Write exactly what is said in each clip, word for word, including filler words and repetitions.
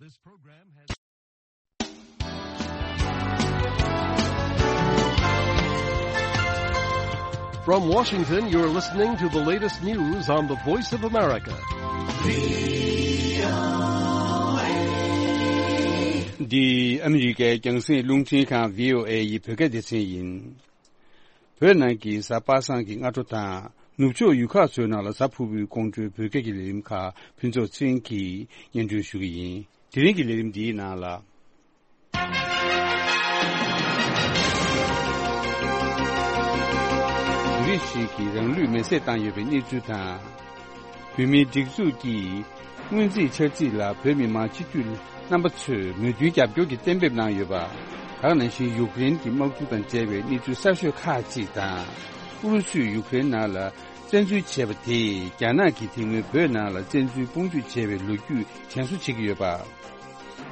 This program has From Washington, you're listening to the latest news on the Voice of America. འདི་ཨ་མི་རི་ཀའི་རྒྱང་སྲིང་རླུང་འཕྲིན་ཁང་བྷི་ཨོ་ཨེ་ཡི་བོད་སྐད་སྡེ་ཚན་ཡིན། བོད་ནང་གི་གཟའ་པ་སངས་ཀྱི་སྔ་དྲོ་དང་ནུབ་ཕྱོགས་ཡུལ་ཁག་ཚོའི་ནང་ལ་གཟའ་ཕུར་བུའི་ཁོང་ཁྲོའི་བོད་སྐད་ཀྱི་ལས་རིམ་ཁག་ཕུན་ཚོགས་ཚེ་རིང་གིས་སྙན་སྒྲོན་ཞུ་གི་ཡིན། དེ་རིང་གི་ལས་རིམ་འདིའི་ནང་ལ། བོད་རིགས་ཤིག་གིས་རང་ལུས་མེར་སྲེག་བཏང་ཡོད་པའི་གནས་ཚུལ་དང་། བོད་མིའི་སྒྲིག་འཛུགས་ཀྱིས་སྔོན་རྩིས་འཆར་རྩིས་ལ་བོད་མི་མང་སྤྱི་འཐུས་རྣམ་པ་ཚོས་མོས་མཐུན་རྒྱབ་སྐྱོར་གྱི་གཏན་འབེབས་གནང་ཡོད་པ། ད་ག་ནང་བཞིན་ཡུཀ་རེན་གྱི་དམག་འཁྲུག་དང་འབྲེལ་བའི་གནས་ཚུལ་གསར་ཤོས་ཁག་ཅིག་དང་། ཨུ་རུ་སུས་ཡུཀ་རེན་ནང་ལ་བཙན་འཛུལ་བྱས་པ་དེས་རྒྱ་ནག་གིས་དེ་སྔོན་བོད་ནང་ལ་བཙན་འཛུལ་དཔུང་འཇུག་བྱས་པའི་ལོ་རྒྱུས་དྲན་གསོ་བྱེད་ཀྱི་ཡོད་པ།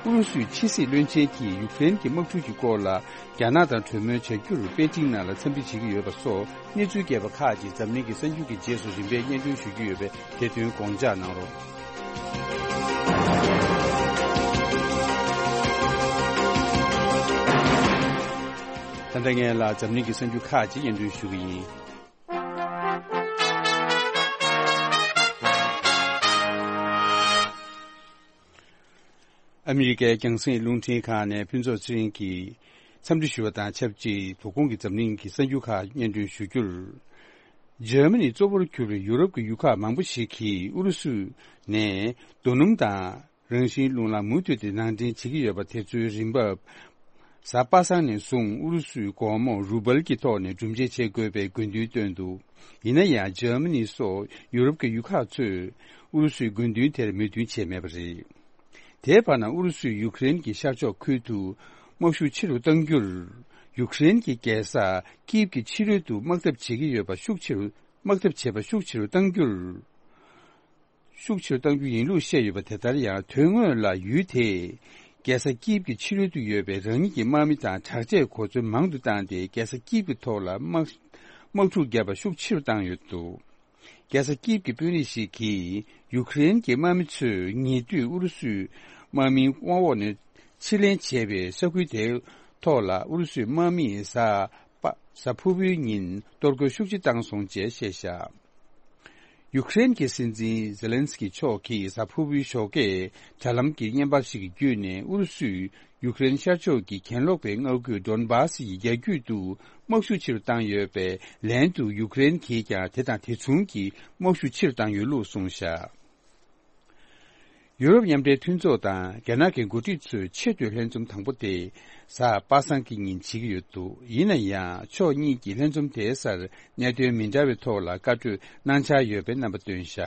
ཨུ་རུ་སུའི་ཕྱི་སྲིད་བློན་ཆེན་གྱིས་ཡུཀ་རེན་གྱི་དམག་འཁྲུག་གི་སྐོར་ལ་རྒྱ་ནག་དང་གྲོས་མོལ་བྱ་རྒྱུར་པེ་ཅིང་ནང་ལ་འཚམས་འདྲི་བྱེད་ཀྱི་ཡོད་པ་སོགས་གནས་ཚུལ་རྒྱས་པ་ཁག་ཅིག་འཛམ་གླིང་གི་གསར་འགྱུར་གྱི་རྗེས་སུ་རིམ་པས་སྙན་སྒྲོན་ཞུ་རྒྱུ་ཡོད་པས་དེ་དོན་དགོངས་འཇགས་གནང་རོགས། ད་ལྟ་ངས་ལ་འཛམ་གླིང་གི་གསར་འགྱུར་ཁག་ཅིག་སྙན་སྒྲོན་ཞུ་གི་ཡིན། ཨ་མི་རི་ཀའི་རྒྱང་སྲིང་རླུང་འཕྲིན་ཁང་ནས་ཕུན་ཚོགས་ཚེ་རིང་གིས་འཚམས་འདྲི་ཞུ་བ་དང་ཆབས་ཅིག་དོ་དགོང་གི་འཛམ་གླིང་གི་གསར་འགྱུར་ཁག་སྙན་སྒྲོན་ཞུ་རྒྱུར། འཇར་མ་ནི་གཙོ་བོར་གྱུར་པའི་ཡུ་རོབ་ཀྱི་ཡུལ་ཁག་མང་པོ་ཞིག་གིས་ཨུ་རུ་སུ་ནས་རྡོ་སྣུམ་དང་རང་བཞིན་རླུང་ལམ་མུ་མཐུད་དེ་ནང་འདྲེན་བྱེད་ཀྱི་ཡོད་པ་དེ་ཚོའི་རིན་འབབ། གཟའ་པ་སངས་ནས་བཟུང་ཨུ་རུ་སུའི་སྒོར་མོ་རུ་བལ་གྱི་ཐོག་ནས་སྒྲུབ་འབྱེད་བྱེད་དགོས་པའི་དགོས་འདུན་བཏོན་འདུག་ཡིན་ན་ཡང་འཇར་མ་ནི་སོགས་ཡུ་རོབ་ཀྱི་ཡུལ་ཁག་ཚོས་ཨུ་རུ་སུའི་དགོས་འདུན་དེར་མོས་མཐུན་བྱས་མེད་པ་རེད། དེའི་བར་ན་ཨུ་རུ་སུས་ཡུཀ་རེན་གྱི་ཤར་ཕྱོགས་ཁུལ་དུ་དམག་ཤུགས་ཆེ་རུ་གཏང་རྒྱུར། ཡུཀ་རེན་གྱི་རྒྱལ་ས་ཀིབ་ཀྱི་ཕྱི་རོལ་དུ་དམག་འཐབ་བྱེད་ཀྱི་ཡོད་པ་ཤུགས་ཆེ་རུ་དམག་འཐབ་བྱེད་པ་ཤུགས་ཆེ་རུ་གཏང་རྒྱུར། ཤུགས་ཆེ་རུ་གཏང་རྒྱུ་ཡིན་ལུགས་བཤད་ཡོད་པ་དེ་ལྟར་ཡང་དོན་དངོས་ལ་ཡུལ་དེས་རྒྱལ་ས་ཀིབ་ཀྱི་ཕྱི་རོལ་དུ་ཡོད་པའི་རང་ཉིད་ཀྱི་དམག་མི་དང་དྲག་ཆས་གོ་མཚོན་མང་དུ་བཏང་སྟེ་རྒྱལ་ས་ཀིབ་ཀྱི་ཐོག་ལ་དམག་དམག་འཁྲུག་བརྒྱབ་པ་ཤུགས་ཆེ་རུ་བཏང་ཡོད་འདུག་རྒྱལ་ས་ཀིབ་ཀྱི་དཔོན་རིགས་ཤིག་གིས་ཡུཀ་རེན་གྱི་དམག་མི་ཚོས་ཉེ་དུས་ཨུ་རུ་སུའི་དམག་མིའི་དབང་འོག་ནས་ཕྱིར་ལེན་བྱས་པའི་ས་ཁུལ་དེའི་ཐོག་ལ་ཨུ་རུ་སུའི་དམག་མིས་གཟའ་པ་གཟའ་ཕུར་བུའི་ཉིན་གཏོར་རྒོལ་ཤུགས་ཆེ་བཏང་སོང་ཅེས་བཤད་བཞག་ཡུཀ་རེན་གྱི་སྲིད་འཛིན་ཛེ་ལན་སི་ཀི་མཆོག་གིས་གཟའ་ཕུར་བུའི་ཞོགས་ཀས་དྲ་ལམ་གྱི་བརྙན་པར་ཞིག་གི་བརྒྱུད་ནས་ཨུ་རུ་སུས་ཡུཀ་རེན་ཤར་ཕྱོགས་ཀྱི་གྱེན་ལོག་པའི་མངའ་ཁུལ་ཌོན་སྦཱ་སི་ཡི་རྒྱ་རྒྱུད་དུ་དམག་ཤུགས་ཆེ་རུ་བཏང་ཡོད་པའི་ལན་དུ་ཡུཀ་རེན་གྱིས་ཀྱང་དེ་དང་དེ་མཚུངས་ཀྱི་དམག་ཤུགས་ཆེ་རུ་བཏང་ཡོད་ལུགས་གསུངས་བཞག་ཡུ་རོབ་མཉམ་འབྲེལ་མཐུན་ཚོགས་དང་རྒྱ་ནག་གི་འགོ་ཁྲིད་ཚོའི་ཆེས་མཐོའི་ལྷན་འཛོམས་དང་པོ་དེ་གཟའ་པ་སངས་ཀྱི་ཉིན་བྱེད་ཀྱི་ཡོད་འདུག་ཡིན་ན་ཡང་ཕྱོགས་གཉིས་ཀྱི་ལྷན་འཛོམས་དེའི་སར་གནད་དོན་མི་འདྲ་བའི་ཐོག་ལ་བཀའ་གྲོས་གནང་འཆར་ཡོད་པའི་རྣམ་པ་བཏོན་བཞག་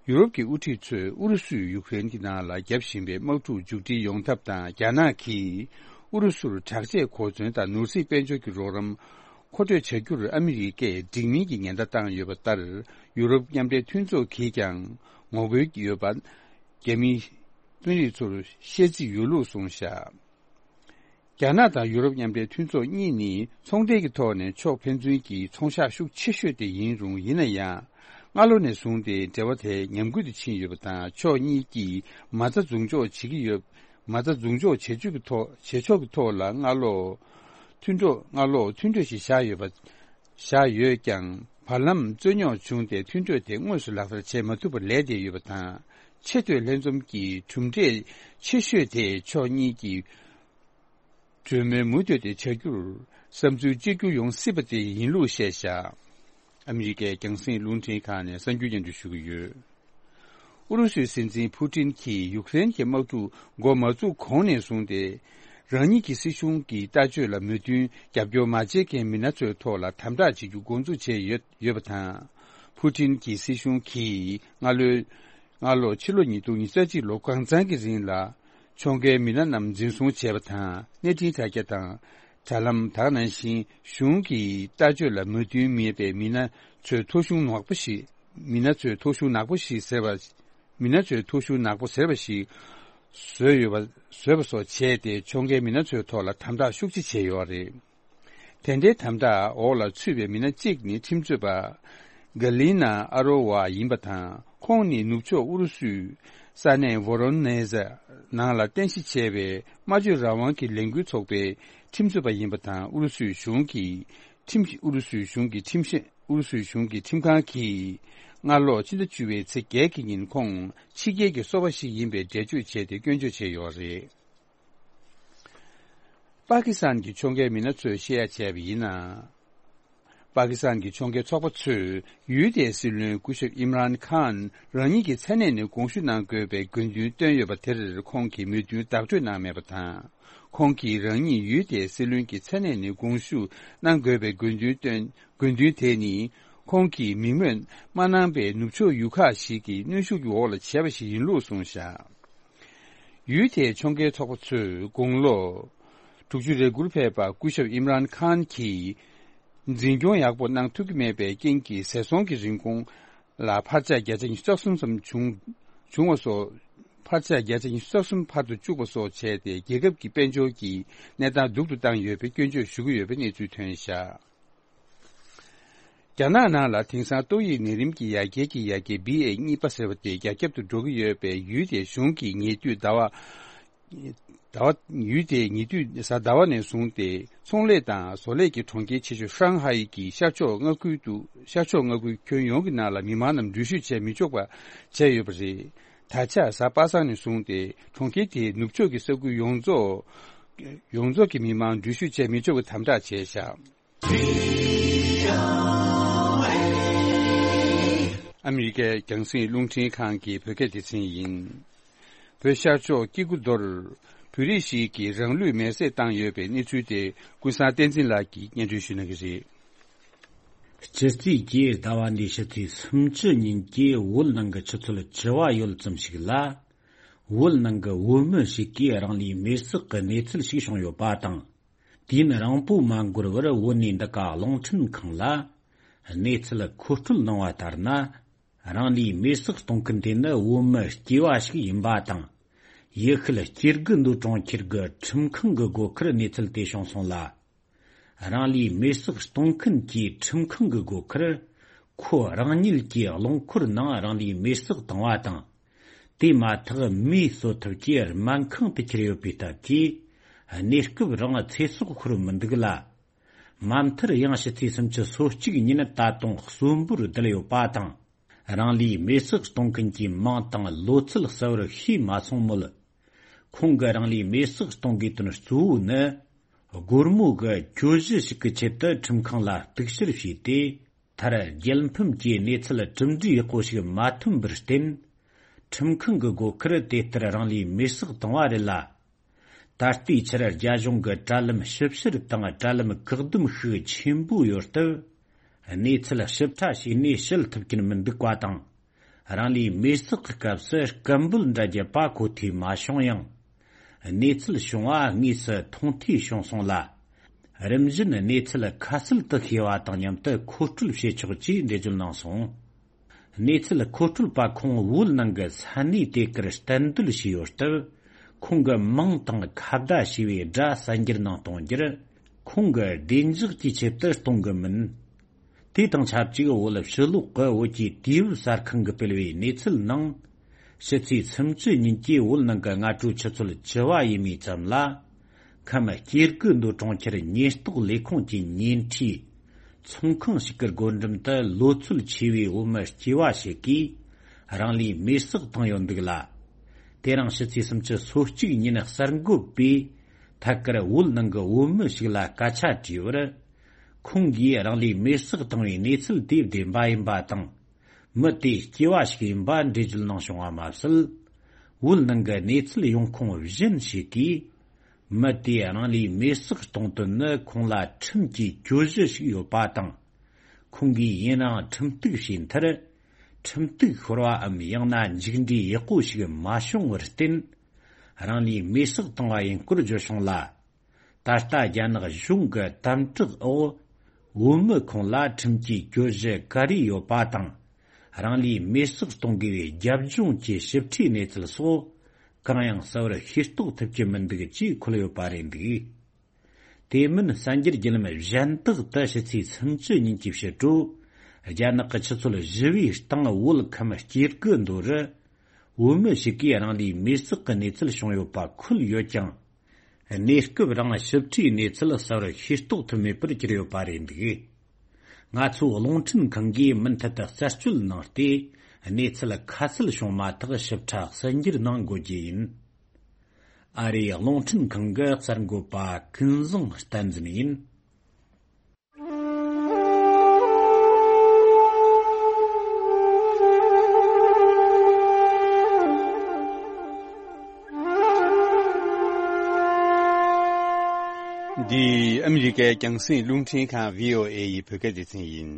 ཡུ་རོབ་ཀྱི་དབུ་ཁྲིད་ཚོས་ཨུ་རུ་སུས་ཡུཀ་རེན་གྱི་ནང་ལ་བརྒྱབ་བཞིན་པའི་དམག་འཁྲུག་མཇུག་སྒྲིལ་ཡོང་ཐབས་དང་རྒྱ་ནག་གིས་ཨུ་རུ་སུར་དྲག་ཆས་གོ་མཚོན་དང་ནོར་སྲིད་དཔལ་འབྱོར་གྱི་རོགས་རམ་མཁོ་སྤྲོད་བྱ་རྒྱུར་ཨ་མི་རི་ཀས་འགྲིག་མིན་གྱི་ཉེན་བརྡ་བཏང་ཡོད་པ་ལྟར་ཡུ་རོབ་མཉམ་འབྲེལ་མཐུན་ཚོགས་ཀྱིས་ཀྱང་ངོ་རྒོལ་ཡོད་པ། རྒྱ་མིའི་དཔོན་རིགས་ཚོར་བཤད་རྩིས་ཡོད་ལུགས་གསུངས་བཞག་རྒྱ་ནག་དང་ཡུ་རོབ་མཉམ་འབྲེལ་མཐུན་ཚོགས་གཉིས་ནི་ཚོང་འབྲེལ་གྱི་ཐོག་ནས་ཕྱོགས་ཕན་ཚུན་གྱི་ཚོང་ཤག་ཤུགས་ཆེ་ཤོས་དེ་ཡིན་རུང་། ཡིན་ན་ཡང་སྔ་ལོ་ནས་བཟུང་སྟེ་འབྲེལ་བ་དེ་ཉམས་རྒུད་དུ་ཕྱིན་ཡོད་པ་དང་། ཕྱོགས་གཉིས་ཀྱིས་མ་རྩ་འཛུགས་འཇོག་བྱེད་ཀྱི་ཡོད། མ་རྩ་འཛུགས་འཇོག་བྱེད་ཕྱོགས་ཀྱི་ཐོག་བྱེད་ཕྱོགས་ཀྱི་ཐོག་ལ་སྔ་ལོ་མཐུན་གྲོགས་སྔ་ལོ་མཐུན་གྲོས་ཤིག་བཞག་ཡོད་པ། བཞག་ཡོད་ཀྱང་། བར་ལམ་རྩོད་རྙོག་བྱུང་སྟེ་མཐུན་གྲོས་དེ་དངོས་སུ་ལག་བསྟར་བྱེད་མ་ཐུབ་པར་ལས་བསྡད་ཡོད་པ་དང་། ཆེས་མཐོའི་ལྷན་འཛོམས་ཀྱི་གྲུབ་འབྲས་ཆེ་ཤོས་དེ་ཕྱོགས་གཉིས་ཀྱིས་གྲོས་མོལ་མུ་མཐུད་དེ་བྱ་རྒྱུར་བསམ་ཚུལ་གཅིག་གྱུར་ཡོང་སྲིད་པ་དེ་ཡིན་ལུགས་བཤད་བཞག་ཨ་མི་རི་ཀའི་རྒྱང་སྲིང་རླུང་འཕྲིན་ཁང་ནས་གསར་འགྱུར་སྙན་སྒྲོན་ཞུ་གི་ཡོད། ཨུ་རུ་སུའི་སྲིད་འཛིན་ཕུ་ཏིན་གྱིས་ཡུཀ་རེན་གྱི་དམག་འཁྲུག་འགོ་མ་བཙུགས་གོང་ནས་བཟུང་སྟེ། རང་ཉིད་ཀྱི་སྲིད་གཞུང་གི་ལྟ་སྤྱོད་ལ་མོས་མཐུན་རྒྱབ་སྐྱོར་མ་བྱེད་མཁན་མི་སྣ་ཚོའི་ཐོག་ལ་དམ་དྲག་བྱེད་རྒྱུ་འགོ་འཛུགས་བྱས་ཡོད་ཡོད་པ་དང་། ཕུ་ཏིན་གྱི་སྲིད་གཞུང་གིས་སྔ་ལོའི་སྔ་ལོ་ཕྱི་ལོ་ཉིས་སྟོང་ཉི་ཤུ་རྩ་གཅིག་ལོ་གང་ཚང་གི་རིང་ལ། ཕྱོགས་འགལ་མི་སྣ་རྣམས་འཛིན་བཟུང་བྱས་པ་དང་། གནས་འཕྲིན་དྲ་རྒྱ་དང་། དྲ་ལམ་དག་ནང་བཞིན་གཞུང་གི་ལྟ་སྤྱོད་ལ་མོས་མཐུན་མེད་པའི་མི་སྣ་ཚོའི་ཐོ་གཞུང་ནག་པོ་ཞིག་མི་སྣ་ཚོའི་ཐོ་གཞུང་ནག་པོ་ཞིག་ཟེར་བ། མི་སྣ་ཚོའི་ཐོ་གཞུང་ནག་པོ་ཟེར་བ་ཞིག་བཟོས་ཡོད་པ། བཟོས་པ་སོགས་བྱས་ཏེ་ཕྱོགས་འགལ་མི་སྣ་ཚོའི་ཐོག་ལ་དམ་དྲག་ཤུགས་ཆེ་བྱས་ཡོད་རེད། དེ་འདྲའི་དམ་དྲག་འོག་ལ་ཚུད་པའི་མི་སྣ་གཅིག་ནི་ཁྲིམས་རྩོད་པ། ག་ལི་ན་ཨ་རོ་ཝ་ཡིན་པ་དང་། ཁོང་ནི་ནུབ་ཕྱོགས་ཨུ་རུ་སུའི་ ས་གནས་ཝོ་རོ་ནེ་ཟ་ནང་ལ་རྟེན་གཞི་བྱས་པའི་སྨྲ་བརྗོད་རང་དབང་གི་ལས་འགུལ་ཚོགས་པའི་ཁྲིམས་རྩོད་པ་ཡིན་པ་དང་། ཨུ་རུ་སུའི་གཞུང་གིས་ཁྲིམས་ཨུ་རུ་སུའི་གཞུང་གི་ཁྲིམས་བཤེར་ཨུ་རུ་སུའི་གཞུང་གི་ཁྲིམས་ཁང་གིས་སྔ་ལོ་ཕྱི་ཟླ་བཅུ་པའི་ཚེས་བརྒྱད་ཀྱི་ཉིན་ཁོང་ཕྱི་རྒྱལ་གྱི་སོ་པ་ཞིག་ཡིན་པའི་འགྲེལ་བརྗོད་བྱས་ཏེ་སྐྱོན་བརྗོད་བྱས་ཡོད་རེད། པ་ཀི་སི་ཐན་གྱི་ཕྱོགས་འགལ་མི་སྣ་ཚོས་བཤད་ཡ་བྱས་པ་ཡིན་ན། པ་ཀི་སི་ཐན་གྱི་ཕྱོགས་འགལ་ཚོགས་པ་ཚོས་ཡུལ་དེའི་སྲིད་བློན་སྐུ་ཞབས་ཨིམ་རཱན་ཁཱན་རང་ཉིད་ཀྱི་མཚན་གནས་ནས་དགོངས་ཞུ་གནང་དགོས་པའི་དགོས་འདུན་བཏོན་ཡོད་པ་དེར་ཁོང་གིས་མོས་མཐུན་བདག་སྤྲོད་གནང་མེད་པ་དང་། ཁོང་གིས་རང་ཉིད་ཡུལ་དེའི་སྲིད་བློན་གྱི་མཚན་གནས་ནས་དགོངས་ཞུ་གནང་དགོས་པའི་དགོས་འདུན་བཏོན་དགོས་འདུན་དེ་ནི་ཁོང་གིས་མིང་སྨོས་མ་གནང་པའི་ནུབ་ཕྱོགས་ཡུལ་ཁག་ཞིག་གི་གནོན་ཤུགས་ཀྱི་འོག་ལ་བྱས་པ་ཞིག་ཡིན་ལུགས་གསུངས་བཞག་ཡུལ་དེའི་ཕྱོགས་འགལ་ཚོགས་པ་ཚོས་དགུང་ལོ་དྲུག་ཅུ་རེ་དགུར་ཕེབས་པ་སྐུ་ཞབས་ཨིམ་རཱན་ཁཱན་གྱིས་འཛིན་སྐྱོང་ཡག་པོ་གནང་ཐུབ་ཀྱི་མེད་པའི་རྐྱེན་གྱིས་ཟས་སོང་གི་རིན་གོང་ལ་འཕར་ཆག་བརྒྱ་ཆ་ཉི་ཤུ་རྩ་གསུམ་ཙམ་བྱུང་བྱུང་བ་སོགས། འཕར་ཆག་བརྒྱ་ཆ་ཉི་ཤུ་རྩ་གསུམ་བར་དུ་བཅུག་པ་སོགས་བྱས་ཏེ་རྒྱལ་ཁབ་ཀྱི་དཔལ་འབྱོར་གྱི་གནས་སྟངས་སྡུག་ཏུ་བཏང་ཡོད་པའི་སྐྱོན་བརྗོད་ཞུ་གི་ཡོད་པའི་གནས་ཚུལ་ཐོན་བཞག་རྒྱ་ནག་ནང་ལ་དེང་སང་ཏོག་དབྱིབས་ནད་རིམས་ཀྱི་ཡ་གྱལ་གྱི་ཡ་གྱལ་བི་ཨེ་གཉིས་པ་ཟེར་བ་དེ་རྒྱ་ཁྱབ་ཏུ་འགྲོ་གི་ཡོད་པས། ཡུལ་དེའི་གཞུང་གིས་ཉེ་དུས་ཟླ་བ། ཟླ་བ། ཡུལ་དེའི་ཉེ་དུས་གཟའ་ཟླ་བ་ནས་བཟུང་སྟེ་ཚོང་ལས་དང་བཟོ་ལས་ཀྱི་གྲོང་ཁྱེར་ཆེ་ཤོས་ཧྲང་ཧའེ་གྱི་ཤར་ཕྱོགས་མངའ་ཁུལ་དུ། ཤར་ཕྱོགས་མངའ་ཁུལ་ཁྱོན་ཡོངས་ཀྱི་ནང་ལ་མི་མང་རྣམས་འགྲུལ་བཞུད་བྱས་མི་ཆོག་པ་བྱས་ཡོད་པ་རེད། ད་ཆ་གཟའ་པ་སངས་ནས་བཟུང་སྟེ་གྲོང་ཁྱེར་དེའི་ནུབ་ཕྱོགས་ཀྱི་ས་ཁུལ་ཡོངས་རྫོགས། ཡོངས་རྫོགས་ཀྱི་མི་མང་འགྲུལ་བཞུད་བྱས་མི་ཆོག་པའི་དམ་དྲག་བྱས་བཞག་ཨ་མི་རི་ཀའི་རྒྱང་སྲིང་རླུང་འཕྲིན་ཁང་གི་བོད་སྐད་སྡེ་ཚན་ཡིན། བོད་ཤར་ཕྱོགས་སྐྱེ་རྒུ་མདོར་བོད་རིགས་ཤིག་གིས་རང་ལུས་མེར་སྲེག་བཏང་ཡོད་པའི་གནས་ཚུལ་དེ་ཀུན་བཟང་བསྟན་འཛིན་ལགས་ཀྱིས་སྙན་སྒྲོན་ཞུ་གནང་གི་རེད། སྤྱི་ཚེས་བརྒྱད་ཟླ་བ་འདིའི་ཕྱི་ཚེས་སུམ་ཅུ་ཉིན་གྱི་བོད་ནང་གི་ཆུ་ཚོད་བཅུ་པ་ཡོལ་ཙམ་ཞིག་ལ། བོད་ནང་གི་བོད་མི་ཞིག་གིས་རང་ལུས་མེར་སྲེག་གི་གནས་ཚུལ་ཞིག་བྱུང་ཡོད་པ་དང་། དུས་ཡུན་རིང་པོ་མ་འགོར་བར་བོད་ནས་འདི་ག་རླུང་འཕྲིན་ཁང་ལ་གནས་ཚུལ་མཁོ་སྤྲོད་གནང་བ་ལྟར་ན། རང་ལུས་མེར་སྲེག་གཏོང་མཁན་དེ་ནི་བོད་མི་སྐྱེས་པ་ཞིག་ཡིན་པ་དང་། ཡུལ་ཤུལ་སྐྱེ་རྒུ་མདོ་གྲོང་ཁྱེར་གྱི་ཁྲིམས་ཁང་གི་སྒོ་ཁར་གནས་ཚུལ་དེ་བྱུང་སོང་ལ། རང་ལུས་མེར་སྲེག་གཏོང་མཁན་གྱིས་ཁྲིམས་ཁང་གི་སྒོ་ཁར་ཁོ་རང་ཉིད་ཀྱི་རླངས་འཁོར་ནང་རང་ལུས་མེར་སྲེག་བཏང་བ་དང་། དེ་མ་ཐག་མིས་གསོད་ཐབས་ཀྱིས་སྨན་ཁང་དུ་ཁྱེར་ཡོད་པའི་སྟབས་ཀྱིས། གནས་སྐབས་རང་ཚེ་སྲོག་ཤོར་མི་འདུག་ལ། མ་མཐར་ཡང་ཕྱི་ཚེས་སུམ་ཅུ་སོ་གཅིག་ཉིན་ད་དུང་གསོན་པོར་བསྡད་ཡོད་པ་དང་། རང་ལུས་མེར་སྲེག་གཏོང་མཁན་གྱི་མིང་དང་ལོ་ཚད་གསལ་བོར་ཤེས་མ་སོང་མོད། ཁོང་གིས་རང་ལུས་མེར་སྲེག་གཏོང་དགོས་དོན་གཙོ་བོ་ནི། སྒོར་མོ་གི་གྱོད་གཞི་ཞིག་གི་ཆེད་དུ་ཁྲིམས་ཁང་ལ་གཏུག་བཤེར་བྱས་ཏེ། མཐར་རྒྱལ་ཕམ་གྱི་གནས་ཚུལ་གྲུབ་འབྲས་ཡག་པོ་ཞིག་མ་ཐོན་པར་བརྟེན། ཁྲིམས་ཁང་གི་སྒོ་ཁར་དེ་ལྟར་རང་ལུས་མེར་སྲེག་བཏང་བ་རེད་ལ། ད་ལྟའི་ཆར་རྒྱ་གཞུང་གི་དྲ་ལམ་ཞིབ་བཤེར་དང་དྲ་ལམ་བཀག་སྡོམ་ཤུགས་ཆེན་པོ་ཡོད་སྟབས། གནས་ཚུལ་ཞིབ་ཕྲ་ཞིག་ནས་བཤད་ཐུབ་ཀྱིན་མི་འདུག་པ་དང་། རང་ལུས་མེར་སྲེག་གི་སྐབས་སུ་སྐད་འབོད་འདྲ་རྒྱག་པ་གོ་ཐོས་མ་བྱུང་ཡང་། གནས་ཚུལ་བྱུང་བ་དངོས་སུ་མཐོང་ཐོས་བྱུང་སོང་ལ། རིམ་བཞིན་གནས་ཚུལ་ཁ་གསལ་དུ་ཤེས་པ་དང་མཉམ་དུ་མཁོ་སྤྲོད་བྱེད་ཆོག་ཅེས་འགྲེལ་བརྗོད་གནང་སོང་། གནས་ཚུལ་མཁོ་སྤྲོད་པ་ཁོང་བོད་ནང་གི་ས་གནས་དེ་གར་གཏན་སྡོད་བྱས་ཡོད་སྟབས། ཁོང་གི་མིང་དང་ཁ་བརྡ་བྱས་པའི་སྒྲ་གསར་འགྱུར་ནང་གཏོང་རྒྱུར། ཁོང་གི་བདེ་འཇགས་ཀྱི་ཆེད་དུ་གཏོང་གི་མིན། དེ་དང་ཆབས་ཅིག་བོད་ཕྱི་ལོགས་ཀྱི་བོད་ཀྱི་དུས་བབ་གསར་ཁང་གིས་སྤེལ་བའི་གནས་ཚུལ་ནང་། ཕྱི་ཚེས་སུམ་ཅུ་ཉིན་གྱི་བོད་ནང་གི་སྔ་དྲོ་ཆུ་ཚོད་བཅུ་པ་ཡས་མས་ཙམ་ལ། ཁམས་སྐྱེ་རྒུ་མདོ་གྲོང་ཁྱེར་ཉེན་རྟོག་ལས་ཁུངས་ཀྱི་ཉེ་འཁྲིས་ཚོང་ཁང་ཞིག་གི་སྒོ་འགྲམ་དུ་ལོ་ཚོད་ཆེ་བའི་བོད་མི་སྐྱེས་པ་ཞིག་གིས་རང་ལུས་མེར་སྲེག་བཏང་ཡོད་འདུག་ལ། དེ་རིང་ཕྱི་ཚེས་སུམ་ཅུ་སོ་གཅིག་ཉིན་གསར་འགོད་པས་ཐད་ཀར་བོད་ནང་གི་བོད་མི་ཞིག་ལ་སྐད་ཆ་དྲིས་པར། ཁོང་གིས་རང་ལུས་མེར་སྲེག་བཏང་བའི་གནས་ཚུལ་དེ་བདེན་པ་ཡིན་པ་དང་། མི་དེ་སྐྱེས་པ་ཞིག་ཡིན་པ་འགྲེལ་བརྗོད་གནང་བྱུང་བ་མ་ཟད། བོད་ནང་གི་གནས་ཚུལ་ཡོང་ཁུངས་གཞན་ཞིག་གིས། མི་དེས་རང་ལུས་མེར་སྲེག་གཏོང་དོན་ནི་ཁོང་ལ་ཁྲིམས་ཀྱི་གྱོད་གཞི་ཞིག་ཡོད་པ་དང་། ཁོང་གིས་ཡུན་རིང་ཁྲིམས་གཏུག་བྱས་མཐར། ཁྲིམས་གཏུག་ཤོར་བའམ་ཡང་ན་མཇུག་འབྲས་ཡག་པོ་ཞིག་མ་བྱུང་བར་བརྟེན། རང་ལུས་མེར་སྲེག་བཏང་བ་ཡིན་སྐོར་བརྗོད་བྱུང་ལ། ད་ལྟ་རྒྱ་ནག་གཞུང་གི་དམ་དྲག་འོག་བོད་མི་ཁོང་ལ་ཁྲིམས་ཀྱི་གྱོད་གཞི་ག་རེ་ཡོད་པ་དང་། རང་ལུས་མེར་སྲེག་གཏོང་དགོས་པའི་རྒྱབ་ལྗོངས་ཀྱི་ཞིབ་ཕྲའི་གནས་ཚུལ་སོགས་གང་ཡང་གསལ་བོར་ཤེས་རྟོགས་ཐུབ་ཀྱི་མི་འདུག་ཅེས་འཁོད་ཡོད་པ་རེད་འདུག་དེ་མིན་གསར་འགྱུར་བརྒྱུད་ལམ་གཞན་དག་ཏུ་ཕྱི་ཚེས་སུམ་ཅུ་ཉིན་གྱི་ཕྱི་དྲོ། རྒྱ་ནག་གི་ཆུ་ཚོད་བཞི་པའི་སྟེང་བོད་ཁམས་སྐྱེ་རྒུ་མདོ་རུ། བོད་མི་ཞིག་གིས་རང་ལུས་མེར་བསྲེགས་ཀྱི་གནས་ཚུལ་བྱུང་ཡོད་པ་འཁོད་ཡོད་ཀྱང་། གནས་སྐབས་རང་ཞིབ་ཕྲའི་གནས་ཚུལ་གསལ་བོར་ཤེས་རྟོགས་ཐུབ་མེད་པར་གྱུར་ཡོད་པ་རེད་འདུག། ང་ཚོའི་རླུང་འཕྲིན་ཁང་གིས་མུ་མཐུད་དུ་རྩད་གཅོད་གནང་སྟེ། གནས་ཚུལ་ཁ་གསལ་བྱུང་མ་ཐག་ཞིབ་ཕྲ་གསལ་འགྱུར་གནང་དགོས་རྒྱུ་ཡིན། ཨ་རིའི་རླུང་འཕྲིན་ཁང་གི་གསར་འགོད་པ་ཀུན་བཟང་བསྟན་འཛིན་ཡིན། འདི་ཨ་མི་རི་ཀའི་རྒྱང་སྲིང་རླུང་འཕྲིན་ཁང་བྷི་ཨོ་ཨེ་ཡི་བོད་སྐད་སྡེ་ཚན་ཡིན།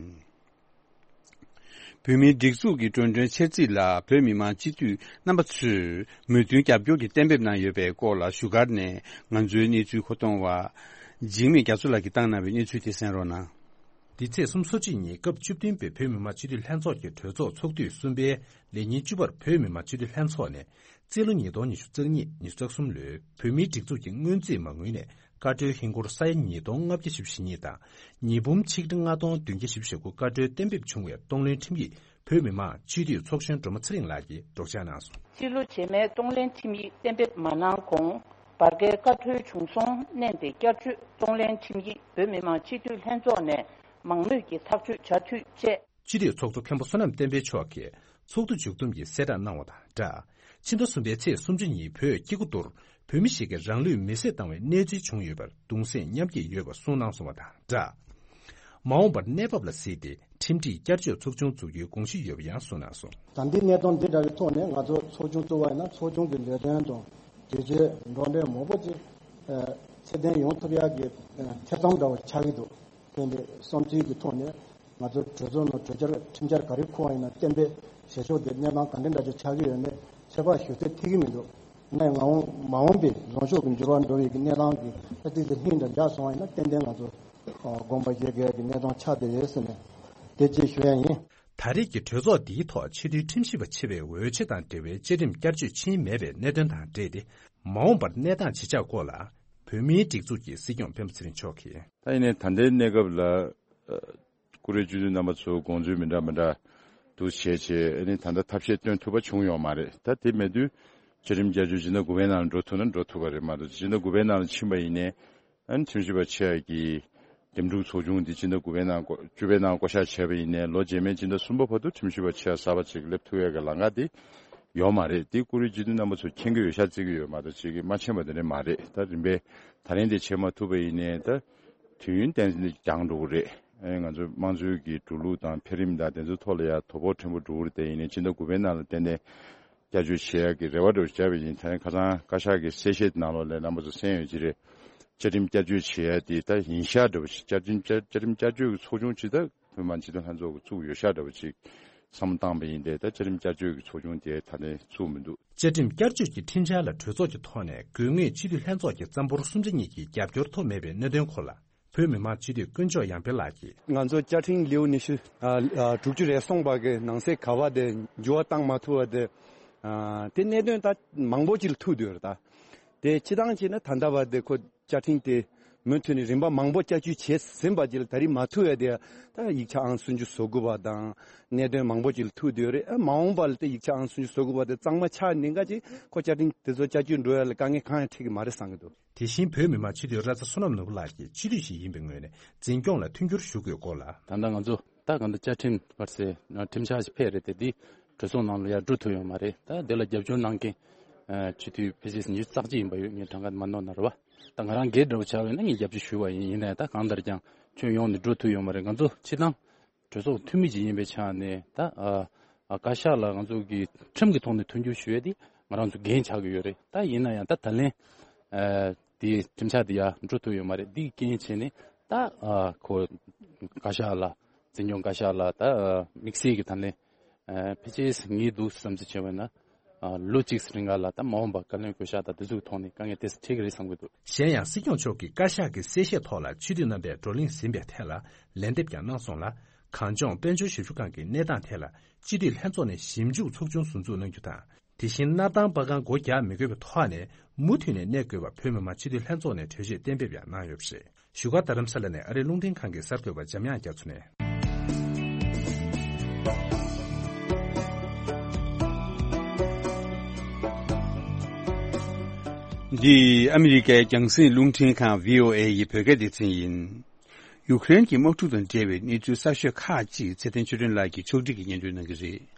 བོད་མིའི་སྒྲིག་འཛུགས་ཀྱི་བགྲོ་གྲེན་འཆར་རྩིས་ལ་བོད་མི་མང་སྤྱི་འཐུས་རྣམ་པ་ཚོས་མོས་མཐུན་རྒྱབ་སྐྱོར་གྱི་གཏན་འབེབས་གནང་ཡོད་པའི་སྐོར་ལ་བཞུགས་སྒར་ནས་ང་ཚོའི་གནས་ཚུལ་མཁོ་གཏོང་བ་འཇིགས་མེད་རྒྱ་མཚོ་ལགས་ཀྱིས་བཏང་གནང་བའི་གནས་ཚུལ་དེ་གསན་རོགས་གནང་། འདི་ཚེས་སོ་གཅིག་ཉིན་སྐབས་བཅུ་བདུན་པའི་བོད་མི་མང་སྤྱི་འཐུས་ལྷན་ཚོགས་ཀྱི་གྲོས་ཚོགས་ཚོགས་དུས་གསུམ་པའི་ལས་ཉིན་བཅུ་པར་བོད་མི་མང་སྤྱི་འཐུས་ལྷན་ཚོགས་ནས་རྩིས་ལོ་ཉིས་སྟོང་ཉི་ཤུ་རྩ་གཉིས་ཉི་ཤུ་རྩ་གསུམ་ལོའི་བོད་མིའི་སྒྲིག་འཛུགས་ཀྱི་སྔོན་རྩིས་མ་དངུལ་ནས་བཀའ་འཁྲོལ་ཧིན་སྒོར་ས་ཡ་ཉིས་སྟོང་ལྔ་བརྒྱ་བཞི་བཅུ་ཞེ་གཉིས་དང་། ཉིས་འབུམ་ཆིག་ཁྲི་ལྔ་སྟོང་བདུན་བརྒྱ་བཞི་བཅུ་ཞེ་དགུ་བཀའ་འཁྲོལ་གཏན་འབེབས་བྱུང་བའི་གཏོང་ལེན་ཁྲིམས་ཡིག་བོད་མི་མང་སྤྱི་འཐུས་ཚོགས་གཞོན་སྒྲོལ་མ་ཚེ་རིང་ལགས་ཀྱིས་སྒྲོག་སྦྱང་གནང་སོང་། རྩིས་ལོ་རྗེས་མའི་གཏོང་ལེན་ཁྲིམས་ཡིག་གཏན་འབེབས་མ་གནང་གོང་། བར་བརྒལ་བཀའ་འཁྲོལ་བྱུང་སོང་། མནན་ཏེ་བསྐྱར་བཅོས་གཏོང་ལེན་ཁྲིམས་ཡིག་བོད་མི་མང་སྤྱི་འཐུས་ལྷན་ཚོགས་ནས་མང་མོས་ཀྱིས་ཐག་གཅོད་བྱ་འཐུས་བཅས། སྤྱི་འཐུས་ཚོགས་གཙོ་མཁན་པོ་བསོད་ནམས་བསྟན་འཕེལ་མཆོག་གིས་ཚོགས་འདུ་མཇུག་བསྡོམས་ཀྱི་གསལ་བསྒྲགས་གནང་བ་དང་སྦྲགས། ཕྱི་ཟླ་གསུམ་པའི་ཚེས་སུམ་ཅུ་ཉིན་བོད་སྐྱེ་རྒུ་མདོར་བོད་མི་ཞིག་གིས་རང་ལུས་མེར་སྲེག་བཏང་བའི་གནས་ཚུལ་བྱུང་ཡོད་པར་གདུང་སེམས་མཉམ་སྐྱེད་ཡོད་པ་གསུངས་གནང་སོང་བ་དང་སྦྲགས། མ་འོངས་པར་གནས་བབ་ལ་གཟིགས་ཏེ་ཁྲིམས་སྒྲིག་བསྐྱར་བཅོས་ཚོགས་ཆུང་འཛུགས་རྒྱུའི་དགོངས་གཞི་ཡོད་པ་ཡང་གསུངས་གནང་སོང་། ད་ལྟའི་གནས་སྟངས་འདི་འདྲ་བའི་ཐོག་ནས་ང་ཚོ་ཚོགས་ཆུང་བཙུགས་པ་ཡིན་ན་ཚོགས་ཆུང་གི་ལས་དོན་དང་གྲོས་ཆོད་འགྲོ་གྲོན་མང་པོ་ཅིག་ཚད་ལྡན་ཡོང་ཐུབ་ཡག་གི་ཐེ་ཚོམ་འདྲ་བོ་ཆགས་ཀྱི་འདུག་དེ་འདྲའི་བསམ་ཚུལ་གྱི་ཐོག་ནས་ང་ཚོ་གྲོས་ཚོགས་ནང་གྲོས་འཆར་ཁྲིམས་འཆར་ག་རེ་འཁོར་བ་ཡིན་ན་གཏན་འབེབས་བྱེད་ཕྱོགས་དེ་གནས་སྟངས་ག་འདྲ་འདྲ་ཅིག་ཆགས་ཀྱི་ཡོད་མེད་ཚོད་དཔག་ཞུ་ཚད་ཐིག་གི་མི་འདུག་ནས་ང་འོང་མ་འོངས་པའི་ལངས་ཕྱོགས་ཀྱི་འགྱུར་བ་འགྲོ་བའི་གི་གནས་སྟངས་ཀྱི་ལྷ་ཏིག་ཏིག་ལྷིང་དང་འཇགས་སོང་བ་ཡིན་ན་ཏན་ཏན་ང་ཚོ་དགོངས་པ་བཞེས་དགོས་ཀྱི་གནས་སྟངས་ཆགས་བསྡད་ཡོད་ཟེར་ནས་དེ་ཅིག་ཞུ་ཡ་ཡིན། ད་རེས་ཀྱི་གྲོས་ཚོགས་འདིའི་ཐོག་ཆེས་མཐོའི་ཁྲིམས་ཞིབ་པ་ཆེ་བའི་འོས་ཆོས་དང་འབྲེལ་བའི་བཅའ་ཁྲིམས་བསྐྱར་བཅོས་ཕྱིན་མེད་པའི་གནད་དོན་དང་འབྲེལ་ཏེ་མ་འོངས་པར་གནས་སྟངས་ཇི་ཆགས་སྐོར་ལ་བོད་མིའི་སྒྲིག་འཛུགས་ཀྱི་སྲིད་སྐྱོང་སྤེན་པ་ཚེ་རིང་མཆོག་གིས། ད་ཡིན་ནའི་ད་ལྟའི་གནས་སྐབས་ལ་ཨ་བཀུར་འོས་སྤྱི་འཐུས་རྣམ་པ་ཚོ་དགོངས་ཚུལ་མི་འདྲ་མི་འདྲ་འདུག་བྱས་བྱས་ཨ་ནི་ད་ལྟ་ཐབས་ཤེས་སྟོན་ཐུབ་པ་བྱུང་ཡོད་མ་རེད། ད་དེ་མེད་དུས་བཅའ་ཁྲིམས་བསྐྱར་བཅོས་སྤྱི་ཟླ་དགུ་པའི་ནང་འགྲོ་ཐུབ་ན་འགྲོ་ཐུབ་པ་རེད་མ་གཏོགས་སྤྱི་ཟླ་དགུ་པའི་ནང་ལ་ཕྱིན་པ་ཡིན་ནའི་ཨ་ནི་ཁྲིམས་ཞིབ་པ་ཆེ་ཡ་གི་འདེམས་སྒྲུག་ཚོགས་ཆུང་འདི་སྤྱི་ཟླ་དགུ་པའི་ནང་བཅུ་པའི་ནང་བསྐོ་གཞག་བྱས་པ་ཡིན་ནའི་ལོ་རྗེས་མའི་སྤྱི་ཟླ་གསུམ་པ་བར་དུ་ཁྲིམས་ཞིབ་པ་ཆེ་ཡ་གསར་པ་ཅིག་སླེབས་ཐུབ་ཡ་གི་ལམ་ཁ་དེ་ཡོད་མ་རེད། དེ་བཀུར་འོས་སྤྱི་འཐུས་རྣམ་པ་ཚོས་མཁྱེན་གྱི་ཡོད་ཤག་བརྩི་གི་ཡོད་མ་གཏོགས་ཅིག་གིས་མ་མཁྱེན་པ་དེ་འདྲ་མ་རེད། ད་རིམ་པས་ད་རིང་དེ་བྱེད་མ་ཐུབ་པ་ཡིན་ནའི་ད་དུས་ཡུན་ཏན་ཏན་འགྱངས་འགྲོ་གི་རེད། ཨེ་ང་ཚོ་དམངས་གཙོའི་གི་འགྲོ་ལུགས་དང་འཕེལ་རིམ་དང་དེ་ཚོའི་ཐོག་ལ་ཡ་དོ་ཕོག་ཕྲན་བུ་འགྲོ་གི་རེད། དེ་ཡིན་ནའི་སྤྱི་ཟླ་དགུ་པའི་ནང་ལ་ཏན་ཏན་བསྐྱར་བཅོས་བྱེད་ཡ་གི་རེ་བ་འདྲ་བོ་བྱས་པ་ཡིན། ད་ཁ་སང་བཀའ་ཤག་གི་གསལ་བཤད་ནང་ལོགས་ལ་རྣམ་པ་ཚོ་གསན་ཡོད་ཀྱི་རེད། བཅའ་ཁྲིམས་བསྐྱར་བཅོས་བྱེད་ཡ་དེ་ད་ཡིན་ཤག་འདྲ་བོ་ཞིག་བཅའ་ཁྲིམས་བསྐྱར་བཅའ་ཁྲིམས་བསྐྱར་བཅོས་ཀྱི་ཚོགས་ཆུང་ཅིག་ད་བོད་མི་མང་སྤྱི་འཐུས་ལྷན་ཚོགས་ཀྱིས་བཙུགས་ཡོད་ཤག་འདྲ་བོ་ཅིག་བསམ་བློ་བཏང་པ་ཡིན་ཏེ། ད་བཅའ་ཁྲིམས་བསྐྱར་བཅོས་ཀྱི་ཚོགས་ཆུང་དེ་ད་ནས་བཙུགས་མི་འདུག་བཅའ་ཁྲིམས་བསྐྱར་བཅོས་ཀྱི་ཁྲིམས་འཆར་ལ་གྲོས་ཚོགས་ཀྱི་ཐོག་ནས་དགོས་ངེས་སྤྱི་འཐུས་ལྷན་ཚོགས་ཀྱི་རྩ་འབོར་སུམ་ཆ་གཉིས་ཀྱི་རྒྱབ་སྐྱོར་ཐོབ་མེད་པའི་གནད་དོན་སྐོར་ལ་བོད་མི་མང་སྤྱི་འཐུས་དཀོན་མཆོག་ཡར་འཕེལ་ལགས་ཀྱིས། ང་ཚོ་བཅའ་ཁྲིམས་ལེའུ་ཉི་ཤུ་ཨ་ཨ་དྲུག་ཅུ་རེ་གསུམ་པ་གི་ནང་གསེས་ག་པ་དེ་འགྱུར་བ་བཏང་མ་ཐུབ་པ་དེ་ཨ་དེ་གནད་དོན་ད་མང་པོ་ཅིག་ལ་ཐུག་བསྡད་ཡོད་རེད། ད་དེ་སྤྱི་བཏང་བྱས་ན་ད་ལྟ་བར་དེ་ཁོ་བཅའ་ཁྲིམས་དེ་མུ་མཐུད་ནས་རིམ་པ་མང་པོ་བསྐྱར་བཅོས་བྱས་ཟིན་པ་ཅིག་ལ་ད་རེས་མ་ཐུག་ཡ་དེ་ད་ཡིག་ཆ་ཨང་སུམ་ཅུ་སོ་དགུ་པ་དང་གནད་དོན་མང་པོ་ཅིག་ལ་ཐུག་བསྡད་ཡོད་རེད། ཨ་མ་འོངས་པ་ལ་དེ་ཡིག་ཆ་ཨང་སུམ་ཅུ་སོ་དགུ་པ་དེ་གཙང་མ་ཆགས་ནས་འགའ་ཅིག་ཁོ་བཅའ་ཁྲིམས་དེ་ཚོ་བསྐྱར་བཅོས་འགྲོ་ཡ་ལ་དཀའ་ངལ་གང་ཡང་འཕྲད་ཀྱི་མ་རེད་བསམ་གྱི་འདུག་དེ་བཞིན་བོད་མི་མང་སྤྱི་འཐུས་ར་ཚ་བསོད་ནམས་ནོར་བུ་ལགས་ཀྱིས་སྤྱི་འཐུས་ཤིག་ཡིན་པའི་ངོས་ནས་འཛིན་སྐྱོང་ལ་མཐུན་འགྱུར་ཞུ་དགོས་སྐོར་ལ། ད་ལྟ་ང་ཚོ་ད་གང་ལྟར་བཅའ་ཁྲིམས་བར་སའི་ཁྲིམས་འཆར་ཞིག་ཕེབས་རེད་དེ། འདི་གྲོས་ཚོགས་ནང་ལ་ཡར་འགྲོ་ཐུབ་ཡོད་མ་རེད། ད་འདི་ལ་རྒྱབ་སྐྱོར་གནང་མཁན་སྤྱི་འཐུས་ཕལ་ཆེར་ཉི་ཤུ་རྩ་གཅིག་ཡིན་པ་ཡོད། ངས་གྲངས་ཀ་མ་ནོར་ན་རེད་བ། ད་ང་རང་སྒེར་འདྲ་བོ་ཆགས་པ་ཡིན་ན་ངས་རྒྱབ་སྐྱོར་ཞུ་བ་ཡིན། ཡིན་ནའི་ད་གང་ལྟར་ཀྱང་ཁྱོན་ཡོངས་ནས་འགྲོ་ཐུབ་ཡོད་མ་རེད། ང་ཚོ་སྤྱི་བཏང་གྲོས་ཚོགས་འཐུས་མི་ཅིག་ཡིན་པའི་ཆ་ནས་ད་ཨ་ཨ་བཀའ་ཤག་ལ་ང་ཚོ་གི་ཁྲིམས་ཀྱི་ཐོག་ནས་མཐུན་འགྱུར་ཞུ་ཡས་དེ་ང་རང་ཚོ་འགན་ཆགས་ཀྱི་ཡོད་རེད། ད་ཡིན་ན་ཡང་ད་ད་ལན་ཨ་དེ་ཁྲིམས་འཆར་དེ་ཡར་འགྲོ་ཐུབ་ཡོད་མ་རེད། འདི་རྐྱེན་བྱས་ནས་ད་ཨ་ཁོ་བཀའ་ཤག་ལ་འཛིན་སྐྱོང་བཀའ་ཤག་ལ་ད་ཨ་དམིགས་བསལ་གྱི་ད་ལན་ཨ་ཕལ་ཆེར་ངེས་འདུག་བསམ་ཚུལ་བྱས་པ་ན། ཨ་ལོ་གཅིག་རིང་ག་ལ་ད་མ་འོངས་པ་བཀའ་བློན་བསྐོ་གཞག་དང་དེ་ཚོའི་ཐོག་ནས་དཀའ་ངལ་ཏོག་ཙམ་འཕྲད་ཀྱི་རེད་བསམ་གྱི་འདུག་གཞན་ཡང་སྲིད་སྐྱོང་མཆོག་གིས་བཀའ་ཤག་གི་གསལ་བཤད་ཐོག་ལ་སྤྱི་འཐུས་རྣམ་པས་བགྲོ་གླེང་ཟིན་པའི་ཐད་ལ་ལན་འདེབས་ཀྱང་གནང་སོང་ལ། གངས་ལྗོངས་དཔལ་འབྱོར་ཞབས་ཞུ་ཁང་གི་གནས་སྟངས་ཐད་ལ་སྤྱི་འཐུས་ལྷན་ཚོགས་ནས་ཞིབ་འཇུག་ཚོགས་ཆུང་ཟུར་འཛུགས་གནང་རྒྱུ་དང་། དེ་བཞིན་སྣར་ཐང་པ་ཀང་སྒོ་རྒྱག་མི་དགོས་པའི་ཐོག་ནས་མུ་མཐུད་ནས་གནས་དགོས་པ་བོད་མི་མང་སྤྱི་འཐུས་ལྷན་ཚོགས་ནས་གྲོས་ཆོད་གཏན་འབེབས་ཡང་གནང་ཡོད་པ་རེད། བཞུགས་སྒར་རྡ་རམ་ས་ལ་ནས་ཨ་རིའི་རླུང་འཕྲིན་ཁང་གི་གསར་འགོད་པ་འཇམ་དབྱངས་རྒྱ་མཚོ་ནས། འདི་ཨ་མི་རི་ཀའི་རྒྱང་སྲིང་རླུང་འཕྲིན་ཁང་བྷི་ཨོ་ཨེ་ཡི་བོད་སྐད་སྡེ་ཚན་ཡིན། ཡུཀ་རེན་གྱི་དམག་འཁྲུག་དང་འབྲེལ་བའི་གནས་ཚུལ་གསར་ཤོས་ཁག་ཅིག་ཚེ་བརྟན་ཆོས་སྒྲོན་ལགས་ཀྱིས་ཕྱོགས་སྒྲིག་གིས་སྙན་སྒྲོན་གནང་གི་རེད།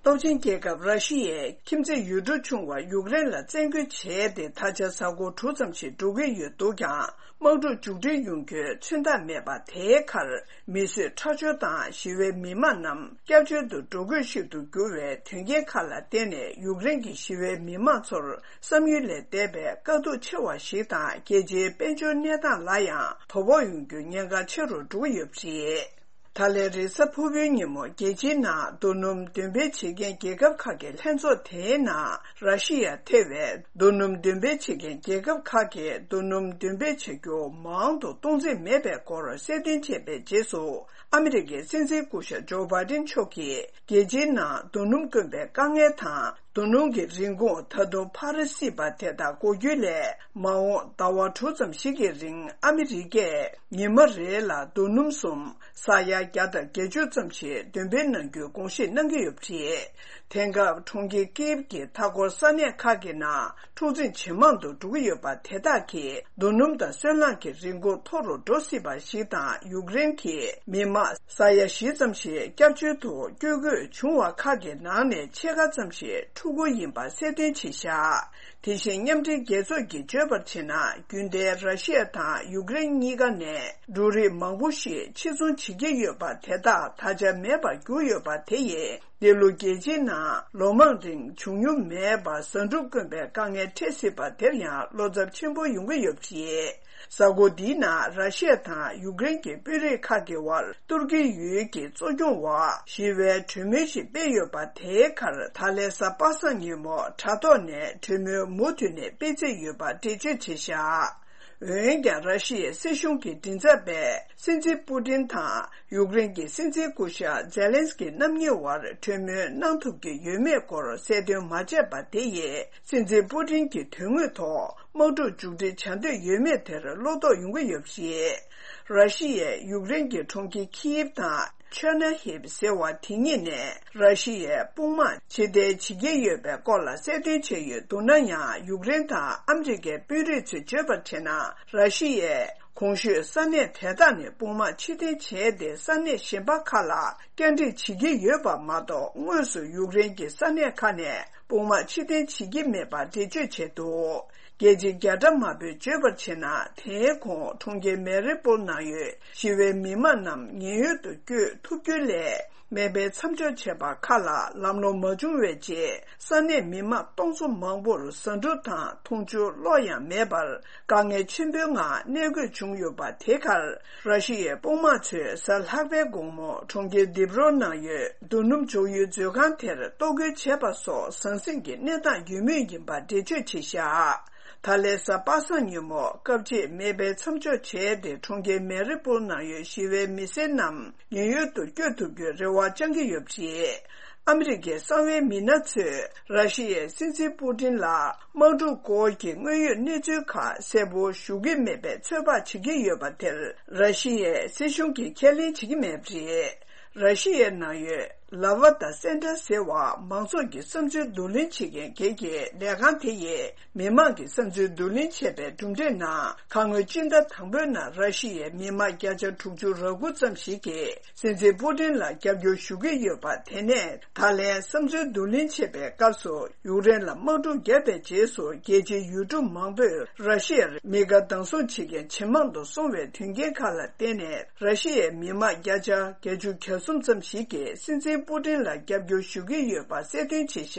སྟོབས་ཆེན་རྒྱལ་ཁབ་ར་ཤི་ཡས་ཁྱིམ་མཚེས་ཡུལ་གྲུ་ཆུང་བ་ཡུཀ་རེན་ལ་བཙན་རྒོལ་བྱས་ཏེ་ད་ཆ་གཟའ་འཁོར་དྲུག་ཙམ་ཞིག་འགྲོ་གི་ཡོད་འདུག་ཀྱང་། དམག་འཁྲུག་མཇུག་སྒྲིལ་ཡོང་རྒྱུའི་མཚོན་རྟགས་མེད་པ་དེའི་ཁར། མི་གསོད་ཁྲག་སྦྱོར་དང་ཞི་བའི་མི་མང་རྣམས་སྐྱབས་བཅོལ་དུ་འགྲོ་དགོས་ཤིག་ཏུ་གྱུར་བའི་དོན་རྐྱེན་ཁག་ལ་བརྟེན་ནས། ཡུཀ་རེན་གྱི་ཞི་བའི་མི་མང་ཚོར་བསམ་ཡུལ་ལས་འདས་པའི་དཀའ་སྡུག་ཆེ་བ་ཞིག་དང་། རྒྱལ་སྤྱིའི་དཔལ་འབྱོར་གནས་སྟངས་ལ་ཡང་དོ་ཕོག་ཡོང་རྒྱུའི་ཉེན་ཁ་ཆེ་རུ་འགྲོ་གི་ཡོད་པ་རེད། ད་ལན་རེས་གཟའ་ཕུར་བུའི་ཉིན་མོ་རྒྱལ་སྤྱིའི་ནང་རྡོ་སྣུམ་འདོན་སྤེལ་བྱེད་མཁན་རྒྱལ་ཁབ་ཁག་གི་ལྷན་ཚོགས་དེའི་ནང་། ར་ཤི་ཡ་ཐེ་བའི་རྡོ་སྣུམ་འདོན་སྤེལ་བྱེད་མཁན་རྒྱལ་ཁབ་ཁག་གིས་རྡོ་སྣུམ་འདོན་སྤེལ་བྱ་རྒྱུ་མང་དུ་གཏོང་འཛེམས་མེད་པའི་སྐོར་གསལ་སྟོན་བྱས་པའི་རྗེས་སུ། ཨ་མི་རི་ཀའི་སྲིད་འཛིན་སྐུ་ཞབས་ཇོ་བྷའི་ཏིན་མཆོག་གིས། རྒྱལ་སྤྱིའི་ནང་རྡོ་སྣུམ་དཀོན་པའི་དཀའ་ངལ་དང་། རྡོ་སྣུམ་གྱི་རིན་གོང་ད་དུང་འཕར་སྲིད་པ་དེ་དག་འགོག་རྒྱུ་ལས། མ་འོངས་ཟླ་བ་དྲུག་ཙམ་ཞིག་གི་རིང་ཨ་མི་རི་ཀས་ཉི་མ་རེ་ལ་རྡོ་སྣུམ་གསུམ། ས་ཡ་བརྒྱ་དང་བརྒྱད་ཅུ་ཙམ་ཞིག་འདོན་སྤེལ་གནང་རྒྱུའི་དགོངས་བཞེས་གནང་གི་ཡོད་པ་རེད། དེང་སྐབས་གྲོང་ཁྱེར་ཀིབ་ཀྱི་མཐའ་འཁོར་ས་གནས་ཁག་གི་ནང་འཁྲུག་འཛིང་ཇེ་མང་དུ་འགྲོ་གི་ཡོད་པ་དེ་དག་གིས་རྡོ་སྣུམ་དང་སོལ་རླངས་ཀྱི་རིན་གོང་མཐོ་རུ་འགྲོ་སྲིད་པ་ཞིག་དང་། ཡུཀ་རེན་གྱི་མི་དམངས་ས་ཡ་བཞི་ཙམ་ཞིག་སྐྱབས་བཅོལ་དུ་བསྐྱོད་དགོས་བྱུང་བ་ཁག་གི་ནང་ནས་ཕྱེད་ཀ་ཙམ་ཞིག་ཕྲུ་གུ་ཡིན་པ་གསལ་སྟོན་བྱས་བཞག་དེ་བཞིན་མཉམ་འབྲེལ་རྒྱལ་ཚོགས་ཀྱིས་བརྗོད་པར་བྱས་ན། རྒྱུན་ལྡན་ར་ཤི་ཡ་དང་ཡུཀ་རེན་གཉིས་ཀ་ནས་འབྲུ་རིགས་མང་པོ་ཞིག་ཕྱིར་ཚོང་བྱེད་ཀྱི་ཡོད་པ་དེ་དག་ད་ཆ་མེད་པར་གྱུར་ཡོད་པ་དེ་ཡིས། འདི་ལོ་རྒྱལ་སྤྱིའི་ནང་ལོ་མང་རིང་བྱུང་མྱོང་མེད་པར་ཟ་འབྲུ་དཀོན་པའི་དཀའ་ངལ་འཕྲད་སྲིད་པ་དེར་ཡང་བློ་འཚབ་ཆེན་པོ་ཡོང་གི་ཡོད་པ་རེད། གཟའ་འཁོར་འདིའི་ནང་ར་ཤི་ཡ་དང་ཡུཀ་རེན་གྱི་དཔོན་རིགས་ཁག་གི་དབར་ཏུར་ཀི་ཡུལ་གྱི་གཙོ་སྐྱོང་འོག་ཞི་བའི་གྲོས་མོལ་ཞིག་སྤེལ་ཡོད་པ། དེའི་ཁར་ད་ལན་གཟའ་པ་སངས་ཉིན་མོ་དྲ་ཐོག་ནས་གྲོས་མོལ་མུ་མཐུད་ནས་སྤེལ་རྩིས་ཡོད་པ་འགྲེལ་བརྗོད་བྱས་བཞག་འོན་ཀྱང་། ར་ཤི་ཡའི་སྲིད་གཞུང་གི་མགྲིན་ཚབ་པས་སྲིད་འཛིན་པུ་ཏིན་དང་ཡུཀ་རེན་གྱི་སྲིད་འཛིན་སྐུ་ཞབས་ཛེ་ལན་སི་ཀི་རྣམ་གཉིས་དབར་གྲོས་མོལ་གནང་ཐུབ་ཀྱི་ཡོད་མེད་སྐོར་གསལ་སྟོན་མ་བྱས་པ་དེ་ཡིས། སྲིད་འཛིན་པུ་ཏིན་གྱི་དོན་དངོས་ཐོག་དམག་འཁྲུག་མཇུག་སྒྲིལ་བྱ་འདོད་ཡོད་མེད་དེར་བློ་དོགས་ཡོང་གི་ཡོད་པ་རེད། ར་ཤི་ཡས་ཡུཀ་རེན་གྱི་གྲོང་ཁྱེར་ཁིབ་དང་ཆོ་ན་ཧིབ་ཟེར་བ་དེ་གཉིས་ནས་ར་ཤི་ཡས་དཔུང་དམག་ཕྱིར་འཐེན་བྱེད་ཀྱི་ཡོད་པའི་སྐོར་ལ་གསལ་སྟོན་བྱས་ཡོད་འདུག་ན་ཡང་། ཡུཀ་རེན་དང་ཨ་མི་རི་ཀའི་དཔོན་རིགས་ཚོས་བརྗོད་པར་བྱས་ན། ར་ཤི་ཡས་གོང་ཞུས་ས་གནས་དེ་དག་ནས་དཔུང་དམག་ཕྱིར་འཐེན་བྱས་ཏེ། ས་གནས་གཞན་པ་ཁག་ལ་བསྐྱར་སྒྲིག་བྱེད་ཀྱི་ཡོད་པ་མ་གཏོགས། དངོས་སུ་ཡུཀ་རེན་གྱི་ས་གནས་ཁག་ནས་དཔུང་དམག་ཕྱིར་འཐེན་བྱེད་ཀྱི་མེད་པ་འགྲེལ་བརྗོད་བྱས་འདུག་རྒྱལ་སྤྱི་རྒྱ་གྲམ་དམར་པོས་བརྗོད་པར་བྱས་ན། དེའི་གོང་གྲོང་ཁྱེར་མེ་རི་པོལ་ནང་ཡོད་ཞི་བའི་མི་མང་རྣམས་ཉེན་གཡོལ་དུ་བསྐྱོད་ཐུབ་རྒྱུ་ལས། མེ་འཕེན་མཚམས་འཇོག་བྱས་པ་ཁག་ལ་ལམ་ལྷོང་མ་བྱུང་བའི་རྗེས། ས་གནས་མི་མང་སྟོང་ཚོ་མང་པོར་ཟ་འབྲུ་དང་འཐུང་ཆུ་བློ་ཡང་མེད་པར། དཀའ་ངལ་ཆེན་པོའི་ངང་གནས་དགོས་བྱུང་ཡོད་པ། དེ་ཁར་ར་ཤི་ཡའི་དཔུང་དམག་ཚོས་གཟའ་ལྷག་པའི་དགོང་མོ་གྲོང་ཁྱེར་དིབ་རོ་ནང་ཡོད་རྡོ་སྣུམ་འཇོག་ཡུལ་མཛོད་ཁང་དེར་གཏོར་རྒོལ་བྱས་པ་སོགས་ཟང་ཟིང་གི་གནས་སྟངས་ཡོད་མུས་ཡིན་པ་འགྲེལ་བརྗོད་བྱས་བཞག་ད་ལན་གཟའ་པ་སངས་ཉིན་མོ་སྐབས་གཅིག་མེ་འཕེན་མཚམས་འཇོག་བྱས་ཏེ། གྲོང་ཁྱེར་མེ་རི་པོལ་ནང་ཡོད་ཞི་བའི་མི་སེར་རྣམས་ཉེན་གཡོལ་དུ་བསྐྱོད་ཐུབ་རྒྱུའི་རེ་བ་བཅང་གི་ཡོད་པ་རེད། ཨ་མི་རི་ཀའི་གསང་བའི་མི་སྣ་ཚོས་ར་ཤི་ཡའི་སྲིད་འཛིན་པུ་ཏིན་ལ་དམག་འཁྲུག་སྐོར་གྱི་དངོས་ཡོད་གནས་ཚུལ་ཁག་གསལ་པོ་ཞུ་གི་མེད་པའི་ཚོད་དཔག་བྱེད་ཀྱི་ཡོད་པ་དེར། ར་ཤི་ཡའི་སྲིད་གཞུང་གིས་ཁས་ལེན་བྱེད་ཀྱི་མེད་པ་རེད། ར་ཤི་ཡའི་ནང་ཡོད་ལ་ཝ་ཏ་སེན་ཏྲ་ཟེར་བ་མང་ཚོགས་ཀྱི་བསམ་ཚུལ་བསྡུ་ལེན་བྱེད་མཁན་སྒེར་གྱི་ལས་ཁང་དེ་ཡིས། མི་མང་གི་བསམ་ཚུལ་བསྡུ་ལེན་བྱས་པའི་གྲུབ་འབྲས་ནང་། ཁ་སྔོན་སྤྱི་ཟླ་དང་པོའི་ནང་ར་ཤི་ཡའི་མི་མང་བརྒྱ་ཆ་དྲུག་ཅུ་རེ་དགུ་ཙམ་ཞིག་གིས་སྲིད་འཛིན་པུ་ཏིན་ལ་རྒྱབ་སྐྱོར་ཞུ་གི་ཡོད་པ། དེ་ནས་ད་ལན་བསམ་ཚུལ་བསྡུ་ལེན་བྱེད་པའི་སྐབས་སུ། ཡུཀ་རེན་ལ་དམག་འཁྲུག་བརྒྱབ་པའི་རྗེས་སུ། རྒྱལ་སྤྱིའི་ཡུལ་གྲུ་མང་པོས་ར་ཤི་ཡར་མི་དགའ་སྡང་ཟུང་བྱེད་མཁན་ཇེ་མང་དུ་སོང་བའི་དོན་རྐྱེན་ཁག་ལ་བརྟེན་ནས། ར་ཤི་ཡའི་མི་མང་བརྒྱ་ཆ་བརྒྱད་ཅུ་གྱ་གསུམ་ཙམ་ཞིག་གིས་སྲིད་འཛིན་པུ་ཏིན་ལ་རྒྱབ་སྐྱོར་ཞུ་གི་ཡོད་པ་གསལ་སྟོན་བྱས་བཞག་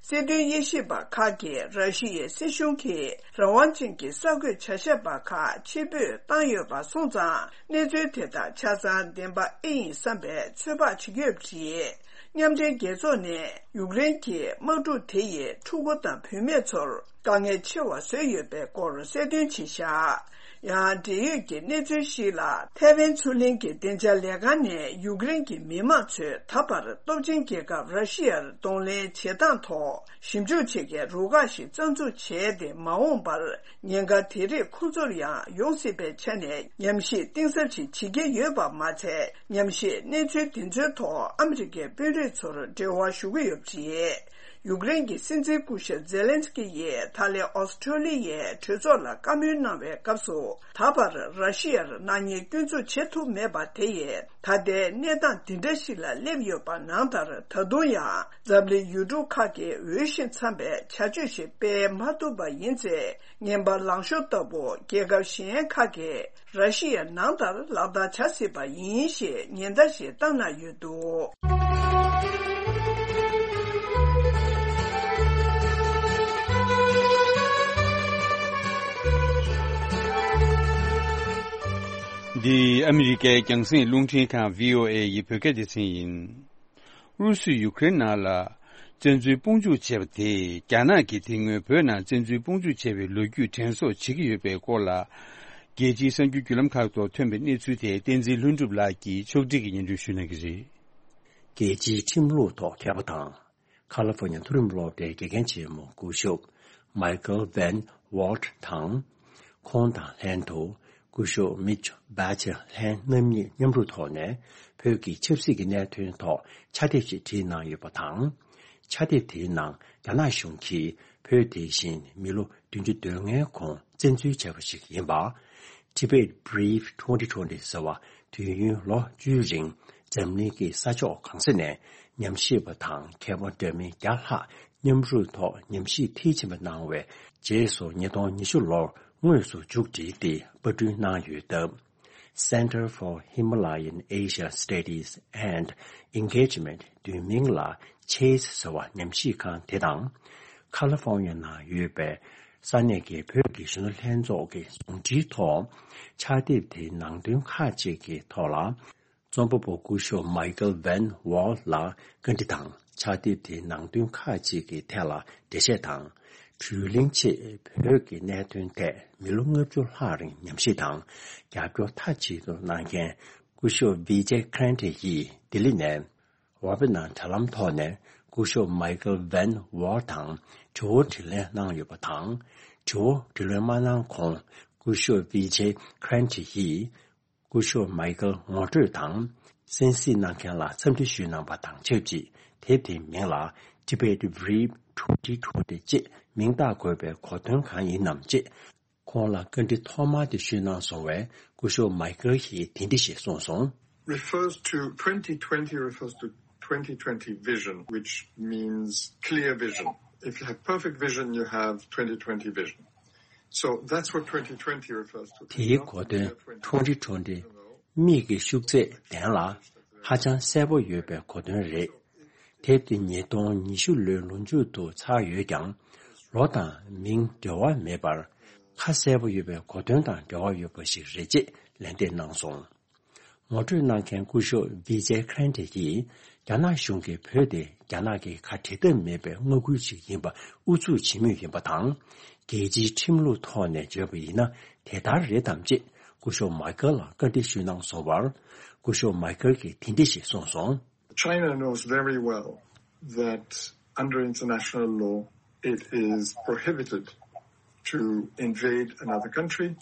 སྲིད་དོན་དབྱེ་ཞིབ་པ་ཁག་གིས་ར་ཤི་ཡའི་སྲིད་གཞུང་གིས་རང་དབང་ཅན་གྱི་གསར་འགོད་བྱ་བཞག་པ་ཁག་ཕྱིར་འབུད་བཏང་ཡོད་པ་སོང་ཙང་། གནས་ཚུལ་དེ་དག་ཆ་ཚང་བདེན་པ་ཨེ་ཡིན་བསམ་པའི་ཚོད་དཔག་བྱེད་ཀྱི་ཡོད་པ་རེད། མཉམ་འབྲེལ་རྒྱལ་ཚོགས་ནས་ཡུཀ་རེན་གྱི་དམག་འཁྲུག་དེ་ཡིས་ཕྲུ་གུ་དང་བུད་མེད་ཚོར་དཀའ་ངལ་ཆེ་བ་བཟོས་ཡོད་པའི་སྐོར་གསལ་སྟོན་བྱས་བཞག་ཡང་འབྲེལ་ཡོད་ཀྱི་གནས་ཚུལ་ཞིག་ལ། ཐའེ་ཝན་མཚོ་གླིང་གི་བདེ་འཇགས་ལས་ཁང་ནས་ཡུཀ་རེན་གྱི་མི་མང་ཚོས་ད་བར་སྟོབས་ཆེན་རྒྱལ་ཁབ་ར་ཤི་ཡར་གདོང་ལེན་བྱེད་སྟངས་ཐོག་ཞིབ་འཇུག་བྱེད་མཁན་རུ་ཁག་ཞིག་རྩ་འཛུགས་བྱས་ཏེ། མ་འོངས་པར་ཉེན་ཁ་དེ་རིགས་ཁོང་ཚོར་ཡང་ཡོང་སྲིད་པའི་ཆ་ནས་ཉམས་ཞིབ་གཏིང་ཟབ་ཞིག་བྱེད་ཀྱི་ཡོད་པ་མ་ཚད། ཉམས་ཞིབ་གནས་ཚུལ་དེ་ཚོའི་ཐོག་ཨ་མི་རི་ཀའི་དཔོན་རིགས་ཚོར་འབྲེལ་བ་ཞུ་གི་ཡོད་པ་རེད། ཡུཀ་རེན་གྱི་སྲིད་འཛིན་སྐུ་ཞབས་ཛེ་ལན་སི་ཀི་ཡིས་ད་ལན་ཨོ་སི་ཁྲོ་ལི་ཡའི་གྲོས་ཚོགས་ལ་བཀའ་མོལ་གནང་བའི་སྐབས་སུ། ད་བར་ར་ཤི་ཡར་ནག་ཉེས་སྐྱོན་འཛུགས་བྱེད་ཐུབ་མེད་པ་དེ་ཡིས་ད་ལྟའི་གནས་སྟངས་འདི་འདྲ་ཞིག་ལ་སླེབས་ཡོད་པ་ནང་ལྟར། ད་དུང་ཡང་འཛམ་གླིང་ཡུལ་གྲུ་ཁག་གིས་འོས་ཤིང་འཚམ་པའི་བྱ་སྤྱོད་ཞིག་སྤེལ་མ་ཐུབ་པ་ཡིན་ཚེ། ངན་པ་ལངས་ཤོར་ལྟ་བུ་རྒྱལ་ཁབ་གཞན་ཁག་གིས་ར་ཤི་ཡ་ནང་ལྟར་ལག་བསྟར་བྱ་སྲིད་པ་ཡིན་ཞེས་ཉེན་བརྡ་ཞིག་བཏང་གནང་ཡོད་འདུག། འདི་ཨ་མི་རི་ཀའི་རྒྱང་སྲིང་རླུང་འཕྲིན་ཁང་བྷི་ཨོ་ཨེ་ཡི་བོད་སྐད་སྡེ་ཚན་ཡིན། ཨུ་རུ་སུས་ཡུ་ཀེ་རེན་ནང་ལ་བཙན་འཛུལ་དཔུང་འཇུག་བྱས་པ་དེས། རྒྱ་ནག་གིས་དེ་སྔོན་བོད་ནང་བཙན་འཛུལ་དཔུང་འཇུག་བྱས་པའི་ལོ་རྒྱུས་དྲན་གསོ་བྱེད་ཀྱི་ཡོད་པའི་སྐོར་ལ། རྒྱལ་སྤྱིའི་གསར་འགྱུར་བརྒྱུད་ལམ་ཁག་ཐོག་ཐོན་པའི་གནས་ཚུལ་དེ། བསྟན་འཛིན་ལྷུན་གྲུབ་ལགས་ཀྱིས་ཕྱོགས་སྒྲིག་གིས་སྙན་སྒྲོན་ཞུ་གནང་གི་རེད། རྒྱལ་སྤྱིའི་ཁྲིམས་ལུགས་ཐོག་མཁས་པ་དང་། ཁ་ལི་ཧྥོ་ནི་ཡ་མཐོ་རིམ་སློབ་གྲྭའི་དགེ་རྒན་ཆེན་མོ་སྐུ་ཞབས་Michael Van Walt དང་། ཁོང་དང་ལྷན་དུ་སྐུ་ཞབས་Mitch Badger ལྷན་རྣམ་གཉིས་མཉམ་རུབ་ཐོག་ནས་བོད་ཀྱི་ཆབ་སྲིད་ཀྱི་གནད་དོན་ཐོག་ཕྱག་དེབ་ཞིག་བྲིས་གནང་ཡོད་པ་དང་། ཕྱག་དེབ་དེའི་ནང་རྒྱ་ནག་གཞུང་གིས་བོད་དེ་བཞིན་མི་ལོ་བདུན་ཅུ་དོན་ལྔའི་གོང་བཙན་འཛུལ་བྱས་པ་ཞིག་ཡིན་པ། Tibet Brief twenty twenty ཟེར་བ། དུས་ཡུན་ལོ་བཅུའི་རིང་འཛམ་གླིང་གི་ས་ཕྱོགས་གང་ས་ནས་ཉམས་ཞིབ་པ་དང་མཁས་པ་འདྲ་མིན་བརྒྱ་ལྷག་མཉམ་རུབ་ཐོག་ཉམས་ཞིབ་མཐིལ་ཕྱིན་པ་གནང་བའི་རྗེས་སུ། ཉིས་སྟོང་ཉི་ཤུ་ལོར་དངོས་སུ་མཇུག་བསྒྲིལ་ཏེ་པར་སྐྲུན་གནང་ཡོད་སྟབས། Center for Himalayan Asia Studies and Engagement བསྡུས་མིང་ལ་ཆེས་ཟེར་བ་ཉམས་ཞིབ་ཁང་དེ་དང་། ཁ་ལི་ཧྥོ་ནི་ཡ་ནང་ཡོད་པའི་ས་གནས་ཀྱི་བོད་ཀྱི་གཞོན་ནུ་ལྷན་ཚོགས་ཀྱི་ཟུང་འབྲེལ་ཐོག་ཕྱག་དེབ་དེའི་ནང་དོན་ཁག་ཅིག་གི་ཐོག་ལ། རྩོམ་པ་པོ་སྐུ་ཞབས་Michael Van Wall ལ་བཀའ་འདྲི་དང་། ཕྱག་དེབ་དེའི་ནང་དོན་ཁག་ཅིག་གི་ཐད་ལ་འགྲེལ་བཤད་དང་། བགྲོ་གླེང་ཆེད་བོད་ཀྱི་གནད་དོན་ཐད་མི་ལོ་ལྔ་བཅུ་ལྷག་རིང་ཉམས་ཞིབ་དང་རྒྱབ་སྐྱོར་མཐའ་གཅིག་ཏུ་གནང་མཁན་སྐུ་ཞབས་Vijay Krante ཡིས་ལྡི་ལི་ནས་ཝེ་བི་ནར་དྲ་ལམ་ཐོག་ནས་སྐུ་ཞབས་Michael Van Wall དང་དྲི་བ་དྲིས་ལན་གནང་ཡོད་པ་དང་། དྲི་བ་དྲིས་ལན་མ་གནང་གོང་སྐུ་ཞབས་Vijay Krante ཡིས། སྐུ་ཞབས་མའི་ཀལ་ངོ་སྤྲོད་དང་། གསན་གཟིགས་གནང་མཁན་ལ་འཚམས་འདྲི་ཞུས་གནང་པ་དང་ཆབས་ཅིག་དེབ་དེའི་མིང་ལ་Tibet Brief twenty twenty ཅེས་མིང་བཏགས་དགོས་པའི་གོ་དོན་གང་ཡིན་ནམ་ཅེས་ཁོང་ལ་བཀའ་འདྲི་ཐོག་མར་དེ་ཞུས་གནང་སོང་བས། སྐུ་ཞབས་མའི་ཀལ་གྱིས་དེ་འདྲ་ཞིག་གསུངས་སོང་། Refers to, twenty twenty refers to twenty twenty vision, which means clear vision. If you have perfect vision, you have twenty twenty vision. So that's what twenty twenty refers to. དེའི་གོ་དོན་twenty twenty མིག་གི་ཤུགས་ཚད་ལྡན་ལ་ཧ་ཅང་གསལ་པོ་ཡོད་པའི་གོ་དོན་རེད། དེབ་དེ་ཉིས་སྟོང་ཉི་ཤུ་ལོའི་ལོ་མཇུག་ཏུ་ཚར་ཡོད་ཀྱང་། ལོ་དང་མིང་འབྲེལ་བ་མེད་པར་ཁ་གསལ་པོ་ཡོད་པའི་གོ་དོན་དང་འབྲེལ་བ་ཡོད་པ་ཞིག་རེད་ཅེས་ལན་འདེབས་གནང་སོང་། ངོ་སྤྲོད་གནང་མཁན་སྐུ་ཞབས་བི་ཇེ་ཁྲན་ཏེ་ཡིས། རྒྱ་ནག་གཞུང་གིས་བོད་དེ་རྒྱ་ནག་གི་ཁ་འབྲལ་ཐབས་མེད་པའི་མངའ་ཁུལ་ཞིག་ཡིན་པ་ཨུ་ཚུགས་བྱེད་མུས་ཡིན་པ་དང་། རྒྱལ་སྤྱིའི་ཁྲིམས་ལུགས་ཐོག་ནས་བརྗོད་པ་ཡིན་ན། དེ་ལྟར་རེད་དམ་ཅེས་སྐུ་ཞབས་མའི་ཀལ་ལ་བཀའ་འདྲི་ཞུས་གནང་སོང་བར། སྐུ་ཞབས་མའི་ཀལ་གྱིས་དེ་འདྲ་ཞིག་གསུངས་སོང་། China knows very well that under international law, it is prohibited to invade another country,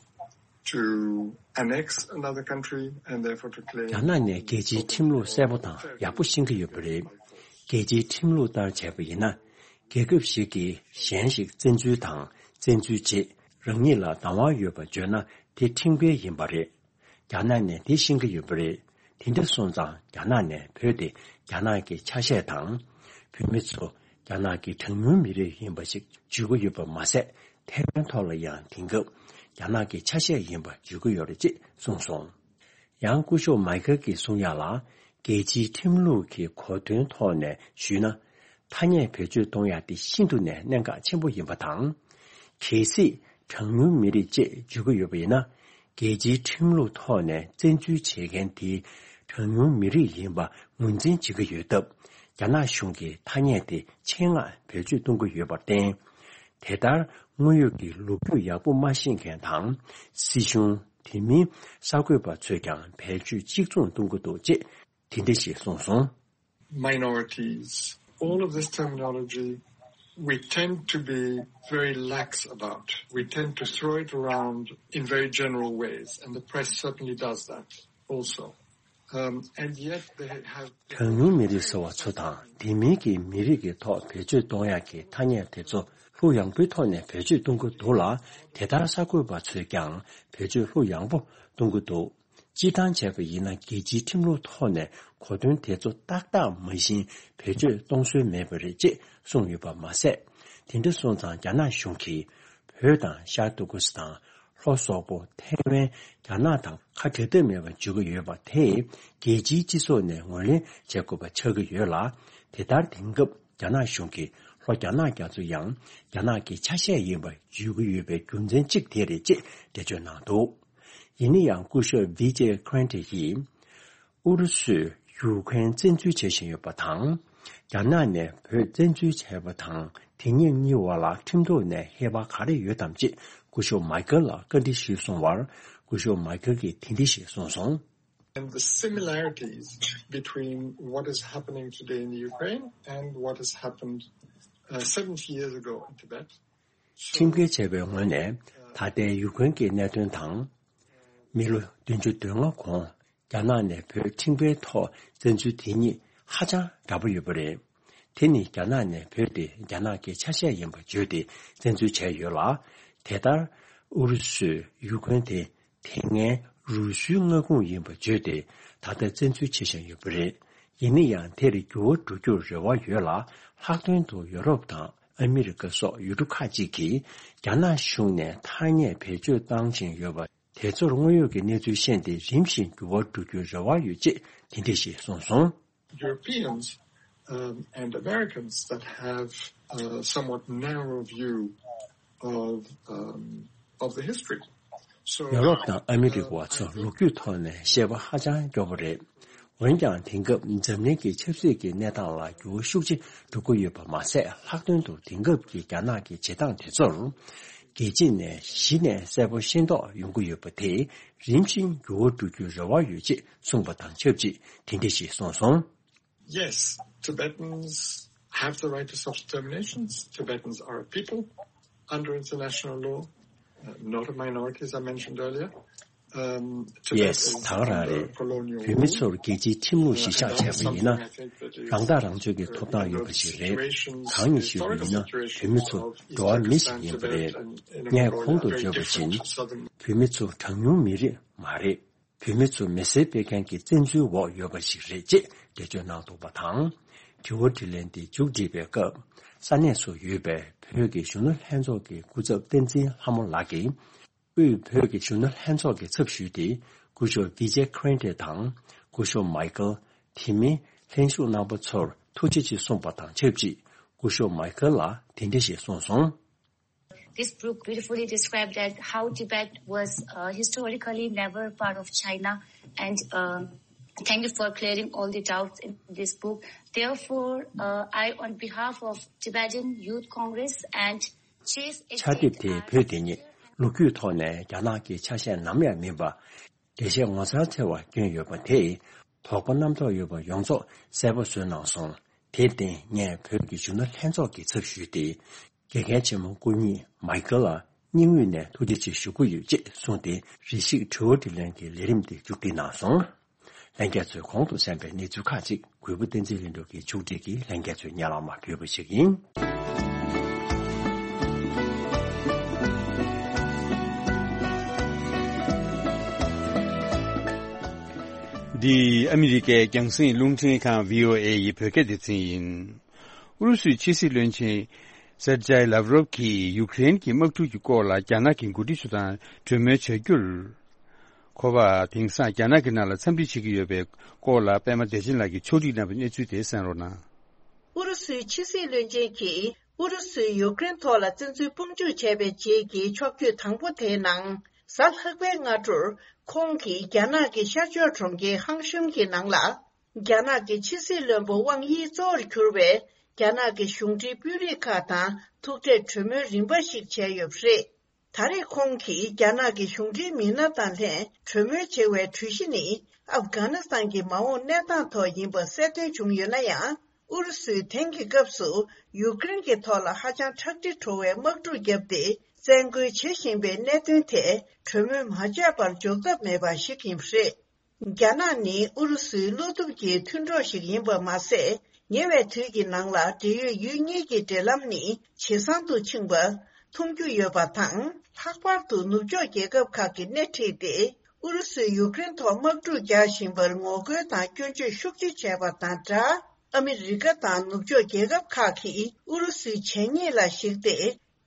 to annex another country, and therefore to claim. རྒྱ་ནག་ནས་རྒྱལ་སྤྱིའི་ཁྲིམས་ལུགས་གསལ་པོ་དང་ཡག་པོ་ཤེས་ཀྱི་ཡོད་པ་རེད། རྒྱལ་སྤྱིའི་ཁྲིམས་ལུགས་ལྟར་བྱས་པ་ཡིན་ན། རྒྱལ་ཁབ་ཞིག་གིས་གཞན་ཞིག་བཙན་འཛུལ་དང་བཙན་འཛུལ་རྗེས་རང་ཉིད་ལ་བདག་དབང་ཡོད་པ་བརྗོད་ན་དེ་ཁྲིམས་འགལ་ཡིན་པ་རེད། རྒྱ་ནག་ནས་དེ་ཤེས་ཀྱི་ཡོད་པ་རེད། དེ་འདྲ་སོང་ཙང་རྒྱ་ནག་ནས་བོད་དེ་རྒྱ་ནག་གི་ཆ་ཤས་དང་། བོད་མི་ཚོ་རྒྱ་ནག་གི་གྲངས་ཉུང་མི་རིགས་ཡིན་པ་ཞིག་བརྗོད་ཀྱི་ཡོད་པ་མ་ཟད། ཐེ་ཝན་ཐོག་ལ་ཡང་དེང་སྐབས་རྒྱ་ནག་གི་ཆ་ཤས་ཡིན་པ་བརྗོད་ཀྱི་ཡོད་རེད་ཅེས་གསུངས་སོང་། ཡང་སྐུ་ཞབས་མའི་ཀལ་གྱིས་གསུང་ཡག་ལ། རྒྱལ་སྤྱིའི་ཁྲིམས་ལུགས་ཀྱི་གོ་དོན་ཐོག་ནས་ཞུས་ན། ཐ་སྙད་བེད་སྤྱོད་གཏོང་ཡག་དེ་ཤིན་ཏུ་ནས་གནད་འགག་ཆེན་པོ་ཡིན་པ་དང་། གལ་སྲིད་གྲངས་ཉུང་མི་རིགས་ཅེས་བརྗོད་ཀྱི་ཡོད་པ་ཡིན་ན། རྒྱལ་སྤྱིའི་ཁྲིམས་ལུགས་ཐོག་ནས་བཙན་འཛུལ་བྱེད་མཁན་དེ་གྲངས་ཉུང་མི་རིགས་ཡིན་པ་ངོས་འཛིན་བྱེད་ཀྱི་ཡོད་སྟབས། རྒྱ་ནག་གཞུང་གིས་ཐ་སྙད་དེ་ཆེད་མངགས་བེད་སྤྱོད་གཏོང་གི་ཡོད་པར་བརྟེན། དེ་ལྟར་དངོས་ཡོད་ཀྱི་ལོ་རྒྱུས་ཡག་པོ་མ་ཤེས་མཁན་དང་། སྲིད་གཞུང་། དེ་མིན་གསར་འགོད་པ་ཚོས་ཀྱང་བེད་སྤྱོད་གཅིག་མཚུངས་གཏོང་གི་འདུག་ཅེས་དེ་འདྲ་ཞིག་གསུངས་སོང་། Minorities. All of this terminology we tend to be very lax about. We tend to throw it around in very general ways, and the press certainly does that also. Um, and yet they have གྲངས་ཉུང་མི་རིགས་ཟེར་བ་ཚོ་དང་དེ་མིན་གྱི་མི་རིགས་ཀྱི་ཐོག་བེད་སྤྱོད་གཏོང་ཡག་གི་ཐ་སྙད་དེ་ཚོ་ལྷུག་ཡངས་པོའི་ཐོག་ནས་བེད་སྤྱོད་གཏོང་གི་འདུག་ལ། དེ་ལྟར་གསར་འགོད་པ་ཚོས་ཀྱང་བེད་སྤྱོད་ལྷུག་ཡངས་པོ་གཏོང་གི་འདུག་སྤྱིར་བཏང་བྱས་པ་ཡིན་ན་རྒྱལ་སྤྱིའི་ཁྲིམས་ལུགས་ཐོག་ནས་གོ་དོན་དེ་ཚོ་ཏག་ཏག་མ་བཞིན་བེད་སྤྱོད་གཏོང་སྲོལ་མེད་པ་རེད་ཅེས་གསུངས་ཡོད་པ་མ་ཟད། དེ་འདྲ་སོང་ཙང་རྒྱ་ནག་གཞུང་གིས་བོད་དང་ཤར་ཏུར་ཀུ་སི་ཐན། ལྷོ་སོག་པོ། ཐའེ་ཝན། རྒྱ་ནག་དང་ཁ་བྲལ་ཐབས་མེད་པར་འཇུག་གི་ཡོད་པ་དེས་རྒྱལ་སྤྱིའི་སྤྱི་ཚོགས་ནས་ངོས་ལེན་བྱེད་དགོས་པ་ཆགས་ཀྱི་ཡོད་ལ། དེ་ལྟར་དེང་སྐབས་རྒྱ་ནག་གཞུང་གིས་ལྷོ་རྒྱ་ནག་རྒྱ་མཚོ་ཡང་རྒྱ་ནག་གི་ཆ་ཤས་ཡིན་པར་བརྗོད་ཀྱི་ཡོད་པའི་རྒྱུ་མཚན་གཅིག་དེ་རེད་ཅེས་འགྲེལ་བརྗོད་གནང་འདུག་ཡིན་ན་ཡང་སྐུ་ཞབས་བི་ཇེ་ཁི་རན་ཏེ་ཡིས། ཨུ་རུ་སུས་ཡུ་ཁུ་རེན་བཙན་འཛུལ་བྱེད་བཞིན་ཡོད་པ་དང་། རྒྱ་ནག་ནས་བོད་བཙན་འཛུལ་བྱས་པ་དང་དེ་གཉིས་གཉིས་བར་ལ་ཁྲིམས་ཐོག་ནས་ཧེ་བག་ག་རེ་ཡོད་དམ་ཅེས་སྐུ་ཞབས་མའི་ཀལ་ལ་བཀའ་འདྲི་ཞུས་སོང་བར། སྐུ་ཞབས་མའི་ཀལ་གྱིས་དེ་འདྲ་ཞིག་གསུངས་སོང་། And the similarities between what is happening today in Ukraine and what has happened uh, seventy years ago in Tibet. ཁྲིམས་འགལ་བྱས་པའི་ངོས་ནས་ད་ལྟའི་ཡུ་ཁུ་རེན་གྱི་གནད་དོན་དང་། མི་ལོ་བདུན་ཅུ་དོན་ལྔ་གོང་རྒྱ་ནག་ནས་བོད་ཁྲིམས་འགལ་ཐོག་བཙན་འཛུལ་དེ་གཉིས་ཧ་ཅང་འདྲ་པོ་ཡོད་པ་རེད། དེ་ནི་རྒྱ་ནག་ནས་བོད་དེ་རྒྱ་ནག་གི་ཆ་ཤས་ཡིན་པ་བརྗོད་དེ་བཙན་འཛུལ་བྱས་ཡོད་ལ། དེ་ལྟར་ཨུ་རུ་སུས་ཡུ་ཁུ་རེན་དེ་དེ་སྔའི་རུས་སུའི་མངའ་ཁོངས་ཡིན་པ་བརྗོད་དེ་ད་ལྟ་བཙན་འཛུལ་བྱེད་བཞིན་ཡོད་པ་རེད། ཡིན་ན་ཡང་དེར་འགྱུར་བ་འགྲོ་རྒྱུར་རེ་བ་ཡོད་ལ། ལྷག་དོན་དུ་ཡོ་རོབ་དང་ཨ་མི་རི་ཀ་སོགས་ཡུལ་གྲུ་ཁག་ཅིག་གིས་རྒྱ་ནག་གཞུང་ནས་ཐ་སྙད་བེད་སྤྱོད་བཏང་བཞིན་ཡོད་པ། དེ་ཚོར་དངོས་ཡོད་ཀྱི་གནས་ཚུལ་ཤེས་ཏེ་རིམ་བཞིན་འགྱུར་བ་འགྲོ་རྒྱུའི་རེ་བ་ཡོད་ཅེས་དེ་འདྲ་ཞིག་གསུངས་སོང་། Europeans um, and Americans that have a somewhat narrow view of, um, of the history. So, ཡོ་རོབ་དང་ཨ་མི་རི་ཀ་བ་ཚོ་ལོ་རྒྱུས་ཐོག་ནས་ཤེས་པ་ཧ་ཅང་སྐྱོ་པོ་རེད། འོན་ཀྱང་དེང་སྐབས་འཛམ་གླིང་གི་ཆབ་སྲིད་ཀྱི་གནས་སྟངས་ལ་འགྱུར་བ་ཤུགས་ཆེ་འགྲོ་གི་ཡོད་པ་མ་ཟད། ལྷག་དོན་དུ་དེང་སྐབས་ཀྱི་རྒྱ་ནག་གི་བྱེད་སྟངས་དེ་ཚོར། རྒྱལ་སྤྱི་ནས་གཞི་ནས་གསལ་པོ་ཤེས་རྟོགས་ཡོང་གི་ཡོད་པ་དེས་རིམ་བཞིན་འགྱུར་བ་འགྲོ་རྒྱུའི་རེ་བ་ཡོད་ཅེས་གསུངས་པ་དང་ཆབས་ཅིག་དེ་འདྲ་ཞིག་གསུངས་སོང་། Yes, Tibetans have the right to self-determination. Tibetans are a people under international law, uh, not a minority, as I mentioned earlier. Um, Tibet Yes, is ད་ག་རང་རེད། under colonial བོད་མི་ཚོར་རྒྱལ་སྤྱིའི་ཁྲིམས་ལུགས་གཞི་བཞག་བྱས་པ་ཡིན་ན། རང་ཐག་རང་གཅོད་ཀྱི་ཐོབ་ཐང་ཡོད་པ་ཞིག་རེད། གང་ཡིན་ཞུས་པ་ཡིན་ན་བོད་མི་ཚོ་འགྲོ་བ་མི་ཞིག་ཡིན་པ་རེད། ངས་གོང་དུ་བརྗོད་པ་བཞིན་བོད་མི་ཚོ་གྲངས་ཉུང་མི་རིགས་མ་རེད། བོད་མི་ཚོ་མི་སེར་སྤེལ་མཁན་གྱི་བཙན་འཛུལ་འོག་ཡོད་པ་ཞིག་རེད་ཅེས་འགྲེལ་བརྗོད་གནང་འདུག་པ་དང་། དྲི་བ་དྲིས་ལན་དེ་མཇུག་བསྒྲིལ་བའི་སྐབས། ས་གནས་སུ་ཡོད་པའི་བོད་ཀྱི་གཞོན་ནུ་ལྷན་ཚོགས་ཀྱི་སྐུ་ཚབ་བསྟན་འཛིན་ལྷ་མོ་ལགས་ཀྱིས། དབུས་བོད་ཀྱི་གཞོན་ནུ་ལྷན་ཚོགས་ཀྱི་ཚབ་ཞུས་ཏེ། སྐུ་ཞབས་བི་ཇེ་ཁི་རན་ཏེ་དང་སྐུ་ཞབས་མའི་ཀལ། དེ་མིན་ལྷན་ཞུགས་གནང་པ་ཚོར་ཐུགས་རྗེ་ཆེ་གསུངས་པ་དང་ཆབས་ཅིག་སྐུ་ཞབས་མའི་ཀལ་ལ་དེ་འདྲ་ཞིག་གསུངས་སོང་། This book beautifully described that how Tibet was uh, historically never part of China, and uh, thank you for clearing all the doubts in this book. Therefore, uh, I, on behalf of Tibetan Youth Congress and Chase ཆ་དེབ་དེ་བོད་དེ་ཉིད་ལོ་རྒྱུས་ཐོག་ནས་རྒྱ་ནག་གི་ཆ་ཤས་ནམ་ཡང་མིན་པ། འགྲེལ་བཤད་ངོ་མཚར་ཆེ་བ་བསྐྱོན་ཡོད་པ་དེས་དོགས་པ་རྣམ་རྟོག་ཡོད་པ་ཡོངས་རྫོགས་གསལ་པོ་བཟོས་གནང་སོང་། དེར་བརྟེན་ངས་བོད་ཀྱི་གཞོན་ནུ་ལྷན་ཚོགས་ཀྱི་ཚབ་ཞུས་ཏེ། དགེ་རྒན་ཆེན་མོ་སྐུ་ཉིད་མའི་ཀལ་ལ་སྙིང་དབུས་ནས་ཐུགས་རྗེ་ཆེ་ཞུ་གི་ཡོད་ཅེས་གསུངས་ཏེ། རེ་ཞིག་དྲི་བ་དྲིས་ལན་གྱི་ལས་རིམ་དེ་མཇུག་སྒྲིལ་གནང་སོང་། ལྷན་རྒྱས་ཚོས་གོང་དུ་གསན་པའི་གནས་ཚུལ་ཁག་ཅིག་གུས་པ་བསྟན་འཛིན་ལྷུན་གྲུབ་ཀྱིས་མཇུག་སྒྲིལ་གྱིས་ལྷན་རྒྱས་ཚོའི་སྙན་ལམ་མ་ཕུལ་བ་ཞིག་ཡིན། འདི་ཨ་མི་རི་ཀའི་རྒྱང་སྲིང་རླུང་འཕྲིན་ཁང་བྷི་ཨོ་ཨེ་ཡི་བོད་སྐད་སྡེ་ཚན་ཡིན། ཨུ་རུ་སུའི་ཕྱི་སྲིད་བློན་ཆེན་སེར་ཇའི་ལབ་རོབ་ཀྱིས་ཡུཀ་རེན་གྱི་དམག་འཁྲུག་གི་སྐོར་ལ་རྒྱ་ནག་གི་འགོ་ཁྲིད་ཚོ་དང་གྲོས་མོལ་བྱ་རྒྱུར། ཁོ་པ་དེང་སང་རྒྱ་ནག་གི་ནང་ལ་འཚམས་འདྲི་བྱེད་ཀྱི་ཡོད་པའི་སྐོར་ལ་པད་མ་བདེ་ཆེན་ལགས་ཀྱིས་ཕྱོགས་སྒྲིག་གནང་བའི་གནས་ཚུལ་དེ་གསན་རོགས་གནང་། ཨུ་རུ་སུའི་ཕྱི་སྲིད་བློན་ཆེན་གྱིས་ཨུ་རུ་སུས་ཡུཀ་རེན་ཐོག་ལ་བཙན་འཛུལ་དཔུང་འཇུག་བྱས་པའི་རྗེས་ཀྱི་ཕྱོགས་བསྐྱོད་དང་པོ་དེའི་ནང་། གཟའ་ལྷག་པའི་སྔ་དྲོར་ཁོང་གིས་རྒྱ་ནག་གི་ཤར་ཕྱོགས་གྲོང་ཁྱེར་ཧང་ཤུན་གྱི་ནང་ལ། རྒྱ་ནག་གི་ཕྱི་སྲིད་བློན་པོ་ཝང་དབྱི་གཙོ་བོར་གྱུར་བའི་རྒྱ་ནག་གི་གཞུང་འབྲེལ་དཔོན་རིགས་ཁག་དང་ཐུག་འཕྲད་གྲོས་མོལ་རིམ་པ་ཞིག་བྱས་ཡོད་པ་རེད། ད་རེས་ཁོང་གིས་རྒྱ་ནག་གི་གཞུང་འབྲེལ་མི་སྣ་དང་ལྷན་གྲོས་མོལ་བྱེད་པའི་གྲོས་གཞི་ནི་ཨབ་གྷ་ནི་སི་ཐན་གྱི་མ་འོངས་གནས་སྟངས་ཐོག་ཡིན་པ་གསལ་སྟོན་བྱུང་ཡོད་ན་ཡང་། ཨུ་རུ་སུས་དེང་གི་སྐབས་སུ་ཡུཀ་རེན་གྱི་ཐོག་ལ་ཧ་ཅང་ཁྲག་དྲི་བྲོ་བའི་དམག་འཁྲུག་བརྒྱབ་སྟེ། བཙན་རྒོལ་བྱེད་བཞིན་པའི་གནད་དོན་དེ་གྲོས་མོལ་མ་བྱས་པར་འཇོག་ཐབས་མེད་པ་ཞིག་ཡིན་པ་རེད། རྒྱ་ནག་ནི་ཨུ་རུ་སུའི་བློ་སྟོབས་ཀྱི་མཐུན་གྲོགས་ཤིག་ཡིན་པ་མ་ཟད། ཉེ་བའི་དུས་ཀྱི་ནང་ལ་འབྲེལ་ཡོད་ཡུལ་གཉིས་ཀྱི་འབྲེལ་ལམ་ནི་ཇེ་བཟང་དུ་ཕྱིན་པ་མཐོང་རྒྱུ་ཡོད་པ་དང་། ལྷག་པར་དུ་ནུབ་ཕྱོགས་རྒྱལ་ཁབ་ཁག་གིས་སྣེ་ཁྲིད་དེ། ཨུ་རུ་སུས་ཡུཀ་རེན་ཐོག་དམག་འཁྲུག་རྒྱག་བཞིན་པར་ངོ་རྒོལ་དང་སྐྱོན་བརྗོད་ཤུགས་ཆེ་བྱས་པ་དང་སྦྲགས། ཨ་མི་རི་ཀ་དང་ནུབ་ཕྱོགས་རྒྱལ་ཁབ་ཁག་གིས་ཨུ་རུ་སུའི་བྱས་ཉེས་ལ་གཞིགས་ཏེ།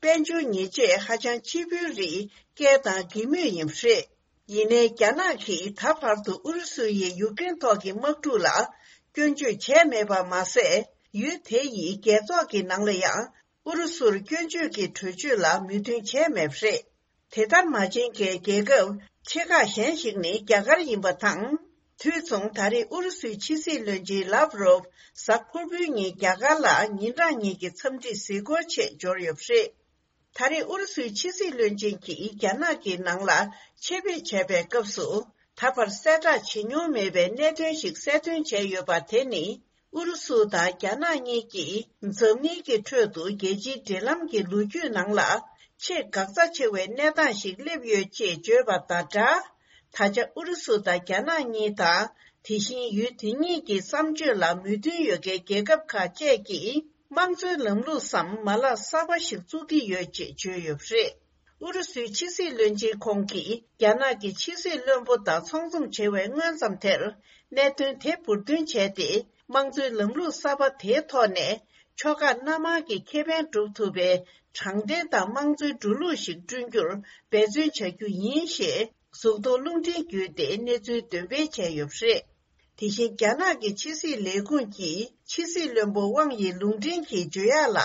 དཔལ་འབྱོར་ཉེས་ཆད་ཧ་ཅང་ཆེ་བོའི་རིགས་བཀལ་དང་འགེལ་མུས་ཡིན་པ་རེད། ཡིན་ནའི་རྒྱ་ནག་གིས་ད་བར་དུ་ཨུ་རུ་སུ་ཡིས་ཡུཀ་རེན་ཐོག་གི་དམག་འཁྲུག་ལ་སྐྱོན་བརྗོད་བྱས་མེད་པ་མ་ཟད། ཡུལ་དེ་ཡི་རྒྱལ་ཚོགས་ཀྱི་ནང་ལ་ཡང་ཨུ་རུ་སུར་སྐྱོན་བརྗོད་ཀྱི་གྲོས་ཆོད་ལ་མོས་མཐུན་བྱས་མེད་པ་རེད། དེ་ལྟར་མ་བྱས་མཁན་རྒྱལ་ཁབ་ཆེ་ཁག་གཞན་ཞིག་ནི་རྒྱ་གར་ཡིན་པ་དང་། དུས་མཚུངས་ད་རེས་ཨུ་རུ་སུའི་ཕྱི་སྲིད་བློན་ཆེན་ལབ་རོབ་གཟའ་ཕུར་བུའི་ཉིན་རྒྱ་གར་ལ་ཉིན་གྲངས་གཉིས་ཀྱི་འཚམས་འདྲི་གཟིགས་སྐོར་ཆེད་འབྱོར་ཡོད་པ་རེད། ད་རེས་ཨུ་རུ་སུའི་ཕྱི་སྲིད་བློན་ཆེན་གྱིས་རྒྱ་ནག་གི་ནང་ལ་ཆེད་ཕེབས་བྱས་པའི་སྐབས་སུ། ད་བར་གསལ་བསྒྲགས་བྱེད་མྱོང་མེད་པའི་གནད་དོན་ཞིག་གསལ་སྟོན་བྱས་ཡོད་པ་དེ་ནི། ཨུ་རུ་སུ་དང་རྒྱ་ནག་གཉིས་ཀྱིས་འཛམ་གླིང་གི་ཁྲོད་དུ་རྒྱལ་སྤྱིའི་འབྲེལ་ལམ་གྱི་ལོ་རྒྱུས་ནང་ལ་ཆེས་འགག་རྩ་ཆེ་བའི་གནས་སྟངས་ཤིག་སླེབས་ཡོད་ཅེས་བརྗོད་པ་དང་སྦྲགས། ད་ཆ་ཨུ་རུ་སུ་དང་རྒྱ་ནག་གཉིས་དང་། དེ་བཞིན་ཡུལ་དེ་གཉིས་ཀྱི་བསམ་སྤྱོད་ལ་མོས་མཐུན་ཡོད་མཁན་རྒྱལ་ཁབ་ཁག་བཅས་ཀྱིས་དམངས་གཙོའི་ལམ་ལུགས་སམ་མ་ལག་གསར་པ་ཞིག་བཙུགས་ཀྱི་ཡོད་ཅེས་བརྗོད་ཡོད་པ་རེད། ཨུ་རུ་སུའི་ཕྱི་སྲིད་བློན་ཆེན་ཁོང་གིས་རྒྱ་ནག་གི་ཕྱི་སྲིད་བློན་པོ་དང་ཚོགས་འཛོམས་བྱས་པའི་སྔོན་ཙམ་དེར། གནད་དོན་དེ་འབུར་འདོན་བྱས་ཏེ། དམངས་གཙོའི་ལམ་ལུགས་གསར་པ་དེའི་ཐོག་ནས། ཕྱོགས་ཁག་སྣ་མང་གི་ཁེ་ཕན་སྒྲུབ་ཐུབ་པའི་དྲང་བདེན་དང་དམངས་གཙོའི་འགྲོ་ལུགས་ཤིག་བསྐྲུན་རྒྱུར་འབད་བརྩོན་བྱ་རྒྱུ་ཡིན་ཞེས། གཟུགས་མཐོང་རླུང་འཕྲིན་བརྒྱུད་དེ་གནས་ཚུལ་འདོན་སྤེལ་བྱས་ཡོད་པ་རེད། དེ་བཞིན་རྒྱ་ནག་གི་ཕྱི་སྲིད་ལས་ཁུངས་ཀྱི་ཕྱི་སྲིད་བློན་པོ་ཝང་ཡིས་ལུང་འདྲེན་གྱིས་བརྗོད་ཡག་ལ།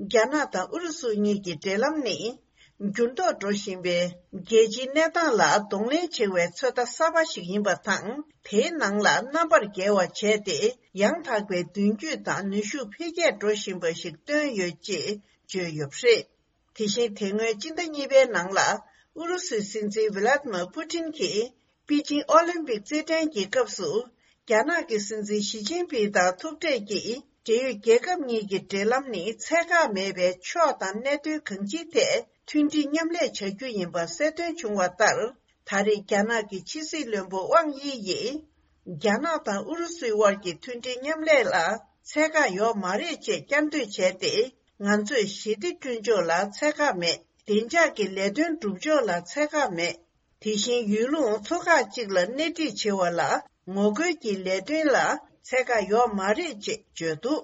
རྒྱ་ནག་དང་ཨུ་རུ་སུ་གཉིས་ཀྱི་འབྲེལ་ལམ་ནི། འགྱུར་ལྡོག་འགྲོ་བཞིན་པའི་རྒྱལ་སྤྱིའི་གནས་སྟངས་ལ་གདོང་ལེན་བྱེད་པའི་ཚོད་ལྟ་གསར་པ་ཞིག་ཡིན་པ་དང་། དེའི་ནང་ལ་རྣམ་པར་རྒྱལ་བ་བྱས་ཏེ། ཡང་དག་པའི་མདུན་སྐྱོད་དང་ནུས་ཤུགས་འཕེལ་རྒྱས་འགྲོ་བཞིན་པ་ཞིག་བཏོན་ཡོད་ཅེས་བརྗོད་ཡོད་པ་རེད། དེ་བཞིན་དེ་སྔོན་སྤྱི་ཟླ་གཉིས་པའི་ནང་ལ། ཨུ་རུ་སུའི་སྲིད་འཛིན་ཝི་ལ་ཏི་མར་པུ་ཏིན་གྱིས། པེ་ཅིང་ཨོ་ལིམ་པིག་རྩེད་འགྲན་གྱི་སྐབས་སུ། རྒྱ་ནག་གི་སྲིད་འཛིན་ཞི་ཅིན་ཕིང་དང་ཐུག་འཕྲད་ཀྱིས། འབྲེལ་ཡོད་རྒྱལ་ཁབ་གཉིས་ཀྱི་འབྲེལ་ལམ་ནི་ཚད་བཀག་མེད་པའི་ཕྱོགས་དང་གནད་དོན་གང་ཅིའི་ཐད་མཐུན་སྒྲིལ་མཉམ་ལས་བྱ་རྒྱུ་ཡིན་པ་གསལ་སྟོན་བྱུང་བ་ལྟར། ད་རེས་རྒྱ་ནག་གི་ཕྱི་སྲིད་བློན་པོ་ཝང་དབྱི་ཡིས། རྒྱ་ནག་དང་ཨུ་རུ་སུའི་དབར་གྱི་མཐུན་སྒྲིལ་མཉམ་ལས་ལ་ཚད་བཀག་ཡོད་མ་རེད་ཅེས་བསྐྱར་ཟློས་བྱས་ཏེ། ང་ཚོས་ཞི་བདེ་བསྐྲུན་ཕྱོགས་ལ་ཚད་བཀག་མེད། བདེ་འཇགས་ཀྱི་ལས་དོན་སྒྲུབ་ཕྱོགས་ལ་ཚད་བཀག་མེད། དེ་བཞིན་ཡུལ་ལུང་ཚོ་ཁག་ཅིག་ལ་སྣེ་ཁྲིད་བྱེད་པ་ལ་ངོ་རྒོལ་གྱི་ལས་དོན་ལ་ཚད་བཀག་ཡོད་མ་རེད་ཅེས་བརྗོད་འདུག་